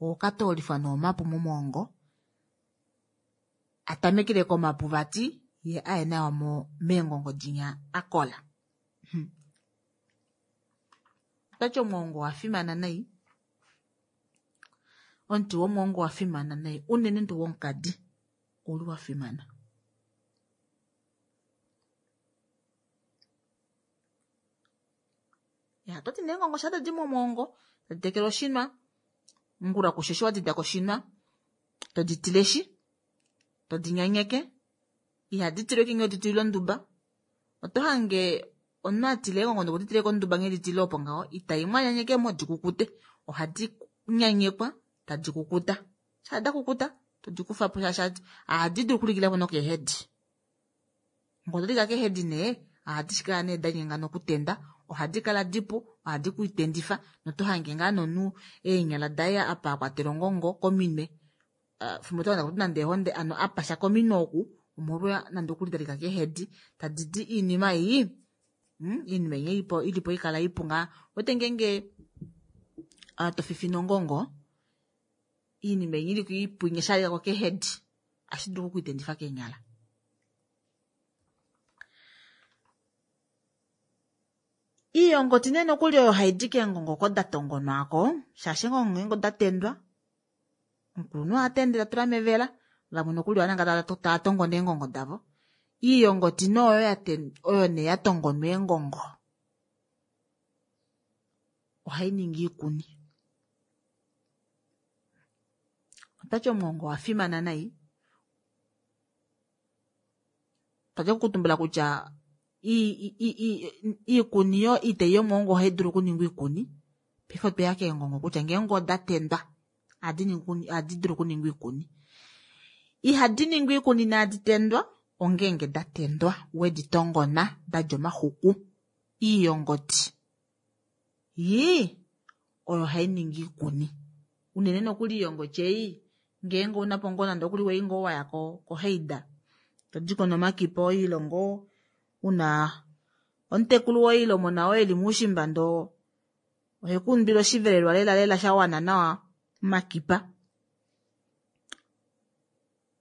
Okatoolifwa noomapu momwoongo atamekele komapu vati ye aye nawa mo meengongo dinya akola. Hmm. Otati omwoongo owa fimana nai. Omuti womwoongo owa fimana nai unene tuu womukadi ouli wa fimana. Ya, toti neengongo sha tadi momwoongo tadi tekele oshinwa ngula kusheshi wadida koshinwa todi tileshi todi nyanyeke ihadi tilwe kinge odi tilwe onduba. Oto hange omunhu atile eengongo nokudi tile konduba nghee di tile opo ngaho itai mwanyanyeke mo dikukute. Ohadi nyanyekwa tadi kukuta. Sha da kukuta todi kufa po shaashi ohadi dulu okulikilapo nokeehedi. Ngo todi ka keehedi nee ohadi shikala nee danyenga nokutenda ohadi kala dipu ohadi kuitendifa noto hange ngaa nomunhu eenyala daye apa akwatela ongongo kominwe. Fimbo to kuti nande ehonde ano apasha kominwe oku omolwa nande okulitalika keehedi tadi di iinima ei hmm, iinima ei ilipo ilipo ikala ipu ngaa. Wete ngeenge to fifina ongongo iinima ei iliko ipu inya keehedi ashi dulu okuitendifa keenyala. Iiyongoti nee nokuli oyo haidi keengongo oko da tongonwako shaashi eengongo ngeenge oda tendwa omukulunhu oha tende ta tula mevela vamwe nokuli ohananga tava tongona eengongo davo. Iiyongoti nee oyo oyo nee ya tongonwa eengongo ohai ningi iikuni. Otati omwoongo owa fimana nai. Twati okutumbula kutya iikuni yo iiteyi yomwoongo ohai dulu okuningwa iikuni. Paife otweya keengongo kutya ngeenge oda tendwa ohadi dulu okuningwa iikuni. Ihadi ningwa iikuni inaadi tendwa ongeenge da tendwa wedi tongona dadja omaxuku. Iiyongoti yii oyo hai ningi iikuni. Unene nokuli iiyongoti ei ngeenge unapo ngoo nande okuli wei ngoo waya koheida todiko nomakipa oilongo una omutekulu woilomo nao eli muushimba ndo ohekundwile oshivelelwa lela lela sha wana nawa makipa.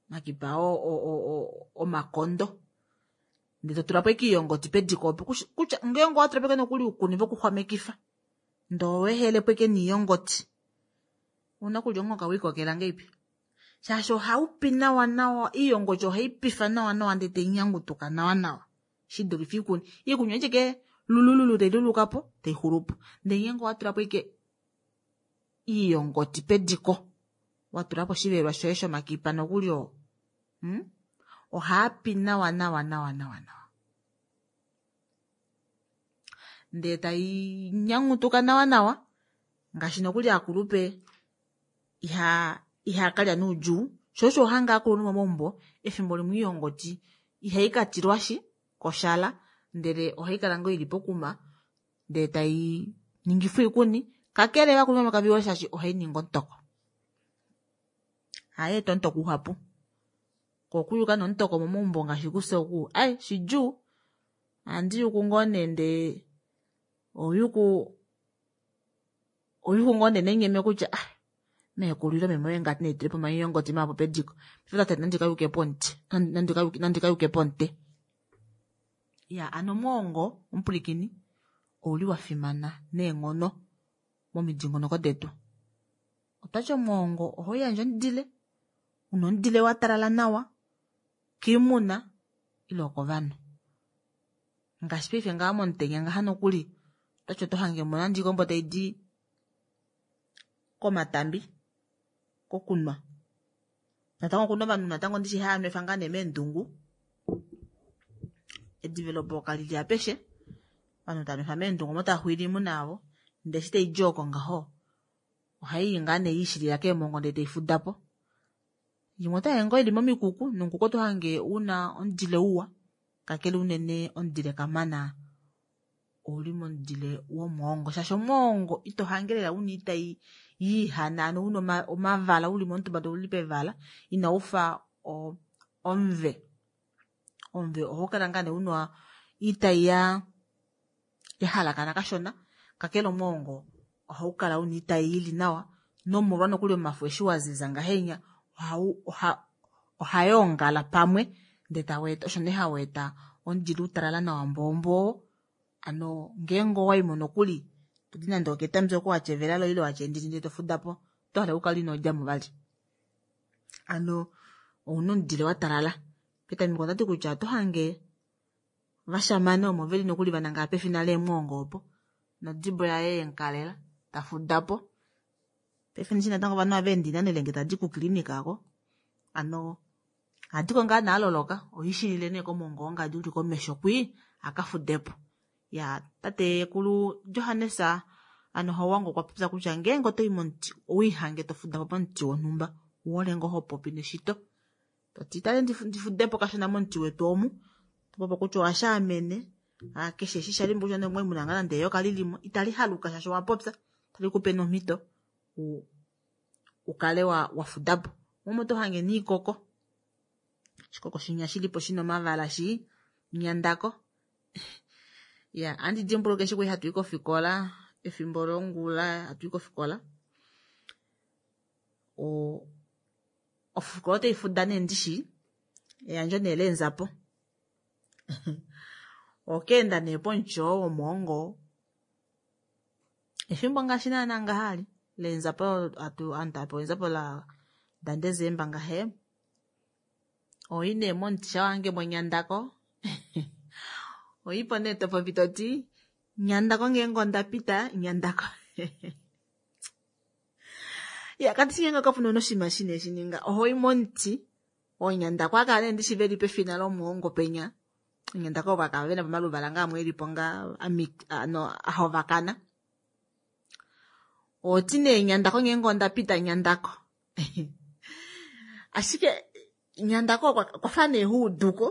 Makipa o o o omakondo. Ndee totulapo ashike iiyongoti pediko opo kutya ngeenge owatulapo ashike nokuli uukuni vokuxwamekifa ndee owehelepo ashike niiyongoti ouna okulya omuhoka wiikokela ngeipi shaashi ohaupi nawa nawa iiyongoti ohaipifa nawa nawa ndee tainyangutuka nawa nawa shidulife iikuni. Iikuni ashike lulululu tailulukapo taixulupo. Ndee ngeenge owatulapo ashike iiyongoti pediko watulapo oshivelelwa shoye shomakipa nokuli oo hmm? Ohaapi nawa nawa nawa nawa nawa. Ndee tai nyangutuka nawa nawa ngaashi nokuli akulupe iha ihakalya noudjuu sho osho hanga akulunhu momaumbo efimbo limwe oiyongoti ihaikatilwashi koshala ndele ohaikala ngoo ili pokuma ndee tai ningifwa oikuni kakele ovakulunhu vamwe kavehole shaashi ohainingi omutoko hayeeta omutoko uhapu koo okuyuka nomutoko momaumbo ngaashi kufye oku ai shidjuu ohandi yuku ngoo nee ndee oyuku oyuku ngoo nee nenyeme kutya ah meekulu ile meme oye ngati naitulepo omaiyongoti mahapu pediko tate nandikayuke pomuti nandikayuke pomute ya ano omwoongo omupwilikini ouli wafimana neenghono momidingonoko detu. Otwati omwoongo ohauyandje omudile una omudile watalala nawa koimuna ile okovanhu ngaashi paife ngaha momutenya ngaha nokuli otwati oto hangemo nande oikombo taidi komatambi kokunwa natango okuna ovanhu natango ndishi haanwefa ngaa nee meendungu edivelopo kalili apeshe ovanhu taanwefa meendungu omo taaxwiile oimuna yavo ndee eshi taidi oko ngaho ohaiyi ngaa nee yiishilila keemongo ndee taifudapo imwe otaye ngoo ili momikuku nomukuku oto hange una omudile uwa kakele unene omudile kamana ouli momudile womwoongo shaashi omwoongo ito hange lela una itai yiihana ano una omavala uli momutumba uli pevala inaufa omuve omuve ohaukala ngaa nee una itai ya yahalakana kashona kakele omwoongo ohaukala una itai ili nawa nomolwa nokuli omafo eshi waziza ngahenya ohayoongala pamwe ndee taweeta osho nee haweeta omudile utalala nawa mbomboo ano ngeenge owaimo nokuli todi nande oketambi oko watya evela loye ile watya endini ndee tofudapo otohale ukale inodjamo vali ano ouna omudile watalala petameko ondati kutya oto hange vashamane omo veli nokuli vanangala pefina leemwoongo opo nodibo yaye yemukalela tafudapo paife ndishi natango ovanhu ohaveende oinano ile ngee tadi kukilinika aako ano ohadiko ngaa nee aloloka ohiishilile nee komwoongo wongadi uli komesho kwii akafudepo ya tatekulu Johannes ano Hauwanga okwa popya kutya ngeenge otoyi momuti owiihange tofudapo pomuti wonhumba ouhole ngoo hopopi neshito toti tale ndifudepo kashona momuti wetu omu topopo kutya owashaamene keshe eshi shalimbo kutya nee omwaimuna ngaa nande eyoka lilimo itali haluka shaashi owapopya talikupe nomhito ukale wafudapo momo oto hange niikoko oshikoko shinya shilipo shina omavala shii nyandako ya ohandi dimbuluka eshi kwali hatuyi kofikola efimbo longula hatuyi kofikola o ofikola otaifuda nee ndishi eyandjo nee leenzapo okeenda nee pomuti oo womwoongo efimbo ngaashi naana ngaha ali leenzapo atu ovanhu tavapewa eenzapo la daDesemba ngahe oyi nee momuti shamha wahange monyandako oipo nee topopi toti nyandako ngeenge ondapita nyandako ya kandishi ngeenge kapuna oshinima shine shininga ohoi momuti oonyandako akala nee ndishi veli pefina lomwoongo penya oonyandako ovo akala vena pomaluvala ngaa amwe elipo ngaa ano ahovakana oti nee nyandako ngeenge ondapita nyandako ashike nyandako okwafa nee huuduko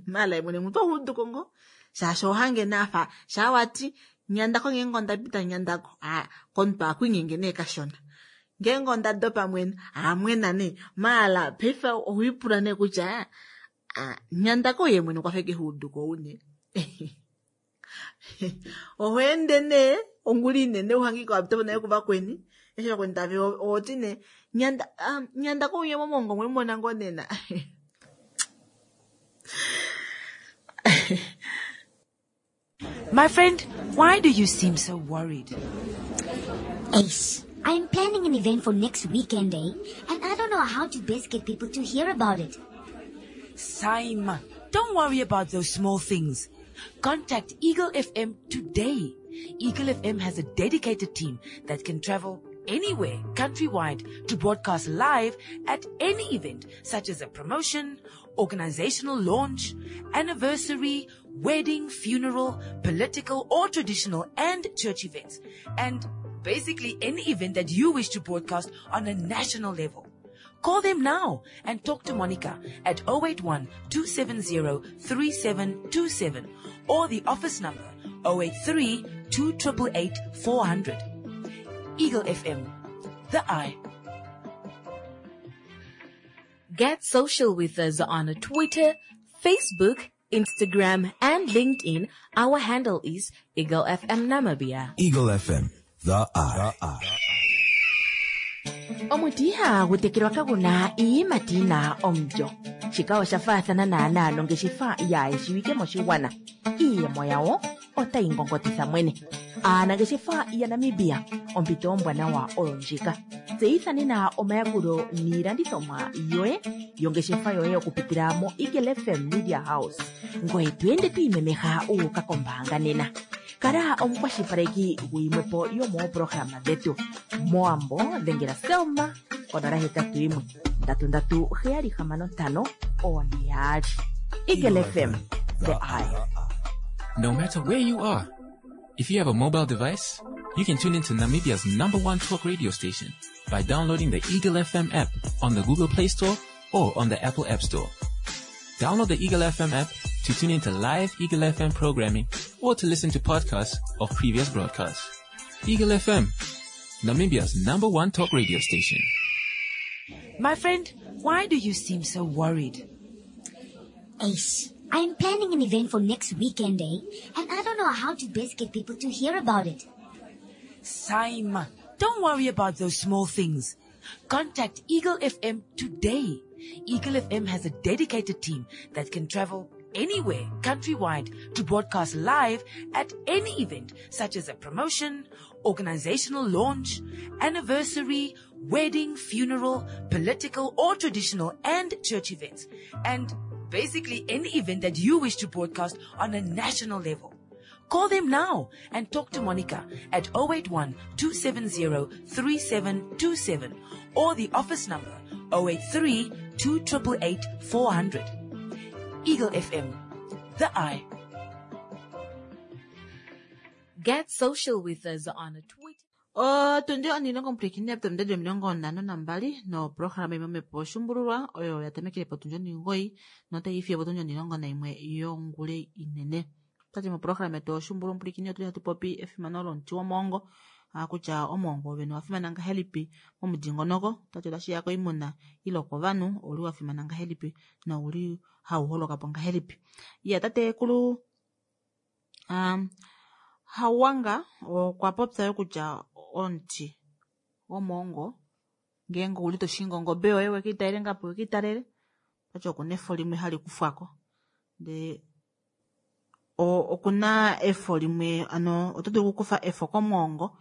maala mwene mutu ohuuduko ngoo shaashi ohange naafa shaa wati nyandako ngeenge ondapita nyandako ah komuntu akwiinyenge nee kashona ngeenge ondadopa mwene amwena nee maala paife owiipula nee kutya nyandako ye mwene okwafa eke huuduko une ohoende nee ongula inene uhangike wapitapo nale kuvakweni eshi vakweni tave oti nee nyanda nyandako uye momongo mwemona ngoo nena. My friend, why do you seem so worried? Ace, I'm planning an event for next weekend, eh? And I don't know how to best get people to hear about it. Saima, don't worry about those small things. Contact Eagle F M today. Eagle F M has a dedicated team that can travel anywhere countrywide to broadcast live at any event, such as a promotion organizational launch, anniversary, wedding, funeral, political or traditional and church events, and basically any event that you wish to broadcast on a national level. Call them now and talk to Monica at oh eight one, two seven zero, three seven two seven or the office number oh eight three, two triple eight, four hundred. Eagle F M, the eye. Get social with us on Twitter, Facebook, Instagram, and LinkedIn. Our handle is Eagle F M Namibia. Eagle F M, the eye. The eye. Omuti ihagu tekelwa kaguna iiyimati yina omulyo. Shika osha faathana naanaa nongeshefa yaayeshiwike moshigwana. Iiyemo yawo otayi ngongotitha mwene. Aanangeshefa yaNamibia, ompito ombwanawa oyo ndjika. Tseyitha nena omayakulo niilandithomwa yoye yongeshefa yoye okupitila mo Eagle F M Media House. Ngoye to ende to imemeha wu uka kombaanga nena. Kala omukwashilipaleki guyimwepo yomooprograma dhetu. Moambo dhengela Selma konola hetatu yimwe ndatu ndatu heyali hamano ntano one yaali. Eagle F M, the eye. No matter where you are, if you have a mobile device, you can tune into Namibia's number one talk radio station by downloading the Eagle F M app on the Google Play Store or on the Apple App Store. Download the Eagle F M app to tune into live Eagle F M programming or to listen to podcasts of previous broadcasts. Eagle F M, Namibia's number one talk radio station. My friend, why do you seem so worried? Ace, I'm planning an event for next weekend, eh? And I don't know how to best get people to hear about it. Saima, don't worry about those small things. Contact Eagle F M today. Eagle F M has a dedicated team that can travel anywhere countrywide to broadcast live at any event such as a promotion, organizational launch, anniversary, wedding, funeral, political or traditional and church events, and basically any event that you wish to broadcast on a national level. Call them now and talk to Monica at oh eight one, two seven zero, three seven two seven or the office number oh eight three, two triple eight, four hundred. Eagle F M, the eye. Get social with us on Twitter. Otundi onilongo mpwilikini yapita omilongo nhano nambali noprograma imwe omepo oshumbululwa oyo yatamekele potundi omugoyi notayi fiyo potundi onilongo naimwe yongule inene. Tati moprograma yetu oshumbululwa mpwilikini otuli hatu popi efimano lomuti womongo, kutya omongo wovene owafimana ngahelipi momudingonoko, tati otashiya koimuna ile kovanhu ouli wafimana ngahelipi nouli hau holoka po ngahelipi. Iya tatekulu um, Hauwanga okwa popya yo kutya omuti womongo ngeenge ouli toshingi ongobe yoye wekiitalele ngapo wekiitalele, tati okuna efo limwe hali kufwako ndee okuna efo limwe ano oto dulu okukufa efo komongo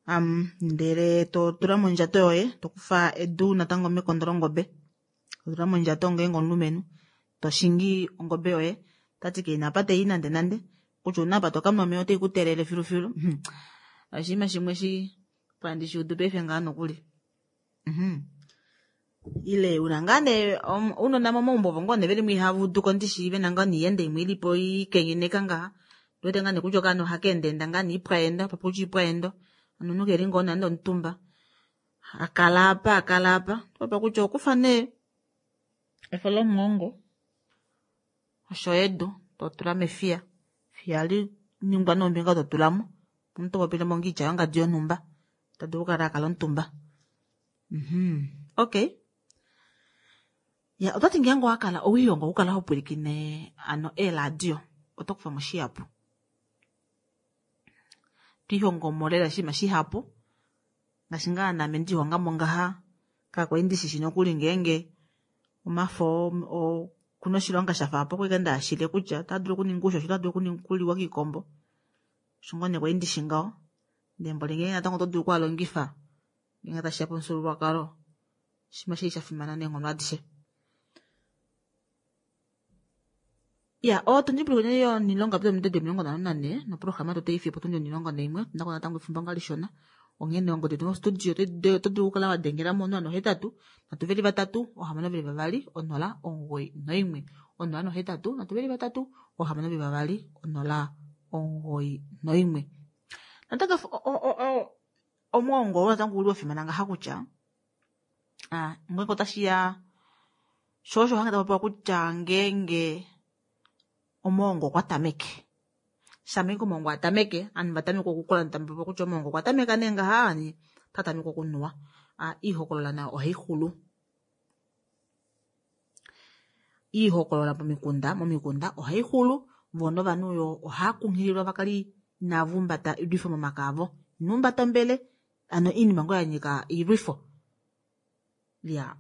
um, ndele to tula mondjato yoye, to kufa edu natango mekondo longobe, to tula mondjato ngeenge omulumenhu toshingi ongobe yoye, tati keina apa tei nande nande kutya una apa tokamwa omeya otai kutelele filufilu. Oshinima shimwe shi pandi shiudu paife ngaa nokuli. Ile una ngaa nee ounona momaumbo ovo ngoo nee veli mo ihava udu ko ndishi vena ngaa niiyenda imwe ilipo ikenyeneka ngaha, ndiwete ngaa nee kutya okaana ohaka endaenda ngaa nee ipwa endo, apa kutya ipwa endo, ano omunhu keli ngoo nande omutumba akala apa akala apa, apa kutya okufa nee efo lomuhongo osho edu totula mefiya, fiya li ningwa nombinga totulamo, omuntu popile mo ngiitya yongadi yonhumba tadulu okukala akala omutumba. Okay. Ya, otati ngeenge owakala owihongo okukala ho pwilikine ano eeradio oto kufa mo shihapu. Twihongo mo lela oshinima shihapu ngaashi ngaa naame ndihonga mo ngaha kakwali ndishi nokuli ngeenge omafo okuna oshilonga shafa apo okwali ndaashile kutya otaa dulu okuninga uushosho, otaa dulu okuliwa kiikombo, osho ngoo nee kwali ndishi ngaho. Ndee mboli ngeenge natango oto dulu okualongifa ngeenge tashiya pomufyuululwakalo, oshinima shili sha fimana neenghono adishe. Ya, otundi pwilikine yonilongo yapita omilongo nhano nane noprograma yetu otai fiyo potundi onilongo naimwe, otuna ko natango efimbo nga lishona Onghene ongodi yetu mostudio oto dulu okukala wadengela mo onola nohetatu nhatu veli vatatu ohamano veli vavali onola omugoyi noimwe onola nohetatu nhatu veli vatatu ohamano veli vavali onola omugoyi noimwe. Natango omwoongo oo natango ouli wafimana ngaha kutya ngenge otashiya shoo osho hange tapopiwa kutya ngeenge omwoongo okwa tameke shamha omwoongo atameke ovanhu vatameka okukula tamupopiwa kutya omwoongo okwa tameka nee ngaha otatameke okunuwa oihokolola nayo ohaixulu. Oihokolola pomikunda momikunda ohaixulu voo novanhu yoo ohaakunghililwa vakale inava humbata oilwifo momake avo. Ino humbata ombele hano oinima ngoo yanyika oilwifo. Iyaa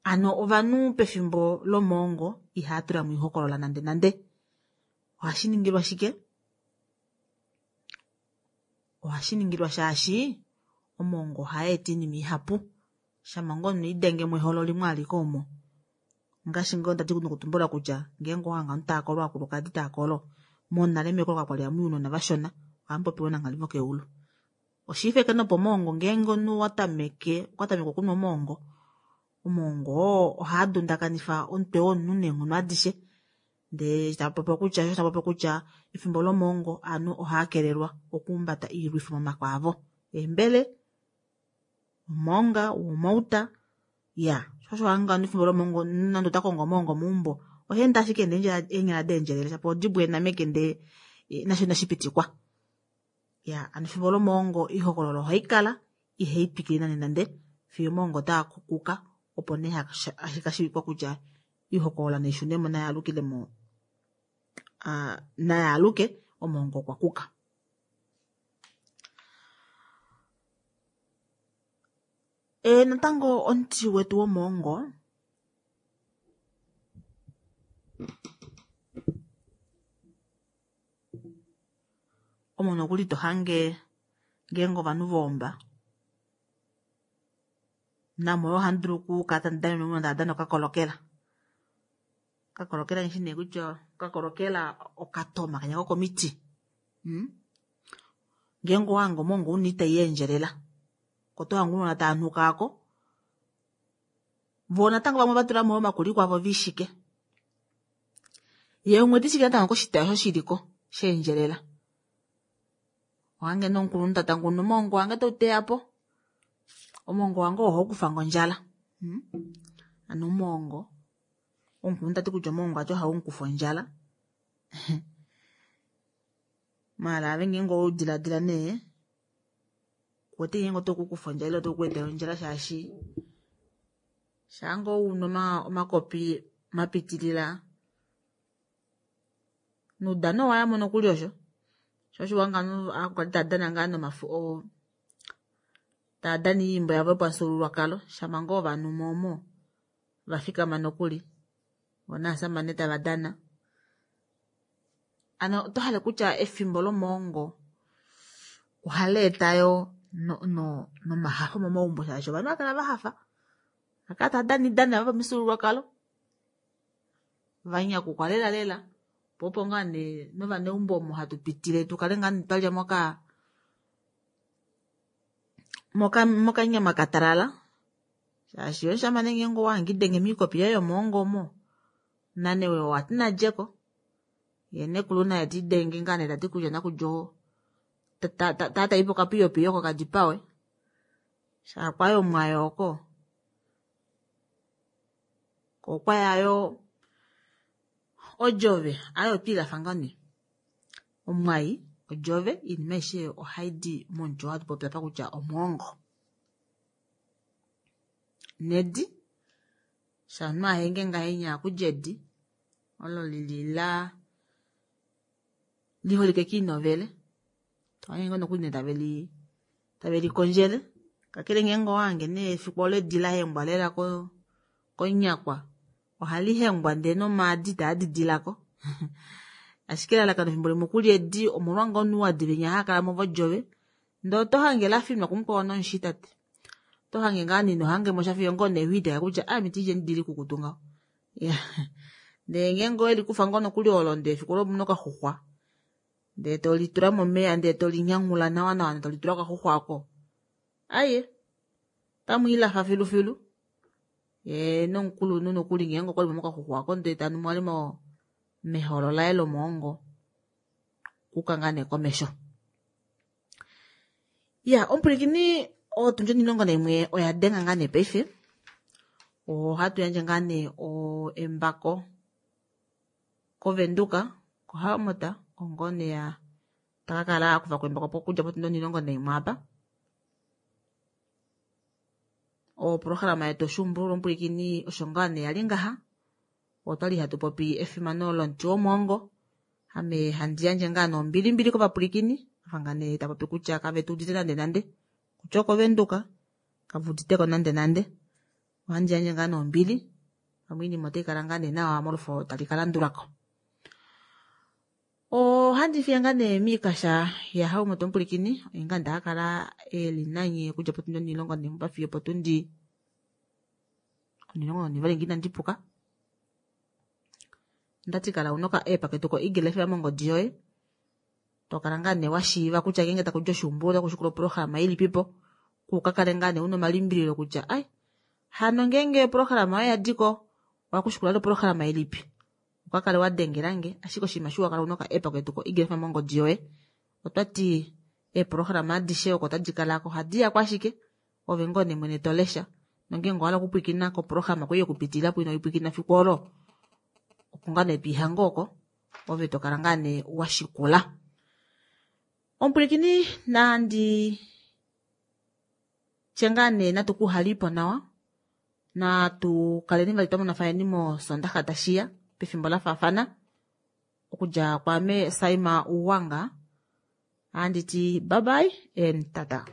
hano ovanhu pefimbo lomwoongo ihaatulamo oihokolola nande nande. Ohashiningilwa shike? Ohashiningilwa shaashi omwoongo ohaweeta oinima ihapu shama ngoo omunhu elidengemo eholo limwe alike omo ongaashi ngoo ndadi nokutumbula kutya ngeenge owahange ovanhu taakolo ovakulukadi taakolo monale meekolo kakwali hamuyi ounona vashona ohamupopiwa oonanghali vokeulu. Oshiifeke nee opomwoongo ngeenge omunhu owatameke okwatameke okunwa omwoongo, omwoongo oo ohaadundakanifa omutwe womunhu neenghono adishe ndee tapopiwa kutya shoo osho tapopiwa kutya efimbo lomwoongo ovanhu ohaakelelwa okuhumbata oilwifo momake avo eembele, omaonga, oumauta iyaa shoo osho hanga efimbo lomwoongo nande otakongo omwoongo meumbo ohaende ashike ena eenyala daendjelela shapo odibo ena meke ndee nasho inashipitikwa. Iyaa hano efimbo lomwoongo oihokololo ohaikala ihaitwikile nande nande fiyo omwoongo taakuka opo nee hashikashiivika kutya oihokolola naishunemo nayaalukilemo nayaaluke omwoongo okwakuka. Ee natango omuti wetu womwoongo omo nokuli tohange ngeenge ovanhu vaomba namo yoo ohamudulu okukala tamudanenwa ounona tavadana okakolokela. Okakolokela nghishi nee kutya okakolokela okatoma kenya kokomiti mm ngeenge owahange omwoongo una oitai yaendjelela oko tohange ounona taanuka aako voo natango vamwe ovatulamo yoo omakuliku avo viishike yee umwe teshike natango koshitayi osho shiliko shaendjelela. Ohange nee omukulunhu tatanguna omwoongo wange teuteyapo omwoongo wange oo ohaukufange ondjala mm hano omwoongo omukulunhu tati kutya omwoongo vati ohaumukufa ondjala maala ove ngeenge oweudilaadila nee kuwete ngeenge otaukukufa ondjala ile otaukweetele ondjala shaashi shaangoo unu omakopi mapitilila noudano owayamo nokuli osho shoo osho uhange ovanhu aakulukadi taadana ngaa nomafu taadana oyiimbo yavo yopamufyuululwakalo shama ngoo ovanhu omo vafikama nokuli voo novashamane tavadana. Hano otohale kutya efimbo lomwoongo ohaleeta yoo nomahafo momaumbo shaashi ovanhu ohaakala vahafa haakala taadana oidano yavo yopamifyuululwakalo vanyakukwa lela lela poo opo ngoo nee novaneumbo omo hatupitile tukale ngoo nee twalya moka mokanyama katalala shaashi omushamane ngeenge owahange elidenge moikopi yaye yomwoongo omo nane owati nalyeko yee nekulu naye telidenge ngoo nee tati kutya nakulya oo taataipo okapiyopiyo oko kadipawe shaakwaya omwai oko koo okwaya yoo odjove aaye otwiilafa ngoo nee omwai odjove oinima aishe ohaidi momuti oo hatupopi apa kutya omwoongo. Nedi shaa omunhu ahenge ngahenya ohakulya edi olo lili laa liholike kiinovele tohange ngoo nokuli taveli tavelikondjele kakele ngeenge owahange nee efiku olo edi lahengwa lela konyakwa ohalihengwa ndee nomaadi itaadidilako ashike elalakano efimbo limwe okulya edi omolwa ngoo nee ouadi venya haakalamo vodjove ndee otohange lafinwa kumukwao nomushi tate otohange ngoo nee inohangemosha fiyo ngoo nee wiiteka kutya ame itiilyeni edi likukutu ngaho iyaa ndee ngeenge owelikufa ngoo nokuli olo ndee efiku olo omuna okaxuxwa Ndee tolitula momeya ndee tolinyanghula nawa nawa ndee tolitula okaxuxwa oko. Aye, tamwiilafa filufilu. Ye nomukulunhu nokuli ngeenge okwali mokaxuxwa oko ndee tanu mwali mo meholo laye lomoongo kuka ngaa nee komesho. Ya, omupwilikini otundi onimulongo naimwe oya denga ngaa nee paife. Ohatu yandje ngaa nee embako koVenduka, koHamota, ongoo nee takakala akufa ko embako okudja potundi onimulongo naimwe apa. Oprograma yetu oshuumbululwa omupwilikini osho ngaa nee yali ngaha. Otwali hatu popi efimano lomuti womwoongo. Ame handi yandje ngaa nee ombilimbili kovapwilikini. Afa ngaa nee tapopi kutya kave tu udite nande nande. Kutya okoVenduka, kave uditeko nande nande. Ohandi yandje ngaa nee ombili. Pamwe oinima otai kala ngaa nee nawa molufo tali ka landulako. Ohandi fiye ngaa nee miikasha yaHaumoto omupwilikini. Oye ngaa ndakakala eli nanye okudja potundi onimulongo naimwe fiyo potundi onimulongo nonivali ngee inandi puka. Ndati kala una oka app ketu ko Eagle F M mongodi yoye. Tokala ngaa nee washiiva kutya ngeenge takudja oshuumbululwa otakushikula oprograma ilipipo. Kukakale ngaa nee una omalimbililo kutya ai hano ngeenge oprograma oyo yadiko ohakushikula oprograma ilipi. Ukakale wadengelange ashike oshinima shiwa kala una oka app ketu ko Eagle F M mongodi yoye. Otwati eeprograma adishe oko tadi kalako ohadi yako ashike ove ngoo nee mwene tolesha. Nongeenge owahala okupwilikina koprograma kwei yokupitilila po ino ipwilikina fiku olo. Oko ngaa nee twiihange oko ove tokala ngaa nee washikula. Omupwilikini nandi tye ngaa nee natu kuhalipo nawa. Natu kaleni vali twamonafani mosondaxa tashiya pefimbo lafaafana. Okudja kwaame Saima Uwanga. Anditi bye bye and tata.